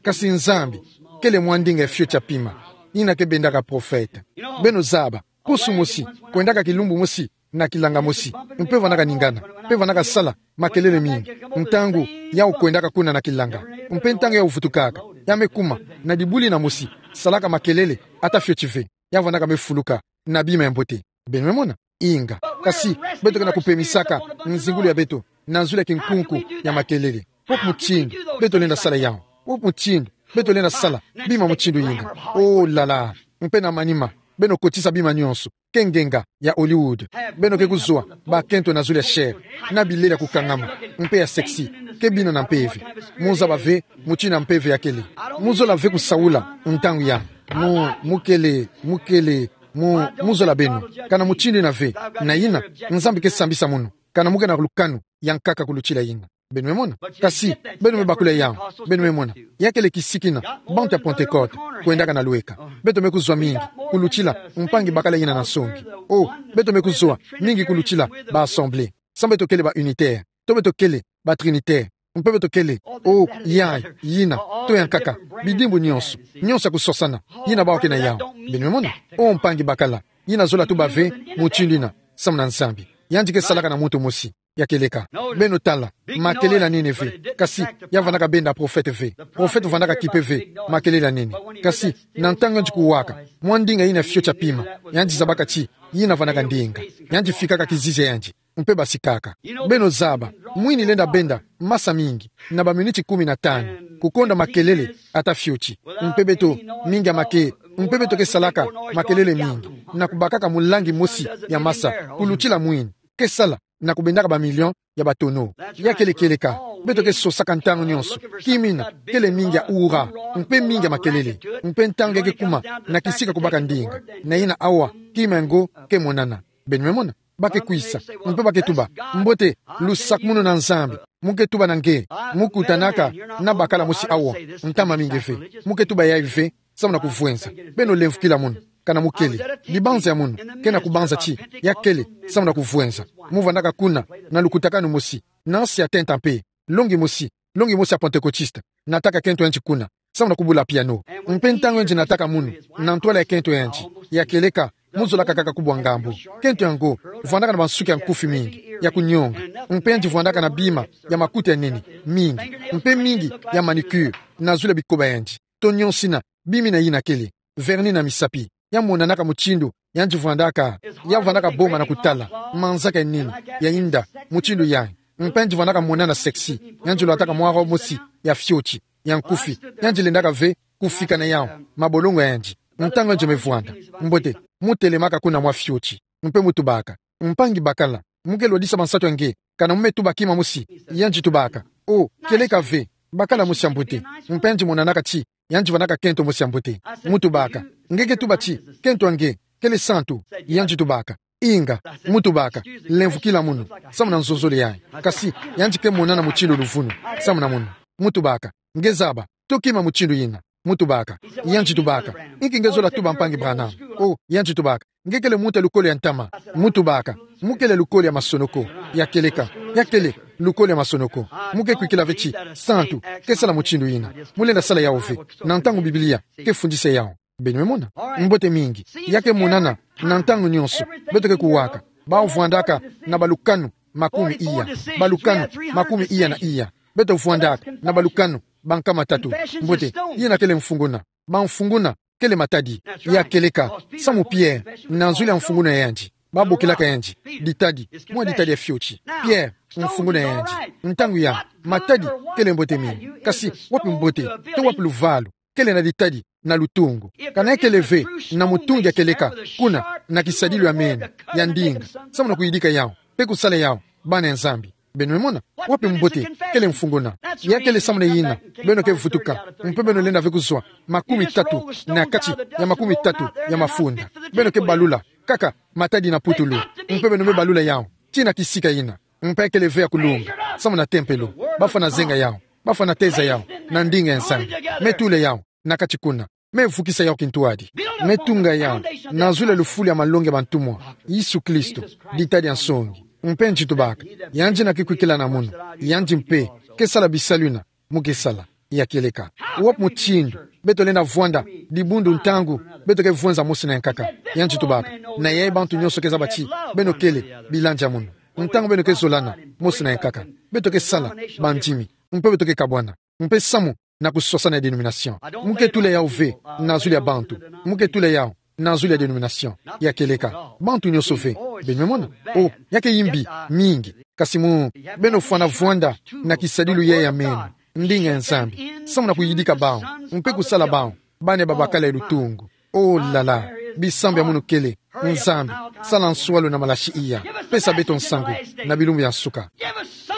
Kasi Nzambi kele mwa ndinga ya fioti ya pima, ina ke bendaka prophète. Beno zaba, pusu mosi kwendaka kilumbu mosi na kilanga mosi, mpe vandaka ningana, mpe vandaka sala makelele mingi ntangu yawu kwendaka kuna na kilanga. Mpe ntangu yawu vutukaka, ya me kuma na dibundu ina mosi, salaka makelele ata fioti ve. Ya vandaka me fuluka na bima ya mbote. Beno me mona? Inga. Kasi beto ke na kupemisaka nzingulu ya beto na zulu ya kinkunku ya makelele. Wapi mutindu beto lenda sala yawu? Wapi mutindu beto lenda sala bima mutindu ina? Oh là là. Mpe na manima, beno kotisa bima nionso ke ngenga ya Hollywood. Beno ke kuzwa bakento na zulu ya chair, na bilele ya kukangama, mpe ya sexy, ke bina na mpeve. Mu zaba ve mutindu ya mpeve ya kele. Mu zola ve kusaula ntangu ya mu, mu kele, mu kele, mu, mu zola beno. Kana mutindu ina ve, na ina, Nzambi ke sambisa munu kana mu ke na lukanu ya nkaka kulutila ina. Beno me mona? Kasi beno me bakula yawu. Beno me mona? Ya kele kisiki ina bantu ya Pentecôte kwendaka na lweka. Beto me kuzwa mingi kulutila mpangi bakala ina na nsongi. Oh, beto me kuzwa mingi kulutila ba-Assemblée. Samu beto kele ba-unitaire, to beto kele ba-trinitaire, mpe beto kele, oh, yayi, yina, to ya nkaka, bidimbu nionso, nionso ya kusosana, yina bau ke na yawu. Beno me mona? Oh, mpangi bakala, yina zola tuba ve mutindu ina samu na Nzambi. Yandi ke salaka na muntu mosi. Ya kieleka. Beno tala, makelele ya nene ve, kasi ya vandaka benda prophète ve. Prophète vandaka kipe ve makelele ya nene. Kasi na ntangu yandi kuwaka mwa ndinga yina fioti ya pima, yandi zabaka ti yina vandaka ndinga. Yandi fikaka kizizi ya yandi, mpe basikaka. Beno zaba, mwini lenda benda masa mingi na ba miniti kumi na tanu, kukonda makelele ata fioti. Mpe beto, mingi ya make, mpe beto ke salaka makelele mingi na kubakaka mulangi mosi ya masa kulutila mwini ke sala na kubendaka ba million ya ba tonneau. Ya kele kieleka. Beto ke sosaka ntangu nionso kima yina kele mingi ya ura, mpe mingi ya makelele. Mpe ntangu ya ke kuma na kisika kubaka ndinga, na yina awa, kima yango ke monana. Beno me mona? Ba ke kwisa, mpe ba ke tuba: Mbote, lusakumunu na Nzambi. Mu ke tuba na nge, mu kutanaka na bakala mosi awa ntama mingi ve. Mu ke tuba yayi ve samu na kuvwenza. Beno lemvukila munu, kana mu kele. Dibanza ya munu ke na kubanza ti ya kele samu na kuvwenza. Mu vandaka kuna na lukutakanu mosi, na nsi ya tenta mpe, longi mosi, longi mosi ya Pentecôtiste, nataka kento yandi kuna samu na kubula piano. Mpe ntangu yandi nataka munu na ntwala ya kento yandi, ya kieleka, mu zolaka kaka kubwa ngambu. Kento yango vandaka na bansuki ya nkufi mingi ya kunionga. Mpe yandi vandaka na bima ya makuta ya nene mingi, mpe mingi ya manucure na zulu ya bikoba yandi, to nionso yina bima yina kele, vernis na misapi. Ya monanaka mutindu yandi vandaka. Ya vandaka boma na kutala manzaka ya nene, ya inda, mutindu yayi. Mpe yandi vandaka monana sexy. Yandi lwataka mwa robe mosi ya fioti, ya nkufi. Yandi lendaka ve kufika na yawu mabolongo ya yandi ntangu yandi me vwanda. Mbote, mu telemaka kuna mwa fioti, mpe mu tubaka: Mpangi bakala, mu ke lwadisa bansatu ya nge, kana mu me tuba kima mosi? Yandi tubaka: Oh, kieleka ve, bakala mosi ya mbote. Mpe yandi monanaka ti yandi vandaka kento mosi ya mbote. Mu tubaka: Nge ke tuba ti kento ya nge kele santu? Yandi tubaka: Inga. Mu tubaka: Lemvukila munu samu na nzonzolo yayi. Kasi yandi ke monana mutindu luvunu samu na munu. Mu tubaka: Nge zaba, to kima mutindu yina? Mu tubaka. Yandi tubaka: Inki nge zola tuba, Mpangi Branham? Oh, yandi tubaka: Nge kele muntu ya lukolo ya ntama. Mu tubaka: Mu kele lukolo ya masonoko. Ya kieleka. Ya kele lukolo ya masonoko. Mu ke kwikila ve ti santu ke sala mutindu yina. Mu lenda sala yawu ve na ntangu Biblia ke fundisa yawu. Beno me mona? Mbote mingi. Ya ke monana na ntangu nionso. Beto ke kuwaka. Bau vandaka na balukanu makumi iya. Balukanu, makumi iya na iya. Beto vwandaka na balukanu ba nkama tatu. Mbote, yina kele mfunguna. Bamfunguna kele matadi. Ya kieleka, samu Pierre, na nzuli ya mfunguna yandi, babokilaka yandi ditadi, mwa ditadi ya fioti. Pierre, mfunguna yandi. Ntangu ya, matadi kele mbote mingi. Kasi wapi mbote, to wapi luvalu, kele na ditadi na lutungu? Kana ya kele ve na mutungi ya kieleka, kuna na kisadilu ya meno, ya ndinga, samu na kuyidika yau, mpe kusala yau bana ya Nzambi. Beno me mona, wapi mbote, kele mfunguna. Ya kele samu na yina beno ke vutuka, mpe beno lenda ve kuzwa makumi tatu na kati ya makumi tatu ya mafunda. Beno ke balula kaka matadi na putulu, mpe beno me balula yau tii na kisika yina. Mpe kele ve ya kulunga, samu na tempelo, bafwana zenga yau, bafwana teza yau na ndinga ya Nzambi. Me tula yau na kati kuna. Me vukisa yau kintwadi. Me tunga yau na nzuli ya lufulu ya malongi ya bantumwa, Yesu Kristo, ditadi ya nsungi. Mpe nti tubaka, yandi yina ke kwikila na munu, yandi mpe ke sala bisalu yina mu ke sala. Ya kieleka, wapi mutindu beto lenda vwanda dibundu ntangu beto ke vwenza mosi na yankaka? Yandi tubaka, na yayi bantu nyonso ke zaba ti beno kele bilandi ya munu. Ntangu beno ke zolana mosi na yankaka, beto ke sala bandimi, mpe beto ke kabwana, mpe samu na kuswasana ya denomination. Mu ke tula yau ve na nzuli ya bantu. Mu ke tula yau na nzuli ya denomination. Ya kieleka, bantu nyonso ve. Beno me mona. O, ya ke yimbi mingi. Kasi mu, beno fwana vwanda na kisadilu yayi ya meno, ndinga ya Nzambi, samu na kuyidika bau, mpe kusala bau bana ya babakala ya lutungu. O lala, bisambu ya munu kele: Nzambi, sala nswalu na malasi iya. Pesa beto nsangu na bilumbu ya nsuka.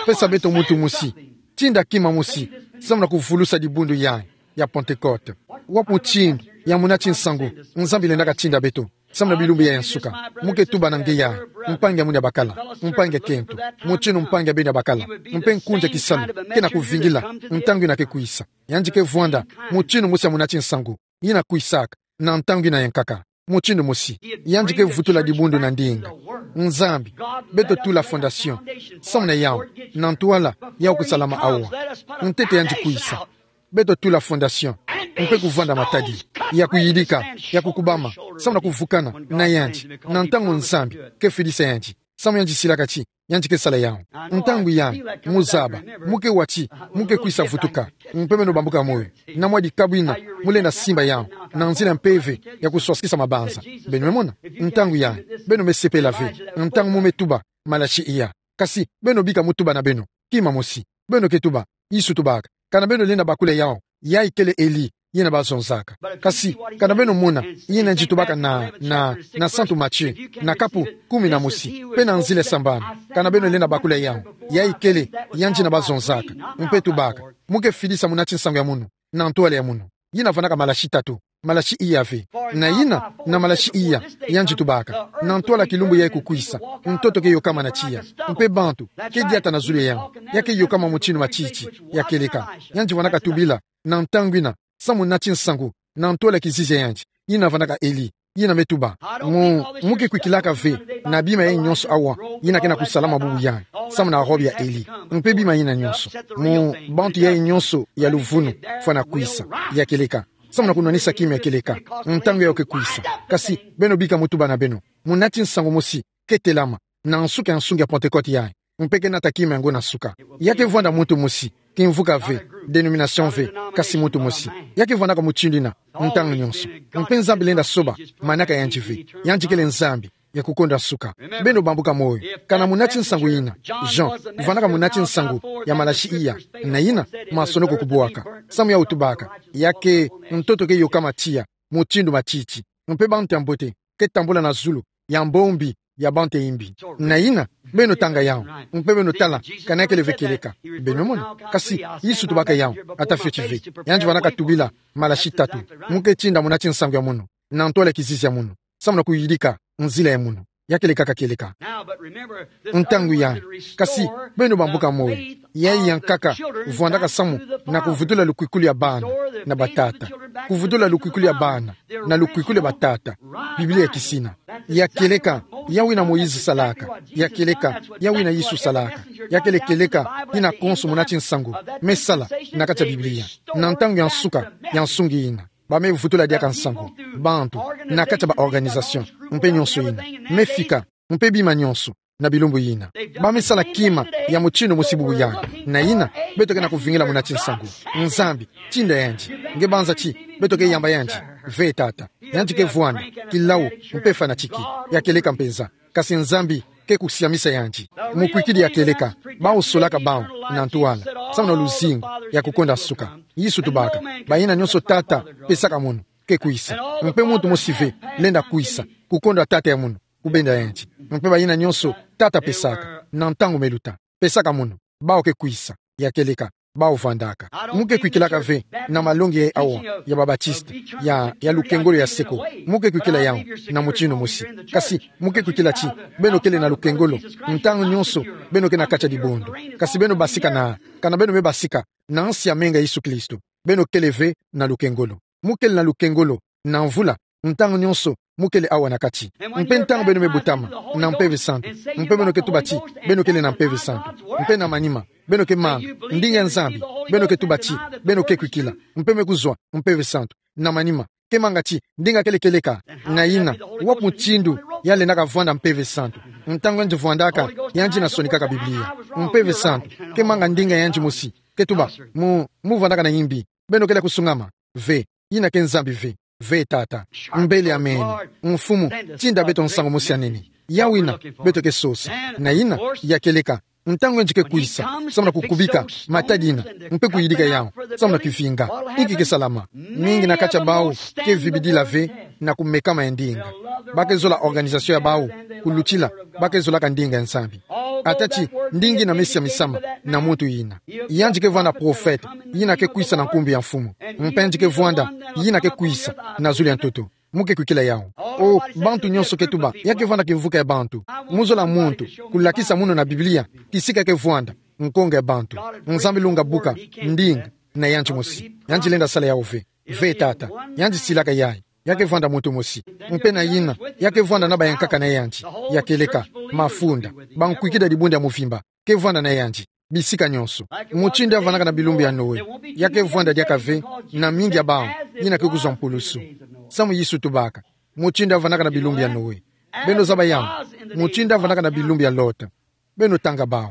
Pesa beto muntu mosi, tinda kima mosi, samu na kuvulusa dibundu yayi ya Pentecote. Wapi mutindu ya muna ti nsangu Nzambi lendaka tinda beto samu na bilumbu yayi ya nsuka? Mu ke tuba na nge yayi, mpangi ya mwini ya bakala, mpangi ya kento, mutindu mpangi ya beno ya bakala, mpe nkunzi ya kisalu ke na kuvingila ntangu yina ke kwisa. Yandi ke vwanda mutindu mosi ya muna ti nsangu yina kwisaka na ntangu yina ya nkaka. Mutindu mosi, yandi ke vutula dibundu na ndinga. Nzambi, beto tula fondation samu na yau, na ntwala yau kusalama awa. Ntete yandi kwisa, beto tula fondation, mpe kuvwanda matadi ya kuyidika, ya kukubama, samu na kuvukana na yandi na ntangu Nzambi ke fidisa yandi. Samu yandi silaka ti yandi ke sala yau. Ntangu yayi, mu zaba, mu ke wa ti mu ke kwisa vutuka. Mpe beno bambuka moyo, na mwa dikabu yina mu lenda simba yau na nzila ya mpeve ya kuswasikisa mabanza. Beno me mona. Ntangu yayi, beno me sepela ve ntangu mu me tuba malasi iya. Kasi beno bika mu tuba na beno kima mosi. Beno ke tuba, Yesu tubaka, kana beno lenda bakula yau, yayi kele Eli yina bazonzaka. Kasi kana beno mona yina yandi tubaka na, na, na Santu Matthieu, na kapu kumi na mosi, mpe na nzila sambanu. Kana beno lenda bakula yau, yayi kele yandi yina bazonzaka. Mpe tubaka, mu ke fidisa muna ti nsangu ya munu na ntwala ya munu. Yina vandaka malasi tatu, malasi iya ve. Na yina, na malasi iya, yandi tubaka, na ntwala kilumbu yayi kukwisa, ntoto ke yokama na tiya, mpe bantu ke diata na zulu ya yandi. Ya ke yokama mutindu matiti. Ya kieleka, yandi vandaka tubila na ntangu yina samu muna ti nsangu na ntwala kizizi ya yandi, yina vandaka Eli, yina me tuba: Mu, mu ke kwikilaka ve na bima yayi nyonso awa yina ke na kusalama bubu yayi, samu na robe ya Eli, mpe bima yina nyonso, mu bantu yayi nyonso ya luvunu fwana kwisa. Ya kieleka, samu na kunwanisa kima ya kieleka, ntangu yayi ke kwisa. Kasi beno bika mu tuba na beno, muna ti nsangu mosi ke telama na nsuka ya nsungi ya Pentecote yayi, mpe ke nata kima yango na nsuka. Ya ke vwanda muntu mosi, kimvuka ve, denomination ve, kasi muntu mosi. Ya ke vwandaka mutindu yina ntangu nyonso. Mpe Nzambi lenda soba manaka ya yandi ve. Yandi kele Nzambi ya kukonda nsuka. Beno bambuka moyo, kana muna ti nsangu yina, Jean, vandaka muna ti nsangu ya malasi iya, na yina masonoko kubwaka, samu yau tubaka, ya ke ntoto ke yokama tiya mutindu matiti, mpe bantu ya mbote ke tambula na zulu ya mbombi ya bantu ya imbi. Na yina, beno tanga yau, mpe beno tala kana ya kele ve kieleka. Beno mona. Kasi Yesu tubaka yau, ata fioti ve. Yandi vandaka tubila malasi tatu: Mu ke tinda muna ti nsangu ya munu na ntwala kizizi ya munu, samu na kuyidika nzila ya munu. Ya kieleka ka kieleka ntangu yayi. Kasi beno bambuka moyo, yayi ya nkaka vwandaka samu na kuvutula lukwikulu ya bana na batata. Kuvutula lukwikulu ya bana na lukwikulu ya batata. Biblia kisina. Ya kieleka, yawu yina Moïse salaka. Ya kieleka, yawu yina Yesu salaka. Ya kele kieleka yina konso muna ti nsangu me sala na kati ya Biblia, na ntangu ya nsuka ya nsungi yina. Ba me vutula diaka nsangu, bantu, na kati ya ba organisation, mpe nyonso yina me fika, mpe bima nyonso na bilumbu yina. Ba me sala kima ya mutindu mosi bubu yayi. Na yina, beto ke na kuvingila muna ti nsangu. Nzambi, tinda yandi. Nge banza ti, beto ke yamba yandi. Ve tata. Yandi ke vwanda, kilau, mpe fanatiki. Ya kieleka mpenza. Kasi Nzambi ke kusiamisa yandi. Mukwikidi ya kieleka, bawu solaka bawu, na ntwala. Samu na luzingu, ya kukonda nsuka. Yesu tubaka, bayina nionso tata, pesaka munu, ke kwisa. Mpe muntu mosi ve, lenda kwisa, kukonda tata ya munu, kubenda yandi. Mpe bayina nionso, tata pesaka, na ntangu me luta. Pesaka munu, bawu ke kwisa, ya kieleka, bawu vwandaka. Mu ke kwikilaka ve, na malongi awa, ya ba Baptiste, ya, ya lukengolo ya seko. Mu ke kwikila yawu, na mutindu mosi. Kasi, mu ke kwikila ti, beno kele na lukengolo, ntangu nionso, beno ke na kati ya dibundu. Kasi beno basika na, kana beno me basika, na nsi ya menga Yesu Kristo. Beno kele ve, na lukengolo. Mu kele na lukengolo, na mvula, ntangu nionso, mu kele awa na kati. Mpe ntangu beno me butama, na Mpeve Santu. Mpe beno ke tuba ti, beno kele na Mpeve Santu. Mpe na manima, beno ke manga, ndinga ya Nzambi, beno ke tuba ti, beno ke kwikila. Mpe me kuzwa, Mpeve Santu. Na manima, ke manga ti, ndinga kele kieleka, na yina, wapi mutindu, ya lendaka vwanda Mpeve Santu. Ntangu yandi vwandaka, yandi na sonikaka Biblia. Mpeve Santu, ke manga ndinga yandi mosi, ke tuba, mu, mu vwandaka na yimbi. Beno kele kusungama, ve, yina ke Nzambi ve, ve tata. Mbele amen. Mfumu, tinda beto nsangu mosi ya nene. Yawu yina, beto ke sosa. Na yina, ya kieleka. Ntangu yandi ke kwisa, samu na kukubika, matadi yina, mpe kuyidika yawu, samu na kivinga. Inki ke salama. Mingi na kati ya bawu, ke vibidila ve, na kumekama ya ndinga. Ba ke zola organisation ya bawu, kulutila, ba ke zolaka ndinga ya Nzambi. Ata ti, ndinga yina me siamisama, na muntu yina. Yandi ke vwanda prophète, yina ke kwisa na nkumbu ya Mfumu. Mpe yandi ke vwanda, yina ke kwisa, na zulu ya ntoto. Mu ke kwikila yawu. O, bantu nionso ke tuba, ya ke vwanda kimvuka ya bantu. Mu zola muntu, kulakisa munu na Biblia, kisika ke vwanda, nkonga ya bantu. Nzambi lunga buka, ndinga, na yandi mosi. Yandi lenda sala yawu ve. Ve tata. Yandi silaka yayi. Ya ke vwanda muntu mosi. Mpe na yina, ya ke vwanda na bayankaka na yandi. Ya kieleka, mafunda. Bankwikidi ya dibundu ya mvimba. Ke vwanda na yandi. Bisika nionso. Mutindu ya vwandaka na bilumbu ya Noe. Ya ke vwanda diaka ve, na mingi ya bawu. Yina ke kuzwa mpulusu. Samu Yesu tubaka. Mutindu ya vwandaka na bilumbu ya Noe. Beno zaba yawu. Mutindu ya vwandaka na bilumbu ya Lot. Beno tanga bawu.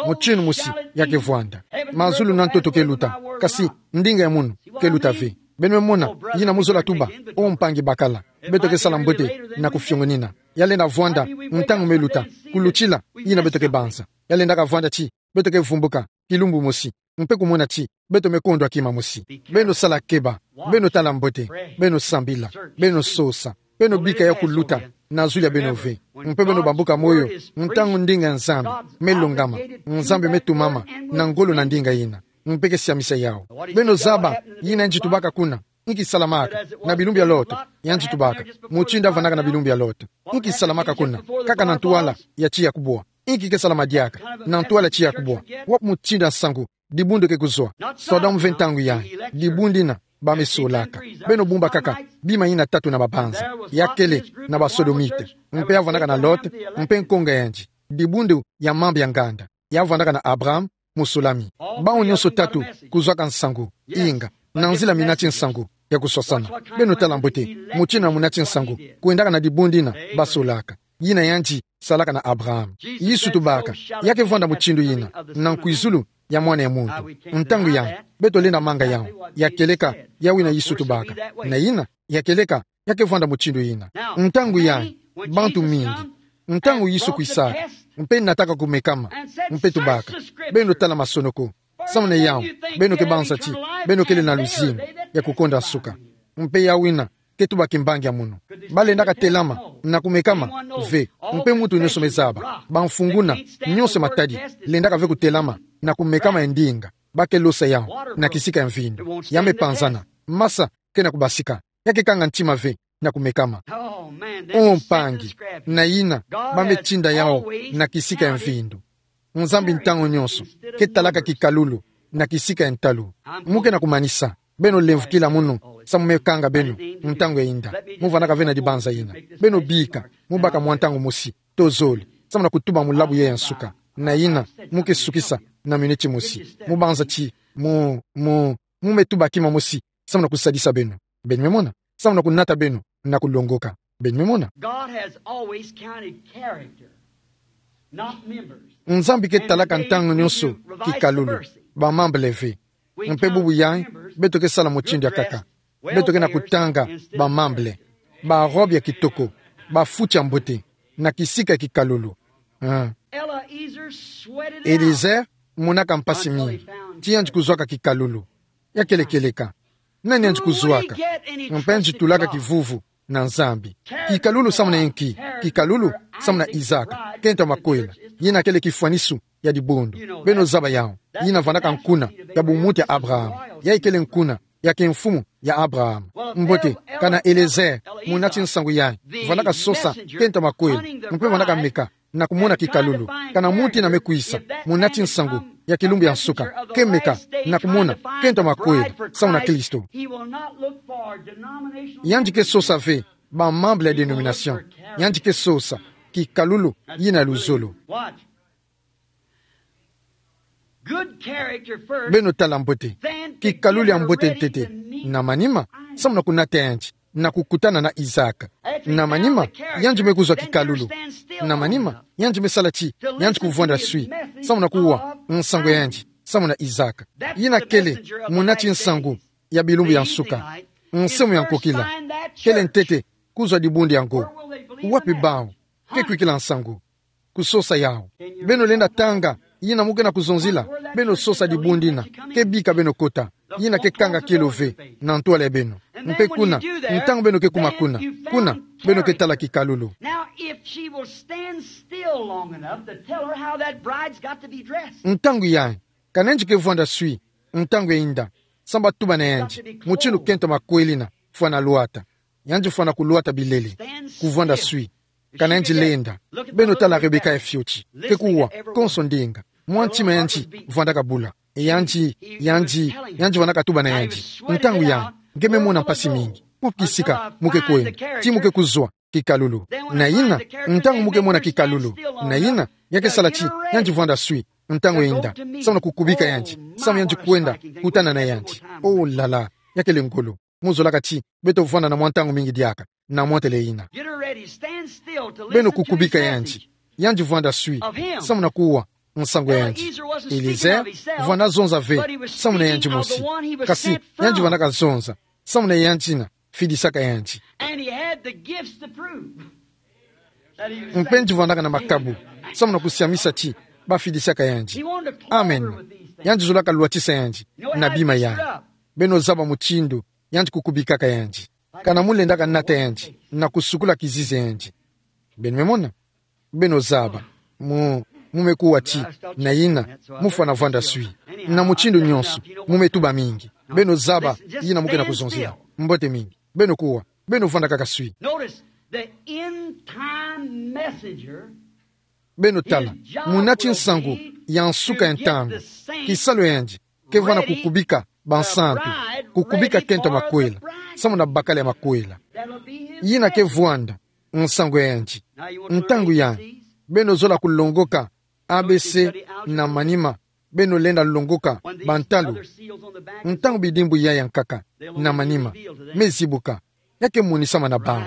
Mutindu mosi ya ke vwanda. Mazulu na ntoto ke luta. Kasi, ndinga ya munu, ke luta ve. Beno me mona, yina mu zola tuba, o mpangi bakala. Beto ke sala mbote, na kufiongonina. Ya lenda vwanda, ntangu me luta. Kulutila, yina beto ke banza. Ya lendaka vwanda ti, beto ke vumbuka, kilumbu mosi. Mpe kumona ti, beto me kondwa kima mosi. Beno sala keba, beno tala mbote, beno sambila, beno sosa, beno bika ya kuluta, na zulu ya beno ve. Mpe beno bambuka moyo, ntangu ndinga ya Nzambi, me longama, Nzambi me tumama, na ngolo na ndinga yina. Mpe ke siamisa yawu. Beno zaba, yina yandi tubaka kuna. Nki salamaka, na bilumbu ya Lot, yandi tubaka. Mutindu ya vwandaka na bilumbu ya Lot. Nki salamaka kuna, kaka na ntwala, ya tiya kubwa. Nki ke salama diaka, na ntwala tiya kubwa. Wapi mutindu ya nsangu, dibundu ke kuzwa. Sodome ve ntangu yayi, dibundu yina, ba me solaka. Beno bumba kaka, bima yina tatu na mabanza. Ya kele, na ba Sodomite. Mpe ya vwandaka na Lot, mpe nkonga yandi. Dibundu ya mambu ya nganda. Ya vwandaka na Abraham, musulami. Bawu nionso tatu, kuzwaka nsangu, inga, na nzila mina ti nsangu, ya kuswasana. Beno tala mbote, mutindu ya muna ti nsangu, kwendaka na dibundu yina, ba solaka. Yina yandi, salaka na Abraham. Yesu tubaka, ya ke vwanda mutindu yina, na nkwizulu, ya mwana ya muntu. Ntangu yayi, beto lenda manga yawu, ya kieleka, yawu yina Yesu tubaka. Na yina, ya kieleka, ya ke vwanda mutindu yina. Ntangu yayi, bantu mingi. Ntangu Yesu kwisaka, mpe nataka kumekama, mpe tubaka. Beno tala masonoko. Samu na yawu, beno ke banza ti, beno kele na luzingu, ya kukonda nsuka. Mpe yawu yina, ke tuba kimbangi ya munu. Ba lendaka telama, na kumekama, ve, mpe muntu nionso me zaba. Bamfunguna, nionso matadi, lendaka ve kutelama, na kumekama ya ndinga. Ba ke losa yawu, na kisika ya mvindu. Ya me panzana, masa, ke na kubasika. Ya ke kanga ntima ve, na kumekama. O mpangi, na yina, ba me tinda yawu, na kisika ya mvindu. Nzambi ntangu nionso, ke talaka kikalulu, na kisika ya ntalu. Mu ke na kumanisa, beno lemvukila munu, samu me kanga beno, ntangu ya yinda. Mu vwandaka ve na dibanza yina. Beno bika, mu baka mwa ntangu mosi, tozole, samu na kutuba mulabu yayi ya nsuka. Na yina, mu ke sukisa, na miniti mosi. Mu banza ti, mu, mu, mu me tuba kima mosi, samu na kusadisa beno. Beno me mona. Samu na kunata beno, na kulongoka. Beno me mona. God has always counted character Nzambi ke talaka ntangu nyonso kikalulu, ba membres ve. Mpe bubu yayi, beto ke sala mutindu ya nkaka. Beto ke na kutanga ba membres, ba robe ya kitoko, ba futi ya mbote, na kisika ya kikalulu. Ah. Eliezer monaka mpasi mingi ti yandi kuzwaka kikalulu. Ya kele kieleka. Nani yandi kuzwaka? Mpe yandi tulaka kivuvu na Nzambi. Kikalulu samu na inki? Kikalulu samu na Isaac, kento makwela. Yina kele kifwanisu ya dibundu. Beno zaba yawu. Yina vandaka nkuna ya bumuntu ya Abraham. Yayi kele nkuna ya kimfumu ya Abraham. Mbote, kana Eliezer, munati nsangu yayi, vandaka sosa kento makwela, mpe vandaka meka na kumona kikalulu. Kana muntu yina me kwisa, munati nsangu ya kilumbu ya nsuka, ke meka na kumona kento makwela samu na Kristo. Yandi ke sosa ve ba membres ya dénomination. Yandi ke sosa kikalulu yina ya luzolo. Beno tala mbote. Kikalulu ya mbote ntete. Na manima, samu na kunata yandi na kukutana na Isaac. Na manima, yandi me kuzwa kikalulu. Na manima, yandi me sala ti yandi kuvwanda swi, samu na kuwa nsangu ya yandi samu na Isaac. Yina kele munati nsangu ya bilumbu ya nsuka, nsemu ya nkokila. Kele ntete kuzwa dibundu yango. Wapi bawu ke kwikila nsangu? Kusosa yawu. Beno lenda tanga yina mu ke na kuzonzila. Beno sosa dibundu yina ke bika beno kota. Yina ke kanga kielo ve na ntwala ya beno. Mpe kuna, ntangu beno ke kuma kuna, kuna beno ke tala kikalulu. Now, if she will stand still long enough to tell her how that bride's got to be dressed. Ntangu yayi, kana yandi ke vwanda swi ntangu ya yinda, samu ba tuba na yandi mutindu kento makwela yina fwana lwata. Yandi fwana kulwata bilele, kuvwanda swi. Kana yandi lenda. Beno tala Rebeka ya fioti. Ke kuwa konso ndinga. Mwa ntima yandi vwandaka bula. E yandi, yandi, yandi vandaka tuba na yandi. Ntangu yayi, nge me mona mpasi mingi. Ku kisika mu ke kwenda, ti mu ke kuzwa kikalulu. Na yina, ntangu mu ke mona kikalulu, na yina, ya ke sala ti yandi vwanda swi ntangu ya yinda, samu na kukubika yandi, samu yandi kwenda kutana na yandi. Oh là là, ya kele ngolo. Mu zolaka ti beto vwanda na mwa ntangu mingi diaka na mwa ntele yina. Get her ready. Stand still to listen to his message. Beno kukubika yandi. Yandi vwanda swi samu na kuwa nsangu ya yandi. Eliezer vwanda zonza ve samu na yandi mosi. Kasi yandi vandaka zonza samu na yandi yina fidisaka yandi. And he had the gifts to prove that he was saved. Mpe yandi vandaka na makabu samu na kusiamisa ti bafidisaka yandi. Amen. Yandi zolaka lwatisa yandi na bima yayi. Beno zaba mutindu yandi kukubikaka yandi. Kana mu lendaka nata yandi na kusukula kizizi ya yandi. Beno me mona? Beno zaba. Mu, mu me kuwa ti, na yina mu fwana vwanda swi. Na mutindu nyonso, mu me tuba mingi. Beno zaba yina mu ke na kuzonzila. Mbote mingi. Beno kuwa. Beno vwanda kaka swi. Notice, the end time messenger. Beno tala, munati nsangu ya nsuka ya ntangu. Kisalu ya yandi ke vwanda kukubika bansantu, kukubika kento makwela, samu na bakala ya makwela. Yina ke vwanda nsangu ya yandi. Ntangu yayi, beno zola kulongoka A B C na manima, beno lenda longoka bantalu. Ntangu bidimbu yayi ya nkaka na manima me zibuka, ya ke monisama na bawu.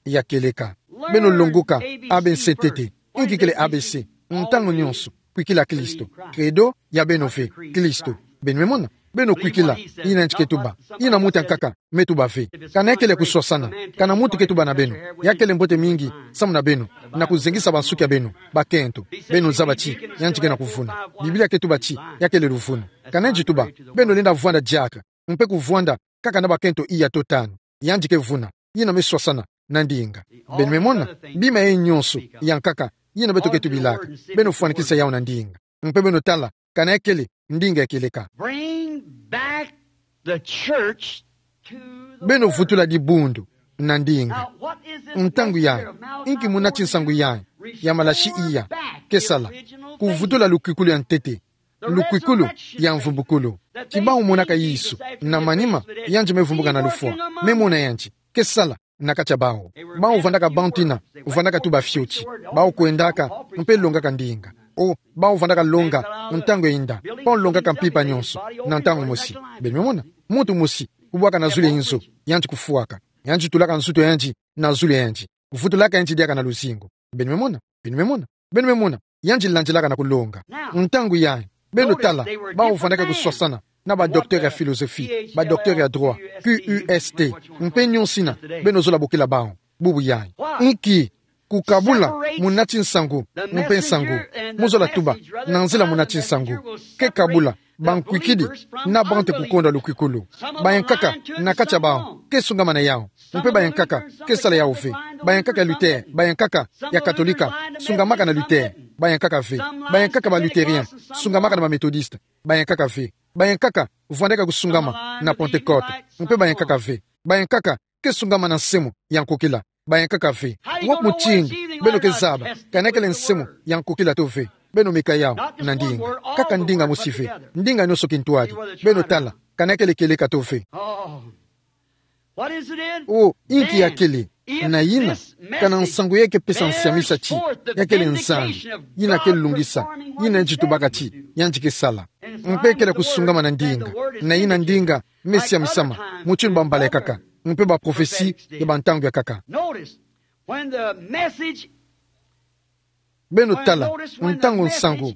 Ya kieleka. Beno longoka A B C ntete. Inki kele A B C? Ntangu nyonso, kwikila Kristo. Credo ya beno ve, Kristo. Beno me mona? Beno kwikila yina yandi ke tuba. Yina muntu ya nkaka me tuba ve. Kana ya kele kuswasana, kana muntu ke tuba na beno, ya kele mbote mingi samu na beno, na kuzengisa bansuki ya beno, bakento. Beno zaba ti yandi ke na kuvuna. Biblia ke tuba ti ya kele luvunu. Kana yandi tuba, beno lenda vwanda diaka, mpe kuvwanda kaka na bakento iya to tanu. Yandi ke vuna. Yina me swasana na ndinga. Beno me mona? Bima yayi nyonso ya nkaka yina beto ke tubilaka, beno fwanikisa yawu na ndinga. Mpe beno tala kana ya kele ndinga ya kieleka. Bring back the church to the word. Beno vutula dibundu na ndinga. Now, what is this message of Malachi? Ntangu yayi, inki munati nsangu yayi ya Malachi iya? Ke sala kuvutula lukwikulu ya ntete, lukwikulu ya mvumbukulu. Ti bawu monaka Yesu na manima, yandi me vumbuka na lufwa, me mona yandi ke sala na kati ya bawu. Bawu vandaka bantu yina vandaka tuba fioti. Bawu kwendaka mpe longaka ndinga. O, bawu vandaka longa ntangu ya yinda. Bawu longaka mpimpa nyonso na ntangu mosi. Beno me mona? Muntu mosi kubwaka na zulu ya inzo, yandi kufwaka. Yandi tulaka nzutu ya yandi na zulu ya yandi, vutulaka yandi diaka na luzingu. Beno me mona? Beno me mona? Beno me mona? yandi landilaka na kulonga. Ntangu yayi, beno tala, bawu vandaka kuswasana na ba docteur ya philosophie, ba docteur ya droit, Q U S T, mpe nyonso ina, beno zola bokila bawu. Bubu yayi. Nki? Kukabula munati nsangu mpe nsangu. Mu zola tuba, na nzila munati nsangu ke kabula bankwikidi na bantu kukondwa lukwikulu. Bayankaka na kati ya bawu ke sungama na yawu, mpe bayankaka ke sala yawu ve. Bayankaka ya Luther, bayankaka ya Katolika, sungamaka na Luther, bayankaka ve. Bayankaka ba Lutherien, sungamaka na ba Methodiste, bayankaka ve. Bayankaka vandaka kusungama na Pentecôte, mpe bayankaka ve. Bayankaka ke sungama na nsemo ya nkokila, bayankaka ve. Wapi mutindu beno ke zaba kana kele nsemo ya nkokila to ve? Beno meka yawu na ndinga. Kaka ndinga mosi ve. Ndinga nyonso kintwadi. Beno tala kana kele kieleka to ve. Oh, inki ya kele? Na yina, kana nsangu ya kepesa nsiamisa ti ya kele Nzambi, yina ke lungisa, yina yandi tubaka ti yandi ke sala. Mpe kele kusungama na ndinga. Na yina ndinga me siamisama mutindu ba mbala ya nkaka, mpe ba prophetie ya ba ntangu ya nkaka. Beno tala, ntangu nsangu,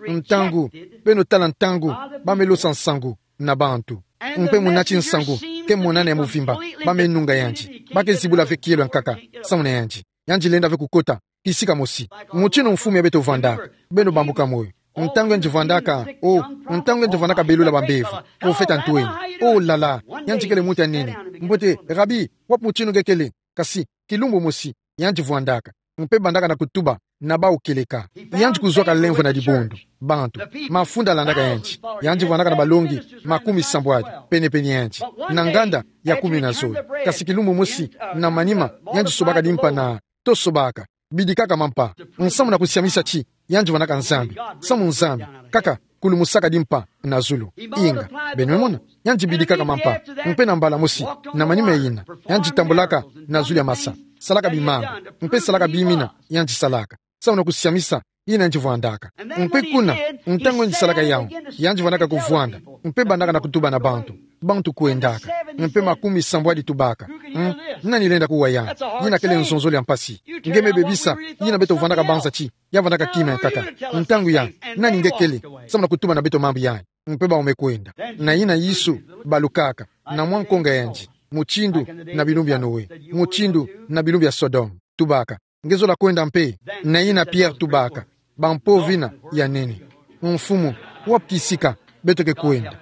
ntangu, beno tala ntangu ba me losa nsangu na bantu, mpe munati nsangu ke monana ya muvimba, ba me nunga yandi, ba ke zibula ve kielo ya nkaka, samu na yandi, yandi lenda ve kukota kisika mosi. Mutindu mfumu ya beto vandaka, beno bambuka moyo. Ntangu yandi vandaka, oh, ntangu yandi vandaka belula ba mbevo, profeta Ntweni. Oh là là, yandi kele muntu ya nene. Mbote, Rabi, wapi mutindu nge kele? Kasi kilumbu mosi, yandi vandaka, mpe bandaka na kutuba na bawu kieleka. Yandi kuzwaka lemvo na dibundu, bantu, mafunda landaka yandi. Yandi vandaka na balongi makumi sambwadi pene-pene yandi, na nganda ya kumi na zole. Kasi kilumbu mosi, na manima, yandi sobaka dimpa na, to sobaka, bidikaka mampa, nsamu na kusiamisa ti yandi vandaka Nzambi, samu Nzambi kaka kulumusaka dimpa na zulu. Inga, beno me mona, yandi bidikaka mampa, mpe na mbala mosi, na manima yina, yandi tambulaka na zulu ya masa, salaka bimanga, mpe salaka bimina yandi salaka, samu na kusiamisa yina yandi vandaka. Mpe kuna, ntangu yandi salaka yawu, yandi vandaka kuvwanda, mpe bandaka na kutuba na bantu, bantu kwendaka, mpe makumi sambwadi tubaka: Hmm, nani lenda kuwa yandi? Yina kele nzonzolo ya mpasi. Nge me bebisa yina beto vandaka banza ti ya vandaka kima ya nkaka. Ntangu yayi, nani nge kele, samu na kutuba na beto mambu yayi? Mpe bawu me kwenda. Na yina Yesu balukaka na mwa nkonga ya yandi, mutindu na bilumbu ya Noe, mutindu na bilumbu ya Sodome. Tubaka: Nge zola kwenda mpe? Na yina Pierre tubaka: Bampovina ya nene. Mfumu, wapi kisika beto ke kwenda?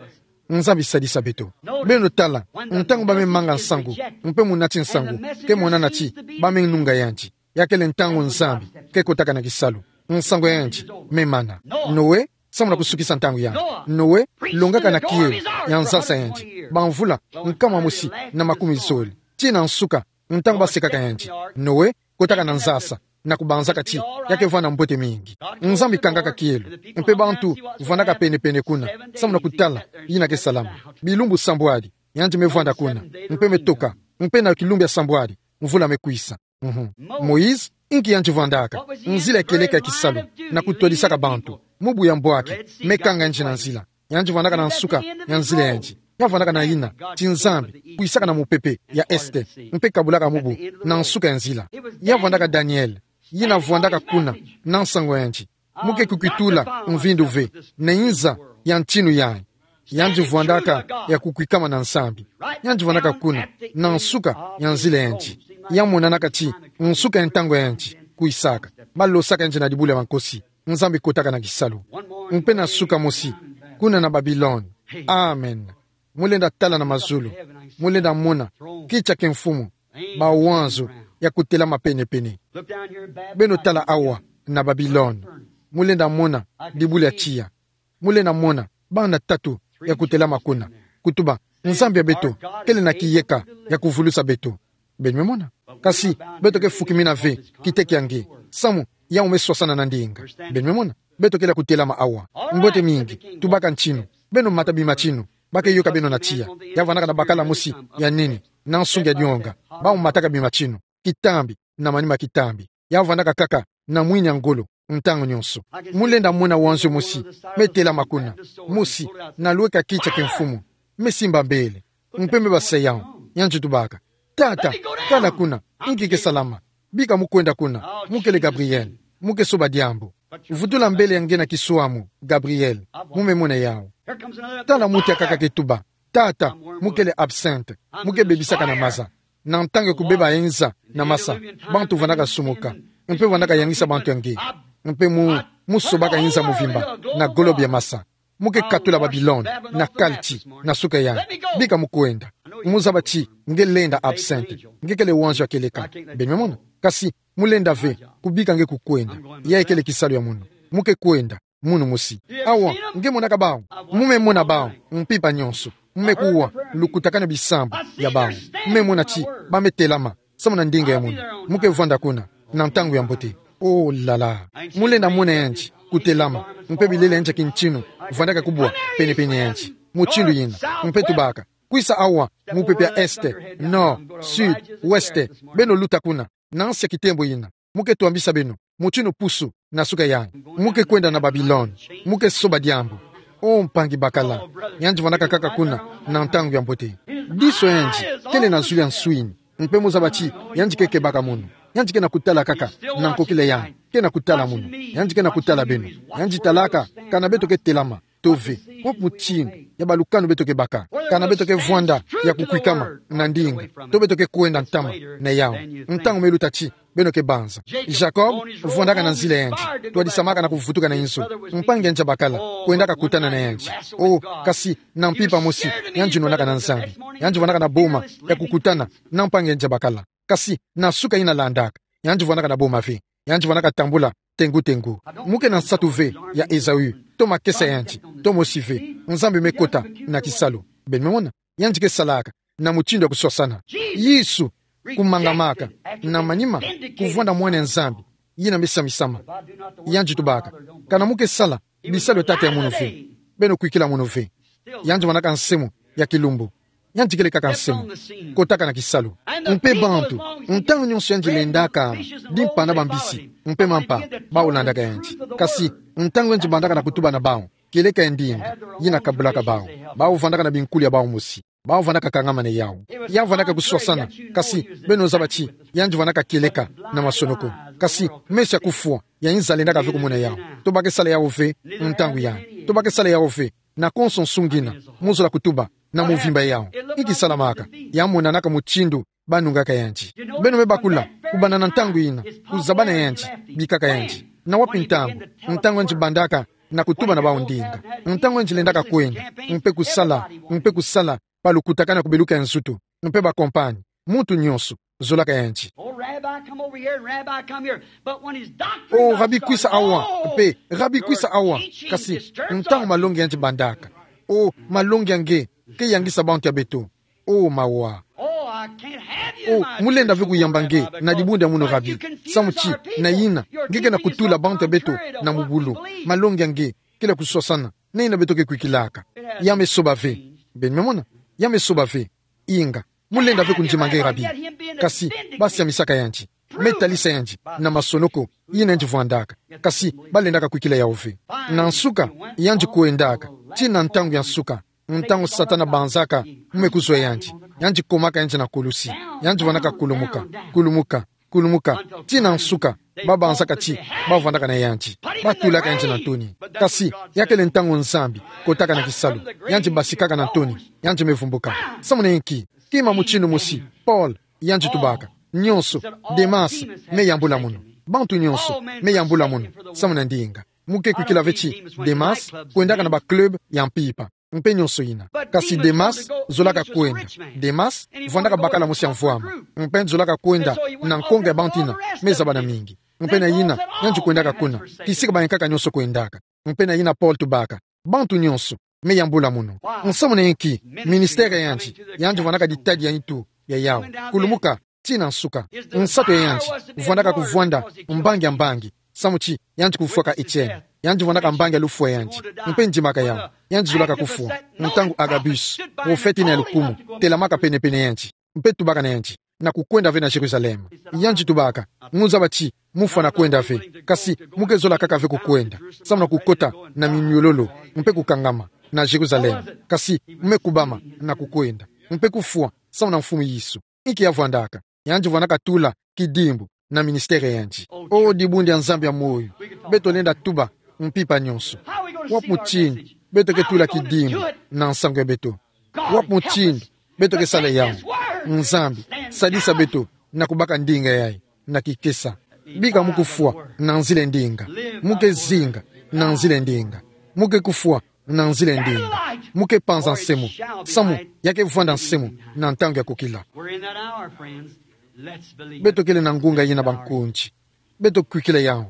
Nzambi sadisa beto. Beno tala, ntangu ba me manga nsangu, mpe munati nsangu ke monana ti ba me nunga yandi, ya kele ntangu Nzambi ke kotaka na kisalu. Nsangu ya yandi me mana. Noe, samu na kusukisa ntangu yayi. Noe longaka na kielo ya nzasa ya yandi bamvula nkama mosi na makumi zole, tii na nsuka, ntangu ba sekaka yandi. Noe kotaka na nzasa, na kubanzaka ti ya ke vanda mbote mingi. Nzambi kangaka kielo, mpe bantu vandaka pene-pene kuna, samu na kutala yina ke salama. Bilumbu sambwadi yandi me vanda kuna, mpe me toka, mpe na kilumbu ya sambwadi, mvula me kwisa. Mhm. Moïse, inki yandi vandaka? Nzila ya kieleka ya kisalu, na kutwadisaka bantu. Mubu ya mbwaki me kanga yandi na nzila. Yandi vandaka na nsuka ya nzila ya yandi. Ya vandaka na yina ti Nzambi kwisaka na mupepe ya este, mpe kabulaka mubu na nsuka ya nzila. Ya vandaka Daniel, yina vwandaka kuna na nsangu ya yandi. Mu ke kukwitula mvindu ve na inza ya ntinu yayi. Yandi vwandaka ya kukwikama na Nzambi. Yandi vandaka kuna na nsuka ya nzila ya yandi. Ya monanaka ti nsuka ya ntangu ya yandi kwisaka. Ba losaka yandi na dibulu ya bankosi. Nzambi kotaka na kisalu. Mpe na nsuka mosi, kuna na Babilone. Amen. Mu lenda tala na mazulu, mu lenda mona kiti ya kimfumu, mawanzo ya kutelama pene-pene. Beno tala awa na Babilone, mu lenda mona dibulu ya tiya. Mu lenda mona bana tatu ya kutelama kuna, kutuba: Nzambi ya beto kele na kiyeka ya kuvulusa beto. Beno me mona? Kasi beto ke fukimina ve kiteke ya nge, samu yawu me swasana na ndinga. Beno me mona? Beto kele ya kutelama awa. Mbote mingi, tubaka ntinu. Beno mata bimatinu. Ba ke yoka beno na tiya. Ya vandaka na bakala mosi ya nene na nsunga ya dionga. Bawu mataka bimatinu, kitambi na manima kitambi. Ya vandaka kaka na mwini ya ngolo ntangu nyonso. Mu lenda mona wanzo mosi me telama kuna. Mosi na lweka kiti ya kimfumu, me simba mbele, mpe me basa yawu. Yandi tubaka: Tata, tala kuna, inki ke salama? Bika mu kwenda kuna. Mu kele Gabriel. Mu ke soba diambu. Vutula mbele ya nge na kiswamu, Gabriel. Mu me mona yawu. Tala muti akaka ke tuba. Tata, mu kele absinthe. Mu ke bebisaka na maza. Na ntangu ya kubeba inza na masa, bantu vandaka sumuka. Mpe vandaka yangisa bantu ya nge. Mpe mu, mu sobaka inza muvimba na globe ya masa. Mu ke katula Babilone na kalti na suka yai. Bika mu kwenda. Mu zaba ti nge lenda absinthe. Nge kele wanzo ya kieleka. Beno me mona. Kasi mu lenda ve, kubika nge kukwenda. Yayi kele kisalu ya munu. Mu ke kwenda, munu mosi. Awa, nge monaka bawu. Mu me mona bawu, mpimpa nyonso. Mu me kuwa lukutakanu ya bisambu ya bawu. Mu me mona ti ba me telama samu na ndinga ya munu. Mu ke vwanda kuna na ntangu ya mbote. Oh là là. Mu lenda mona yandi kutelama, mpe bilele yandi ya kintinu vandaka kubwa penepene yandi. Mutindu yina. Mpe tubaka: Kwisa awa, mupepe ya est, nord, sud, ouest. Beno luta kuna. Na nsi ya kitembo yina. Mu ke twambisa beno mutindu pusu na suka yai. Mu ke kwenda na Babilone. Mu ke soba diambu. Oh mpangi bakala, yandi vandaka kaka kuna na ntangu ya mbote. Diso ya yandi kele na zulu ya nswini. Mpe mu zaba ti yandi ke kebaka munu. Yandi ke na kutala kaka na nkokila yai. Ke na kutala munu. Yandi ke na kutala beno. Yandi talaka kana beto ke telama to ve, kwa mutindu ya balukanu beto ke baka. Kana beto ke vwanda ya kukwikama na ndinga, to beto ke kwenda ntama na yawu. Ntangu me luta ti beno ke banza. Jacob vwandaka na nzila ya yandi. Twadisamaka na kuvutuka na inzo. Mpangi ya yandi ya bakala kwendaka kutana na yandi. Oh, kasi na mpimpa mosi, yandi nwanaka na Nzambi. Yandi vwandaka na boma ya kukutana na mpangi ya yandi ya bakala. Kasi na suka yina landaka, yandi vwandaka na boma ve. Yandi vwandaka tambula tengu-tengu. Mu ke na nsatu ve ya Esaü, to makesa ya yandi, to mosi ve. Nzambi me kota na kisalu. Beno me mona. Yandi ke salaka na mutindu ya kuswasana. Yesu, kumangamaka na manima, kuvwanda Mwana ya Nzambi yina me samisama. Yandi tubaka: Kana mu ke sala bisalu ya tata ya munu ve, beno kwikila munu ve. Yandi vwandaka nsemo ya kilumbu. Yandi kele kaka nsemo, kotaka na kisalu. Mpe bantu, ntangu nyonso yandi lendaka, dimpana bambisi mpe mampa, bawu landaka yandi. Kasi ntangu yandi bandaka na kutuba na bawu, kieleka ya ndinga yina kabulaka bawu. Bawu vwandaka na binkulu ya bawu mosi. Bawu vwandaka kangama na yawu. Ya vwandaka kuswasana. Kasi beno zaba ti yandi vwandaka kieleka na masonoko. Kasi meso ya kufwa ya inza lendaka ve kumona yawu. To ba ke sala yawu ve ntangu yai. To ba ke sala yawu ve na konso nsu ngina. Mu zola kutuba na muvimba ya yawu. Inki salamaka? Ya monanaka mutindu ba nungaka yandi. Beno me bakula, kubanda na ntangu yina, kuzabana yandi bikaka yandi. Na wapi ntangu? Ntangu yandi bandaka na kutuba na bawu ndinga. Ntangu yandi lendaka kwenda, mpe kusala, mpe kusala, balukutakanu ya kubeluka nzutu, mpe bakompani. Muntu nyonso zolaka yandi. Oh, Rabbi, come over here, and Rabbi, come here. But when his doctrine got started, oh, Rabbi, kwisa awa. Mpe, Rabbi, kwisa awa. Kasi ntangu malongi ya yandi bandaka, oh, malongi ya nge ke yangisa bantu ya beto. Oh, mawa. Oh, I can't have you in my church. Oh, mu lenda ve kuyamba nge na dibundu ya munu, Rabbi. Samu ti na yina nge ke na kutula bantu ya beto na mubulu. Malongi ya nge kele ya kuswasana na yina beto ke kwikilaka. Ya me soba ve. Beno me mona? Ya me soba ve. Inga, mu lenda ve kundima nge, Rabbi. Kasi ba siamisaka yandi, me talisa yandi na masonoko yina yandi vwandaka. Kasi ba lendaka kwikila yawu ve. Na nsuka, yandi kwendaka tii na ntangu ya nsuka, ntangu Satana banzaka mu me kuzwa yandi. Yandi komaka yandi na kulusi. Yandi vwandaka kulumuka, kulumuka, kulumuka, tii na nsuka. Ba banzaka ti ba vwandaka na yandi, ba tulaka yandi na ntoni. Kasi ya kele ntangu Nzambi kotaka na kisalu. Yandi basikaka na ntoni, yandi me vumbuka. Samu na inki? Kima mutindu mosi, Paul, yandi tubaka: Nyonso, Demas me yambula munu. Bantu nyonso me yambula munu samu na ndinga. Mu ke kwikila ve ti Demas kwendaka na ba club ya mpimpa, mpe nyonso yina. Kasi Demas zolaka kwenda. Demas vwandaka bakala mosi ya mvwama, mpe yandi zolaka kwenda na nkonga ya bantu yina me zabana mingi. Mpe na yina, yandi kwendaka kuna kisika bayankaka nyonso kwendaka. Mpe na yina Paul tubaka: Bantu nyonso me yambula munu. Nsamu na inki? Ministère ya yandi, yandi vwandaka ditadi ya nitu ya yawu. Kulumuka tii na nsuka. Nsatu ya yandi vwandaka kuvwanda mbangi ya mbangi, samu ti yandi kufwaka Etienne. Yandi vwandaka mbangi ya lufwa ya yandi. Mpe ndimaka yawu, yandi zolaka kufwa. Ntangu Agabus, prophète yina ya lukumu, telamaka penepene ya yandi, mpe tubaka na yandi na kukwenda ve na Jérusalem, yandi tubaka: Mu zaba ti mu fwana kwenda ve, kasi mu ke zola kaka ve kukwenda, samu na kukota na minyololo, mpe kukangama na Jérusalem. Kasi mu me kubama na kukwenda, mpe kufwa samu na Mfumu Yesu. Inki ya vwandaka? Yandi vwandaka tula kidimbu na ministère yandi. O dibundu dia Nzambi ya moyo, beto lenda tuba mpimpa nyonso. Wapi mutindu beto ke tula kidimbu na nsangu ya beto? Wapi mutindu beto ke sala yawu? Nzambi, sadisa beto na kubaka ndinga yayi na kikesa. Bika mu kufwa na nzila ya ndinga. Mu ke zinga na nzila ya ndinga. Mu ke kufwa na nzila ya ndinga. Mu ke panza nsemo, samu ya ke vwanda nsemo na ntangu ya kukila. We're in that hour, friends. Let's believe. Beto kele na ngunga yina, bankundi. Beto kwikila yawu.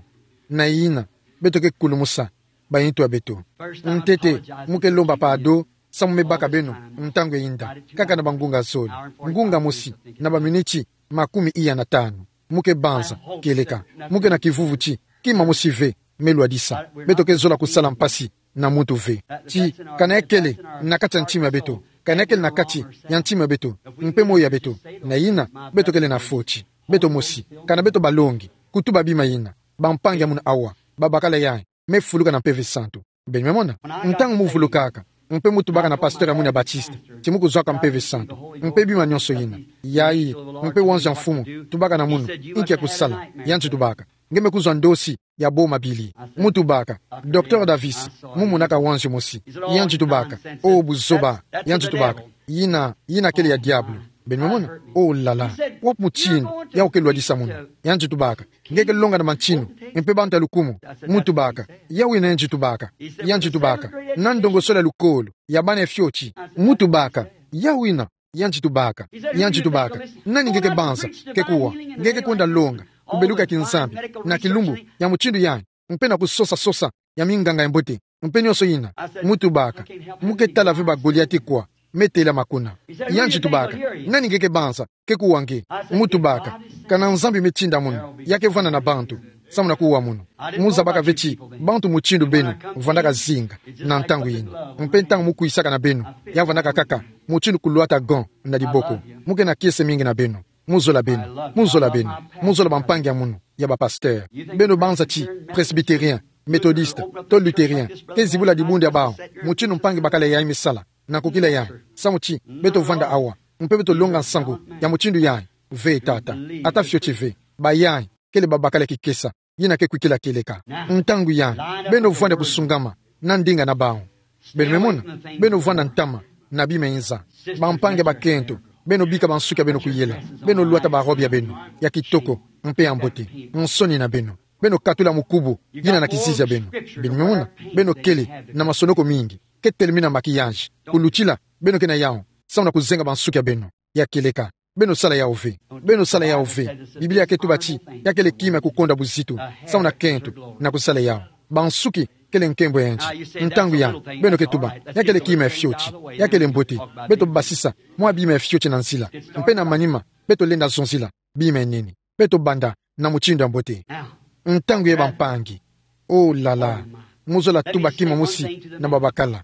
Na yina, beto ke kulumusa bayitu ya beto. Ntete, mu ke lomba pardon samu me baka beno ntangu ya yinda, kaka na bangunga zole. Ngunga mosi na baminiti makumi iya na tanu. Mu ke banza kieleka. Mu ke na kivuvu ti kima mosi ve me lwadisa. Beto ke zola kusala mpasi na muntu ve. Ti, kana ya kele na kati ya ntima ya beto, kana ya kele na kati ya ntima ya beto mpe moyo ya beto, na yina, beto kele na foti. Beto mosi, kana beto balongi kutuba bima yina, bampangi ya munu awa, babakala yayi me fuluka na Mpeve Santu. Beno me mona? Ntangu mu vulukaka, mpe mu tubaka na pasteur ya munu ya Baptiste ti mu kuzwaka Mpeve Santu, mpe bima nyonso yina. Yayi, mpe wanzu ya mfumu tubaka na munu, inki ya kusala? Yandi tubaka: Nge me kuzwa ndosi ya bo mabili. Mu tubaka: Docteur Davis, mu monaka wanzu mosi. Yandi tubaka: O buzoba. Yandi tubaka: Yina, yina kele ya diabulu. Beno me mona? O la la. Wapi mutindu yawu ke lwadisa munu? Yandi tubaka: Nge ke longa na mantinu, mpe bantu ya lukumu. Mu tubaka: Yawu yina yandi tubaka. Yandi tubaka: Na ndongosolo ya lukolo ya bana ya fioti. Mu tubaka: Yawu yina yandi tubaka. Yandi tubaka: Nani nge ke banza ke kuwa? Nge ke kwenda longa kubeluka kinzambi na kilumbu ya mutindu yayi, mpe na kusosa sosa ya minganga ya mbote, mpe nyonso yina. Mu tubaka: Mu ke tala ve ba Goliati kwa me tela makuna. Yandi tubaka: Nani nge ke banza ke kuwa nge? Mu tubaka: Kana Nzambi me tinda munu, ya ke vwanda na bantu samu na kuwa munu. Mu zabaka ve ti bantu mutindu beno vwandaka zinga na ntangu yina. Mpe ntangu mu kwisaka na beno, ya vwandaka kaka mutindu kulwata gants na diboko. Mu ke na kiese mingi na beno. Mu zola beno. Mu zola beno. Mu zola bampangi ya munu ya bapasteur. Beno banza ti Presbytérien, Méthodiste, to Luthérien, ke zibula dibundu ya bawu mutindu mpangi bakala yayi me sala, na kukila yayi, samu ti beto vwanda awa, mpe beto longa nsangu ya mutindu yayi? Ve tata. Ata fioti ve. Bayayi kele babakala kikesa yina ke kwikila kieleka. Ntangu yayi, beno vwanda kusungama na ndinga na bawu. Beno me mona? Beno vwanda ntama na bima yinza. Bampangi ya bakento, beno bika bansuki ya beno kuyela. Beno lwata ba robe ya beno ya kitoko mpe ya mbote. Nsoni na beno. Beno katula mukubu yina na kizizi ya beno. Beno me mona? Beno kele na masonoko mingi. Ke telemina maquillage. Kulutila, beno ke na yawu samu na kuzenga bansuki ya beno ya kieleka. Beno sala yawu ve. Beno sala yawu ve. Biblia ke tuba ti ya kele kima ya kukonda buzitu samu na kento na kusala yawu. Bansuki kele nkembo ya yandi. Ntangu yayi, beno ke tuba: Ya kele kima ya fioti. Ya kele mbote. Beto basisa mwa bima ya fioti na nzila, mpe na manima beto lenda zonzila bima ya nene. Beto banda na mutindu ya mbote. Ntangu yayi, bampangi. O la la. Mu zola tuba kima mosi na babakala: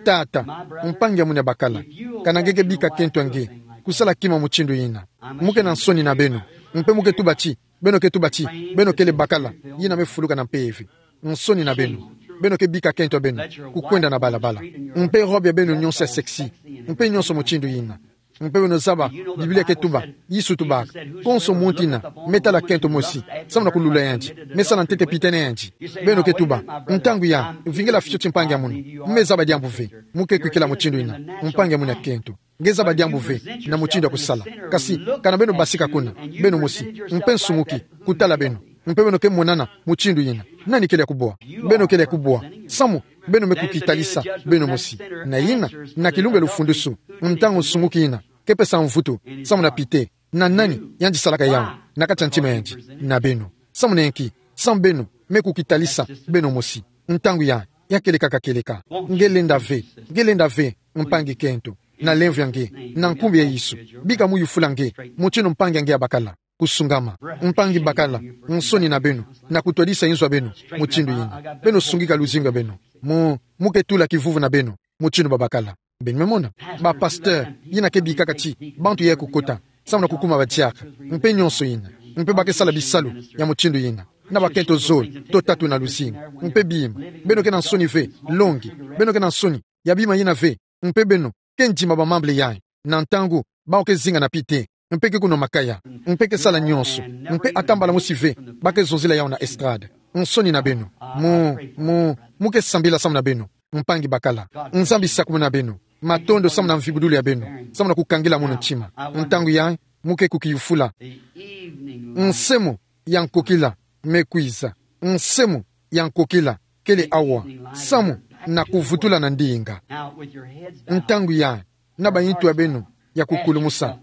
Tata, mpangi ya munu ya bakala, kana nge ke bika kento ya nge kusala kima mutindu yina? Mu ke na nsoni na beno. Mpe mu ke tuba ti, beno ke tuba ti beno kele bakala yina me fuluka na mpeve. Nsoni na beno. Beno ke bika kento ya beno kukwenda na balabala, mpe robe ya beno nyonso ya sexy, mpe nyonso mutindu yina. Mpe beno zaba, Biblia ke tuba, Yesu tubaka: Konso muntu yina me tala kento mosi samu na kulula yandi, me sala ntete pite na yandi. Beno ke tuba: Ntangu yayi, vingila fioti, mpangi ya munu. Mu me zaba diambu ve. Mu ke kwikila mutindu yina, mpangi ya munu ya kento. Nge zaba diambu ve na mutindu ya kusala. Kasi kana beno basika kuna, beno mosi, mpe nsumuki kutala beno, mpe beno ke monana mutindu yina, nani kele ya kubwa? Beno kele ya kubwa, samu beno me kukitalisa beno mosi. Na yina, na kilumbu ya lufundusu, ntangu nsumuki yina ke pesa mvutu samu na pite, na nani yandi salaka yawu na kati ya ntima ya yandi? Na beno. Samu na inki? Samu beno me kukitalisa beno mosi. Ntangu yayi, ya kieleka, ka kieleka. Nge lenda ve, nge lenda ve, mpangi kento, na lemvo ya nge, na nkumbu ya Yesu, bika mu yufula nge mutindu mpangi ya nge ya bakala kusungama. Mpangi bakala, nsoni na beno na kutwadisa inzo ya beno mutindu yina. Beno sungika luzingu ya beno. Mu, mu ke tula kivuvu na beno mutindu babakala. Beno me mona? Bapasteur yina ke bikaka ti bantu ya kukota samu na kukuma badiaka, mpe nyonso yina, mpe ba ke sala bisalu ya mutindu yina, na bakento zole to tatu na luzingu, mpe bima. Beno ke na nsoni ve, longi? Beno ke na nsoni ya bima yina ve? Mpe beno ke ndima bamembres yayi, na ntangu bawu ke zinga na pite, mpe ke kunwa makaya, mpe ke sala nyonso, mpe atambala mosi ve, ba ke zonzila yawu na estrade. Nsoni na beno. Mu, mu, mu ke sambila samu na beno. Mpangi bakala. Nzambi sakumuna beno. Matondo samu na mvibudulu ya beno. Samu na kukangila munu ntima. Ntangu yayi, mu ke kukiyufula. Nsemo ya nkokila me kwiza. Nsemo ya nkokila kele awa. Samu na kuvutula na ndinga. Ntangu yayi, na bayintu ya beno ya kukulumusa,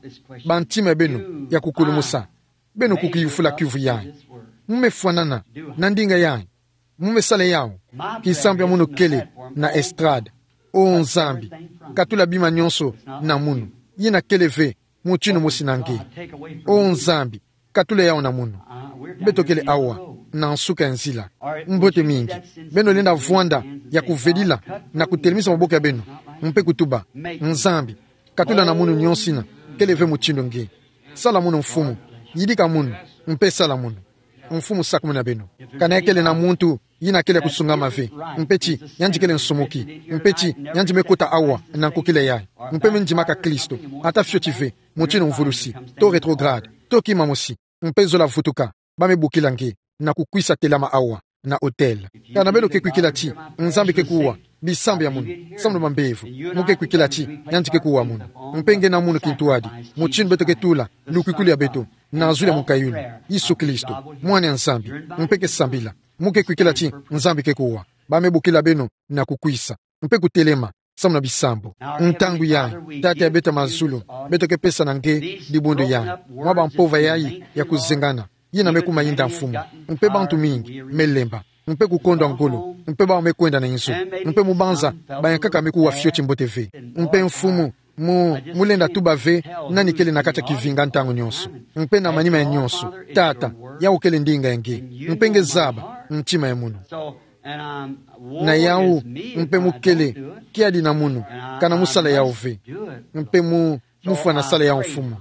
bantima ya beno ya kukulumusa, beno kukiyufula kiuvu yayi. Mu me fwanana na ndinga yayi. Mu me sala yawu. Kisambu ya munu kele na estrade. O Nzambi, katula bima nyonso na munu. Yina kele ve mutinu mosi na nge. O Nzambi, katula yawu na munu. Beto kele awa na nsuka ya nzila. Mbote mingi. Beno lenda vwanda ya kuvedila na kutelemisa maboko ya beno, mpe kutuba: Nzambi, katula na munu nyonso yina kele ve mutinu nge. Sala munu, Mfumu. Yidika munu, mpe sala munu. Mfumu sakumuna beno. Kana ya kele na muntu yina kele ya kusungama ve, mpe ti yandi kele nsumuki, mpe ti yandi me kota awa na nkokila yayi, mpe me ndimaka Kristo, ata fioti ve, mutinu mvulusi, to rétrograde, to kima mosi, mpe zola vutuka, ba me bokila nge na kukwisa telama awa na autel. Kana beno ke kwikila ti Nzambi ke kuwa bisambu ya munu samu na bambevo, mu ke kwikila ti yandi ke kuwa munu, mpe nge na munu kintwadi, mutinu beto ke tula lukwikulu ya beto na zulu ya mukayulu, Yesu Kristo, Mwana ya Nzambi, mpe ke sambila. Mu ke kwikila ti Nzambi ke kuwa, ba me bokila beno na kukwisa mpe kutelema samu na bisambu. Ntangu yayi, Tata ya beto ya mazulu, beto ke pesa na nge dibundu yayi, mwa bampova yayi ya kuzengana, yina me kuma yinda, Mfumu, mpe bantu mingi me lemba, mpe kukondwa ngolo, mpe bawu me kwenda na inzo, mpe mu banza bayankaka me kuwa fioti mbote ve. Mpe, Mfumu, mu, mu lenda tuba ve nani kele na kati ya kivinga ntangu nyonso, mpe na manima ya nyonso, Tata, yawu kele ndinga ya nge, mpe nge zaba ntima ya munu. Na yawu, mpe mu kele kiadi na munu kana mu sala yawu ve, mpe mu, mu fwana sala yawu, Mfumu.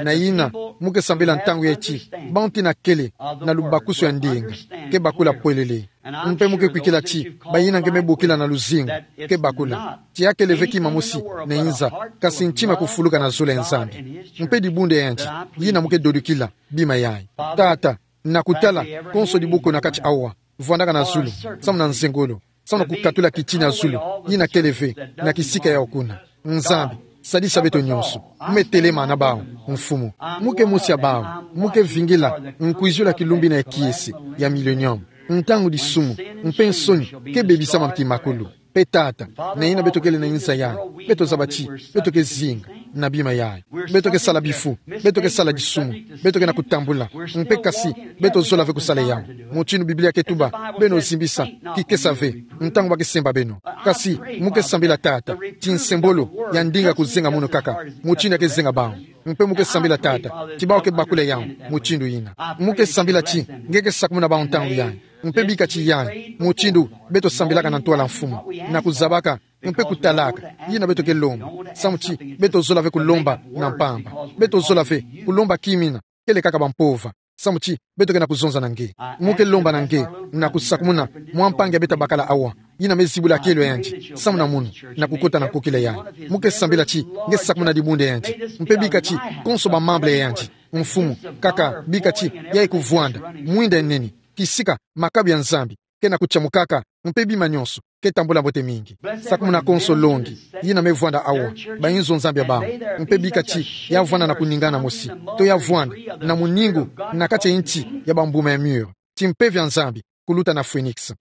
Na yina, mu ke sambila ntangu yayi ti bantu yina kele na lubakusu ya ndinga ke bakula pwelele. Mpe mu ke kwikila ti bayina nge me bokila na luzingu ke bakula, ti ya kele ve kima mosi na inza, kasi ntima kufuluka na zulu ya Nzambi, mpe dibundu ya yandi, yina mu ke dodokila bima yayi. Tata, na kutala konso diboko na kati awa, vwandaka na zulu samu na nzengolo, samu na kukatula kitini ya zulu yina kele ve na kisika yawu kuna. Nzambi, sadisa beto nyonso. Mu me telema na bawu, Mfumu. Mu ke mosi ya bawu, mu ke vingila nkwizulu ya kilumbu yina ya kiese ya milenium, ntangu disumu mpe nsoni ke bebisama kimakulu. Mpe, Tata, na yina beto kele na inza yayi, beto zaba ti beto ke zinga na bima yayi. Beto ke sala bifu, beto ke sala disumu, beto ke na kutambula, mpe kasi beto zola ve kusala yawu. Mutinu Biblia ke tuba, beno zimbisa kikesa ve ntangu ba ke semba beno. Kasi mu ke sambila, Tata, ti nsembolo ya ndinga kuzenga munu kaka mutinu ya ke zenga bawu. Mpe mu ke sambila, Tata, ti bawu ke bakula yawu mutindu yina. Mu ke sambila ti nge ke sakumuna bawu ntangu yayi, mpe bika ti yayi mutindu beto sambilaka na ntwala, Mfumu, na kuzabaka mpe kutalaka yina beto ke lomba, samu ti beto zola ve kulomba na mpamba. Beto zola ve kulomba kima yina kele kaka bampova, samu ti beto ke na kuzonza na nge. Mu ke lomba na nge na kusakumuna mwa mpangi ya beto ya bakala awa, yina me zibula kielo ya yandi samu na munu, na kukota na nkokila yayi. Mu ke sambila ti nge sakumuna dibundu ya yandi, mpe bika ti konso ba membre ya yandi, Mfumu, kaka bika ti yayi kuvwanda mwinda ya nene, kisika makabu ya Nzambi ke na kutiamukaka, mpe bima nyonso ke tambula mbote mingi. Sakumuna konso longi yina me vwanda awa, ba inzo Nzambi ya bawu, mpe bika ti ya vwanda na kuningana mosi, to ya vwanda na muningu na kati ya inti ya bambuma ya mûr, ti mpeve ya Nzambi kuluta na phoenix,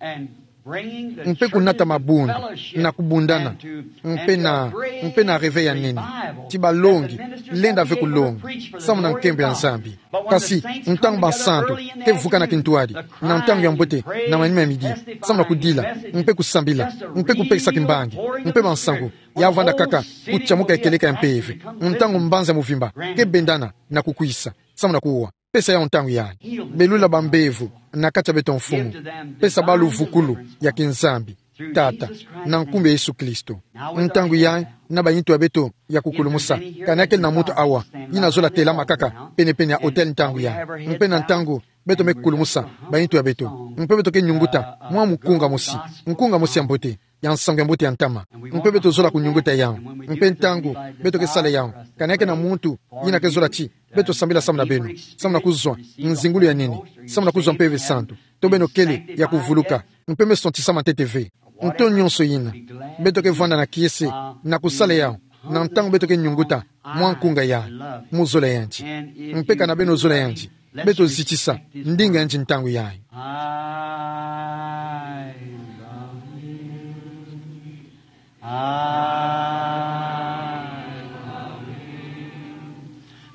mpe kunata mabundu na kubundana, mpe na, mpe na réveil ya nene, ti balongi lenda ve kulonga samu na nkembo ya Nzambi. Kasi ntangu bansantu ke vukana kintwadi na ntangu ya mbote na manima ya midi, samu na kudila mpe kusambila mpe kupekisa kimbangi, mpe bansangu ya vwanda kaka kutiamuka ya kieleka ya mpeve, ntangu mbanza ya muvimba ke bendana na kukwisa samu na kuwa. Pesa yawu ntangu yayi. Belula bambevo na kati ya beto, Mfumu. Pesa bawu luvukulu ya kiNzambi, Tata, na nkumbu ya Yesu Kristo. Ntangu yayi, na bayintu ya beto ya kukulumusa, kani ya kele na muntu awa yina azola telama kaka penepene ya autel ntangu yayi, mpe na ntangu beto me kulumusa bayintu ya beto, mpe beto ke nyunguta mwa mukunga mosi, mukunga mosi ya mbote, ya nsangu ya mbote ya ntama, mpe beto zola kunyunguta yawu. Mpe ntangu beto ke sala yawu, kani ya kele na muntu yina ke zola ti Beto sambila samu na beno, samu na kuzwa nzingulu ya nene, samu na kuzwa Mpeve Santu. To beno kele ya kuvuluka, mpe meso nti samu na ntete ve. Nto nyonso ina, beto ke vwanda na kiese na kusala yau, na ntangu beto ke nyunguta mwa nkunga yai, mu zola yandi. Mpe kana beno zola yandi, beto zitisa ndinga yandi ntangu yai. I love him. I love him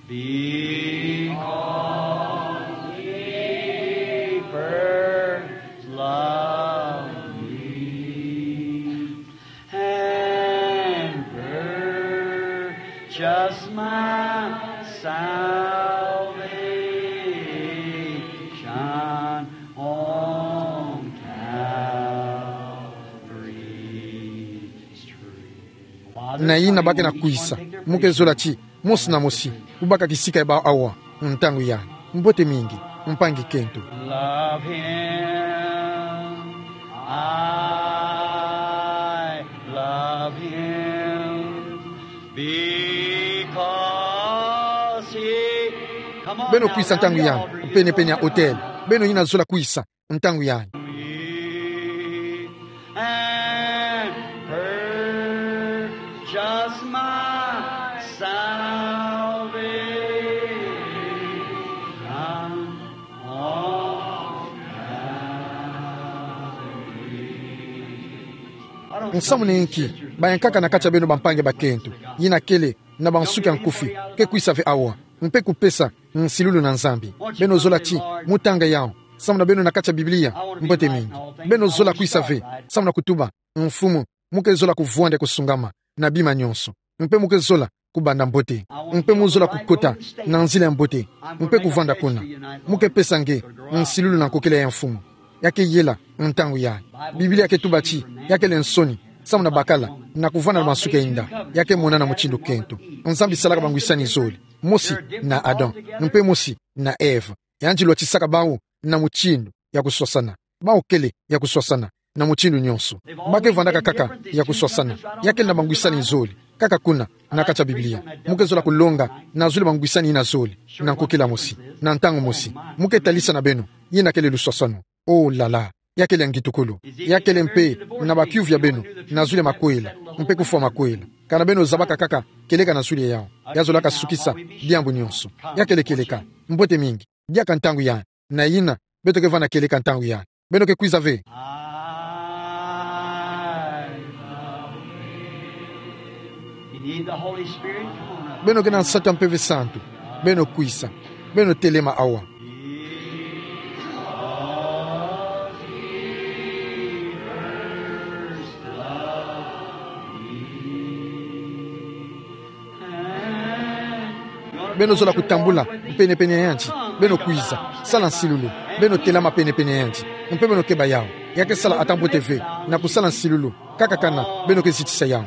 because he first loved me and purchased my salvation on Calvary's tree. Na ina ba ke na kwisa, mu ke zola ti mosi na mosi, kubaka kisika ya bawu awa, ntangu yai. Mbote mingi, mpangi kento. Love him. I love him because he... Beno kwisa ntangu yai, pene-pene ya hotel. Beno ina zola kwisa ntangu yai. And purchased my salvation on Calvary. Nsamu ni nki, bayankaka na kati ya beno bampangi bakento, ina kele na bansuki ya nkufi, ke kwisa ve awa, mpe kupesa nsilulu na Nzambi. Beno zola ti mu tanga yau, samu na beno na kati ya Biblia, mbote mingi. Beno zola kwisa ve, samu na kutuba: Mfumu, mu ke zola kuvwanda kusungama na bima nyonso, mpe mu ke zola kubanda mbote, mpe mu zola kukota na nzila ya mbote, mpe kuvwanda kuna. Mu ke pesa nge nsilulu na nkokila ya mfumu. Ya ke yela ntangu yai. Biblia ke tuba ti ya kele nsoni samu na bakala na kuvwanda na bansuki ya inda. Ya ke monana mutindu kento. Nzambi salaka bangwisani zole, mosi na Adam, mpe mosi na Eva. Yandi lwatisaka bawu na mutindu ya kuswasana. Bawu kele ya kuswasana na mutindu nyonso. Ba ke vwandaka kaka ya kuswasana. Ya kele na bangwisani zole. Kaka kuna, na kati ya Biblia, mu ke zola kulonga nazuli bangwisani ina zole na nkokila mosi, na ntangu mosi. Mu ke talisa na beno, ina kele luswaswano. Oh là là, ya kele ya ngitukulu. Ya kele mpe na bakiuvu ya beno nazuli makwela, mpe kufwa makwela. Kana beno zabaka kaka kieleka nazuli yau, ya zolaka sukisa diambu nyonso. Ya kele kieleka. Mbote mingi. Diaka ntangu yai. Na ina, beto ke vwanda kieleka ntangu yai. Beno ke kwiza ve? You need the Holy Spirit? Come on up. Beno ke na nsatu ya Mpeve Santu? Beno kwiza. Beno telema awa. Beno zola kutambula pene-pene ya yandi. Beno kwiza. Sala nsilulu. Beno telama pene-pene ya yandi. Mpe beno keba yau. Ya ke sala ata mbote ve na kusala nsilulu, kaka kana beno ke zitisa yau.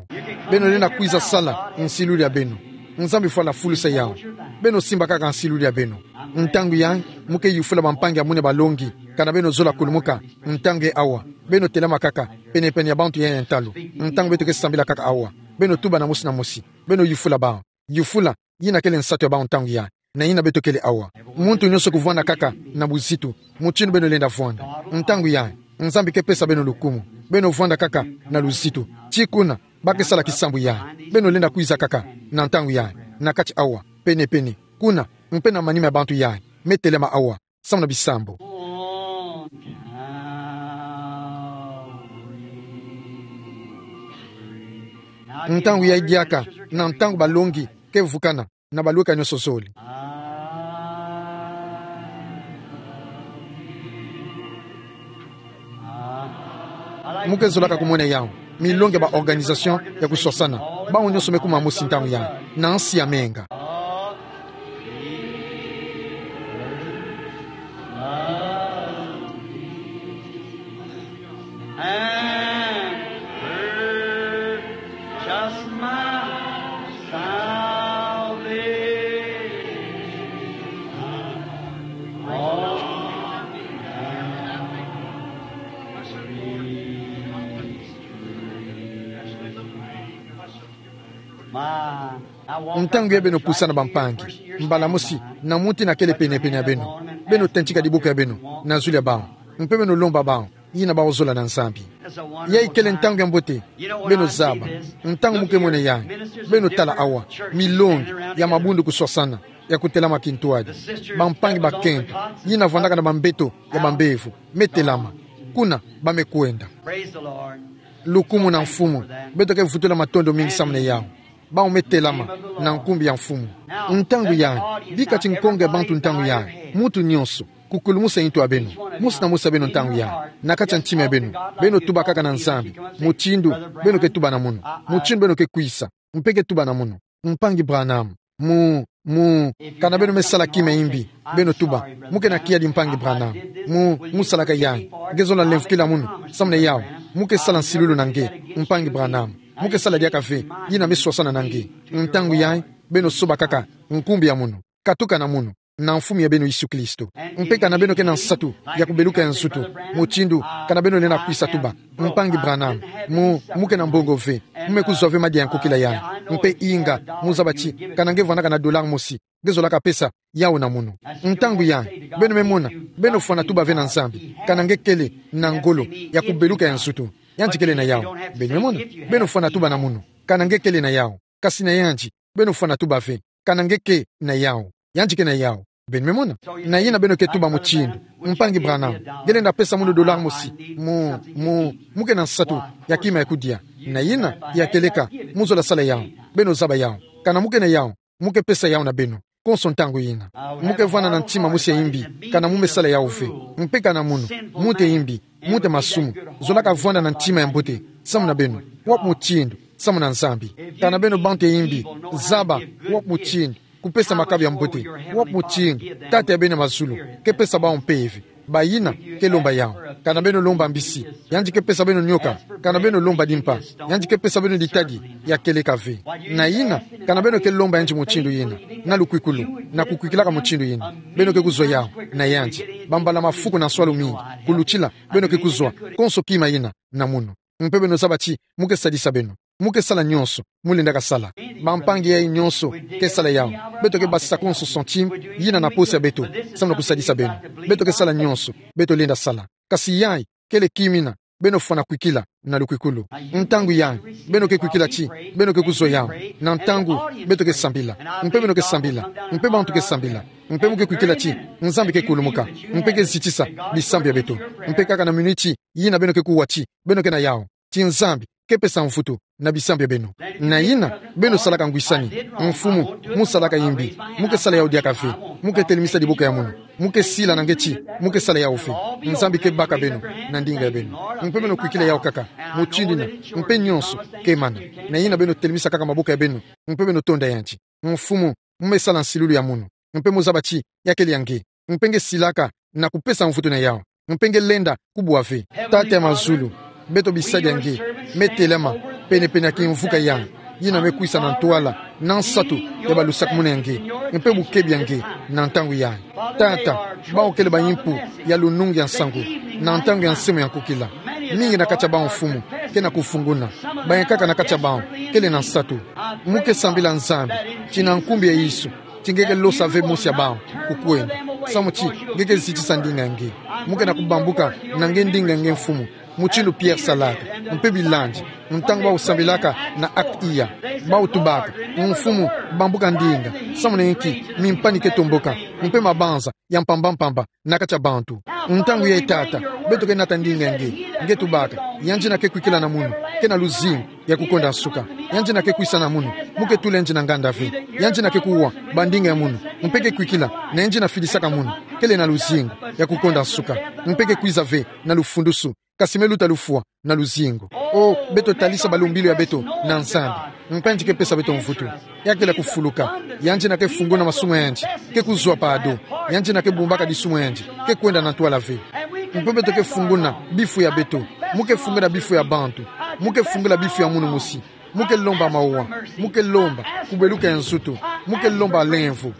Beno lenda kwiza sala nsilulu ya beno. Nzambi fwala fulusa yau. Beno simba kaka nsilulu ya beno. Ntangu yai, mu ke yufula bampangi ya muna balongi kana beno zola kulumuka ntangu yai awa. Beno telama kaka pene-pene ya bantu yai ya ntalu. Ntangu beto ke sambila kaka awa, beno tuba na mosi na mosi. Beno yufula bawu. Yufula, ina kele nsatu ya bawu ntangu yai. Na ina beto kele awa. Muntu nyonso kuvwanda kaka na buzitu, mutindu beno lenda vwanda. Ntangu yai, Nzambi ke pesa beno lukumu. Beno vwanda kaka na luzitu. Ti kuna ba ke sala kisambu yai. Beno lenda kwiza kaka na ntangu yai, na kati awa, pene-pene. Kuna, mpe na manima ya bantu yai me telema awa samu na bisambu. Ntangu yai diaka, na ntangu balongi ke vukana na balweka nyonso zole. Mu ke zolaka kumona yau, milongi ya ba organisation ya kuswasana. Bawu nyonso me kuma mosi ntangu yai na nsi ya menga. Ma. Ntangu yayi beno pusana bampangi, mbala mosi, na muntu ina kele penepene ya beno, beno tantika diboko ya beno na zulu ya bawu, mpe beno lomba bawu, yina bawu zola na Nzambi. Yayi kele ntangu ya mbote. Beno zaba, ntangu mu ke mona yayi, beno tala awa, milongi ya mabundu kuswasana, ya kutelama kintwadi. Bampangi bakento, yina vwandaka na bambeto ya bambevo, me telama. Kuna ba me kwenda. Lukumu na Mfumu. Beto ke vutula matondo mingi samu na yawu. Bawu me telama na nkumbu ya Mfumu. Ntangu yayi, bika ti nkongo ya bantu ntangu yayi, muntu nyonso, kukulumusa ntu ya beno, mosi na mosi ya beno ntangu yayi, na kati ya ntima ya beno, beno tubakaka na Nzambi, mutindu beno ke tuba na munu, mutindu beno ke kwisa, mpe ke tuba na munu: Mpangi Branham, mu, mu, kana beno me sala kima ya imbi, beno tuba: Mu ke na kiadi, Mpangi Branham. Mu, mu salaka yayi. Nge zola lemvokila munu, samu na yawu. Mu ke sala nsilulu na nge, Mpangi Branham. Mu ke sala diaka ve, yina me swasana na nge. Ntangu yayi, beno sobakaka nkumbu ya munu, katuka na munu, na Mfumu ya beno Yesu Kristo. Mpe kana beno ke na nsatu ya kubeluka ya nzutu, mutindu kana beno lenda kwisa tuba: Mpangi Branham, mu, mu ke na mbongo ve, mu me kuzwa ve madia ya nkokila yayi. Mpe inga, mu zaba ti, kana nge vwandaka na dollar mosi, nge zolaka pesa yawu na munu. Ntangu yayi, beno me mona, beno fwana tuba ve na Nzambi, kana nge kele na ngolo ya kubeluka ya nzutu. Yandi kele na yawu. Beno me mona, beno fwana tuba na munu, kana nge kele na yawu. Kasi na yandi, beno fwana tuba ve, kana nge ke na yawu. Yandi ke na yawu. Beno me mona. Na yina beno ke tuba mutindu: Mpangi Branham, nge lenda pesa munu dollar mosi. Mu, mu, mu ke na nsatu ya kima ya kudia. Na yina, ya keleka, mu zola sala yawu. Beno zaba yawu. Kana mu ke na yawu, mu ke pesa yawu na beno. Konso ntangu yina, mu ke vwanda na ntima mosi ya imbi, kana mu me sala yawu ve. Mpe kana munu, muntu ya imbi, muntu ya masumu, zolaka vwanda na ntima ya mbote samu na beno, wapi mutindu, samu na Nzambi. Kana beno bantu ya imbi, zaba wapi mutindu kupesa makabu ya mbote, wapi mutindu Tata ya beno ya mazulu ke pesa bawu mpeve. Bayina ke lomba yawu. Kana beno lomba mbisi, yandi ke pesa beno nioka. Kana beno lomba dimpa, yandi ke pesa beno ditadi ya keleka ve. Na yina, kana beno ke lomba yandi mutindu yina, na lukwikulu, na kukwikilaka mutindu yina, beno ke kuzwa yawu na yandi. Bambala mafuku na nswalu mingi kulutila, beno ke kuzwa konso kima yina na munu. Mpe beno zaba ti mu ke sadisa beno. Mu ke sala nyonso mu lendaka sala. Bampangi yayi nyonso ke sala yawu. Beto ke basisa konso centime yina na poche ya beto, samu na kusadisa beno. Beto ke sala nyonso beto lenda sala. Kasi yayi kele kima yina beno fwana kwikila na lukwikulu. Ntangu yayi, beno ke kwikila ti beno ke kuzwa yawu. Na ntangu beto ke sambila, mpe beno ke sambila, mpe bantu ke sambila, mpe mu ke kwikila ti Nzambi ke kulumuka, mpe ke zitisa bisambu ya beto. Mpe kaka na minuti yina beno ke kuwa ti beno ke na yawu, ti Nzambi ke pesa mvutu na bisambu ya beno. Na yina, beno salaka ngwisani: Mfumu, mu salaka imbi, mu ke sala yawu diaka ve. Mu ke telemisa diboko ya munu. Mu ke sila na nge ti mu ke sala yawu ve. Nzambi ke baka beno na ndinga ya beno. Mpe beno kwikila yawu kaka mutindu yina, mpe nyonso ke mana. Na yina beno telemisa kaka maboko ya beno, mpe beno tonda yandi: Mfumu, mu me sala nsilulu ya munu. Mpe mu zaba ti ya kele ya nge. Mpe nge silaka na kupesa mvutu na yawu. Mpe nge lenda kubwa ve. Tata ya mazulu, beto bisadi ya nge me telama penepene ya kimvuka yayi, yina me kwisa na ntwala na nsatu ya balusakumunu ya nge, mpe bukebi ya nge na ntangu yayi. Tata, bawu kele bayimpu ya lunungu ya nsangu na ntangu ya nsemo ya nkokila. Mingi na kati ya bawu, Mfumu, ke na kufunguna. Bayi kaka na kati ya bawu kele na nsatu. Mu ke sambila Nzambi ti na nkumbu ya Yesu, ti nge ke losa ve mosi ya bawu kukwenda, samu ti nge ke zitisa ndinga ya nge. Mu ke na kubambuka na nge ndinga ya nge, Mfumu, mutindu Pierre salaka, mpe bilandi, ntangu bawu sambilaka na Actes ya, bawu tubaka: Mfumu, bambuka ndinga, samu na inki mimpani ke tomboka, mpe mabanza ya mpamba mpamba na kati ya bantu. Ntangu yayi, Tata, beto ke nata ndinga ya nge. Nge tubaka: Yandi yina ke kwikila na munu ke na luzingu ya kukonda nsuka. Yandi yina ke kwisa na munu, mu ke tula yandi na nganda ve. Yandi yina ke kuwa bandinga ya munu, mpe ke kwikila na yandi yina fidisaka munu, kele na luzingu ya kukonda nsuka, mpe ke kwiza ve na lufundusu, kasi me luta lufwa na luzingu. O, beto talisa balumbilu ya beto na Nzambi, mpe yandi ke pesa beto mvutu. Ya kele ya kufuluka. Yandi yina ke funguna masumu ya yandi, ke kuzwa pardon. Yandi yina ke bumbaka disumu ya yandi, ke kwenda na ntwala ve. Mpe beto ke funguna bifu ya beto. Mu ke funguna bifu ya bantu. Mu ke fungula bifu ya munu mosi. Mu ke lomba mawa. Mu ke lomba kubeluka ya nzutu. Mu ke lomba lemvo.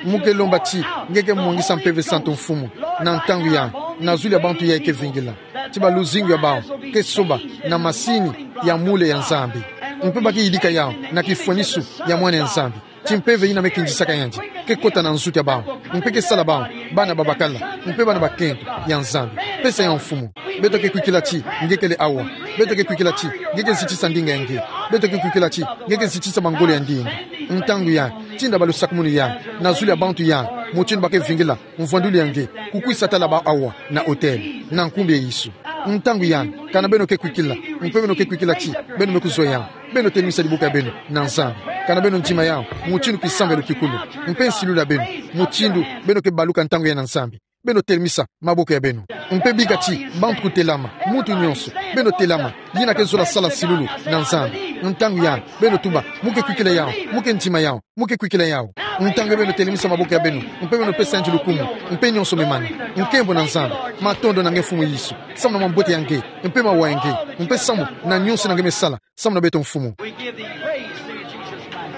Mu ke lomba ti nge ke mwangisa Mpeve Santu, Mfumu, na ntangu yayi, na zulu ya bantu yayi ke vingila, ti baluzingu ya bawu ke soba na masini ya mule ya Nzambi. Mpe ba ke yidika yao na kifwanisu ya Mwana ya Nzambi. Ti mpeve ina me kindisaka yandi ke kota na nzu tia bawu, mpe ke sala bawu bana babakala, mpe bana bakento ya Nzambi. Pesa yao mfumu. Beto ke kwikila ti nge kele awa. Beto ke kwikila ti nge ke zitisa ndinga ya nge. Beto ke kwikila ti nge ke zitisa bangolo ya ndinga. Ntangu yai, tinda balusakumunu yai na zulu ya bantu yai, mutindu ba ke vingila mvwandulu ya nge, kukwisa tala bawu awa na autel, na nkumbu ya Yesu. Ntangu yai, kana beno ke kwikila, mpe beno ke kwikila ti beno me kuzwa yao, beno telimisa diboko ya beno na Nzambi. Kana beno ndima yao mutindu kisambelo kikulu, mpe nsilulu ya beno, mutindu beno ke baluka ntangu yai na Nzambi, beno telimisa maboko ya beno. Mpe bika ti bantu kutelama, muntu nyonso, beno telama, yina ke zola sala nsilulu na Nzambi. Ntangu yai, beno tuba: Mo ke kwikila yao, mo ke ndima yao, mo ke kwikila yao. Ntangu beno telimisa maboko ya beno, mpe beno pesa yandi lukumu, mpe nyonso memani. Nkembo na Nzambi. Matondo na nge Mfumu Yesu, samu na mambote ya nge, mpe mawa ya nge, mpe samu na nyonso ina nge me sala samu na beto Mfumu. We give thee praise through Jesus Christ.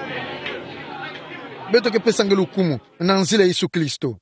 Beto ke pesa nge lukumu na nzila Yesu Kristo.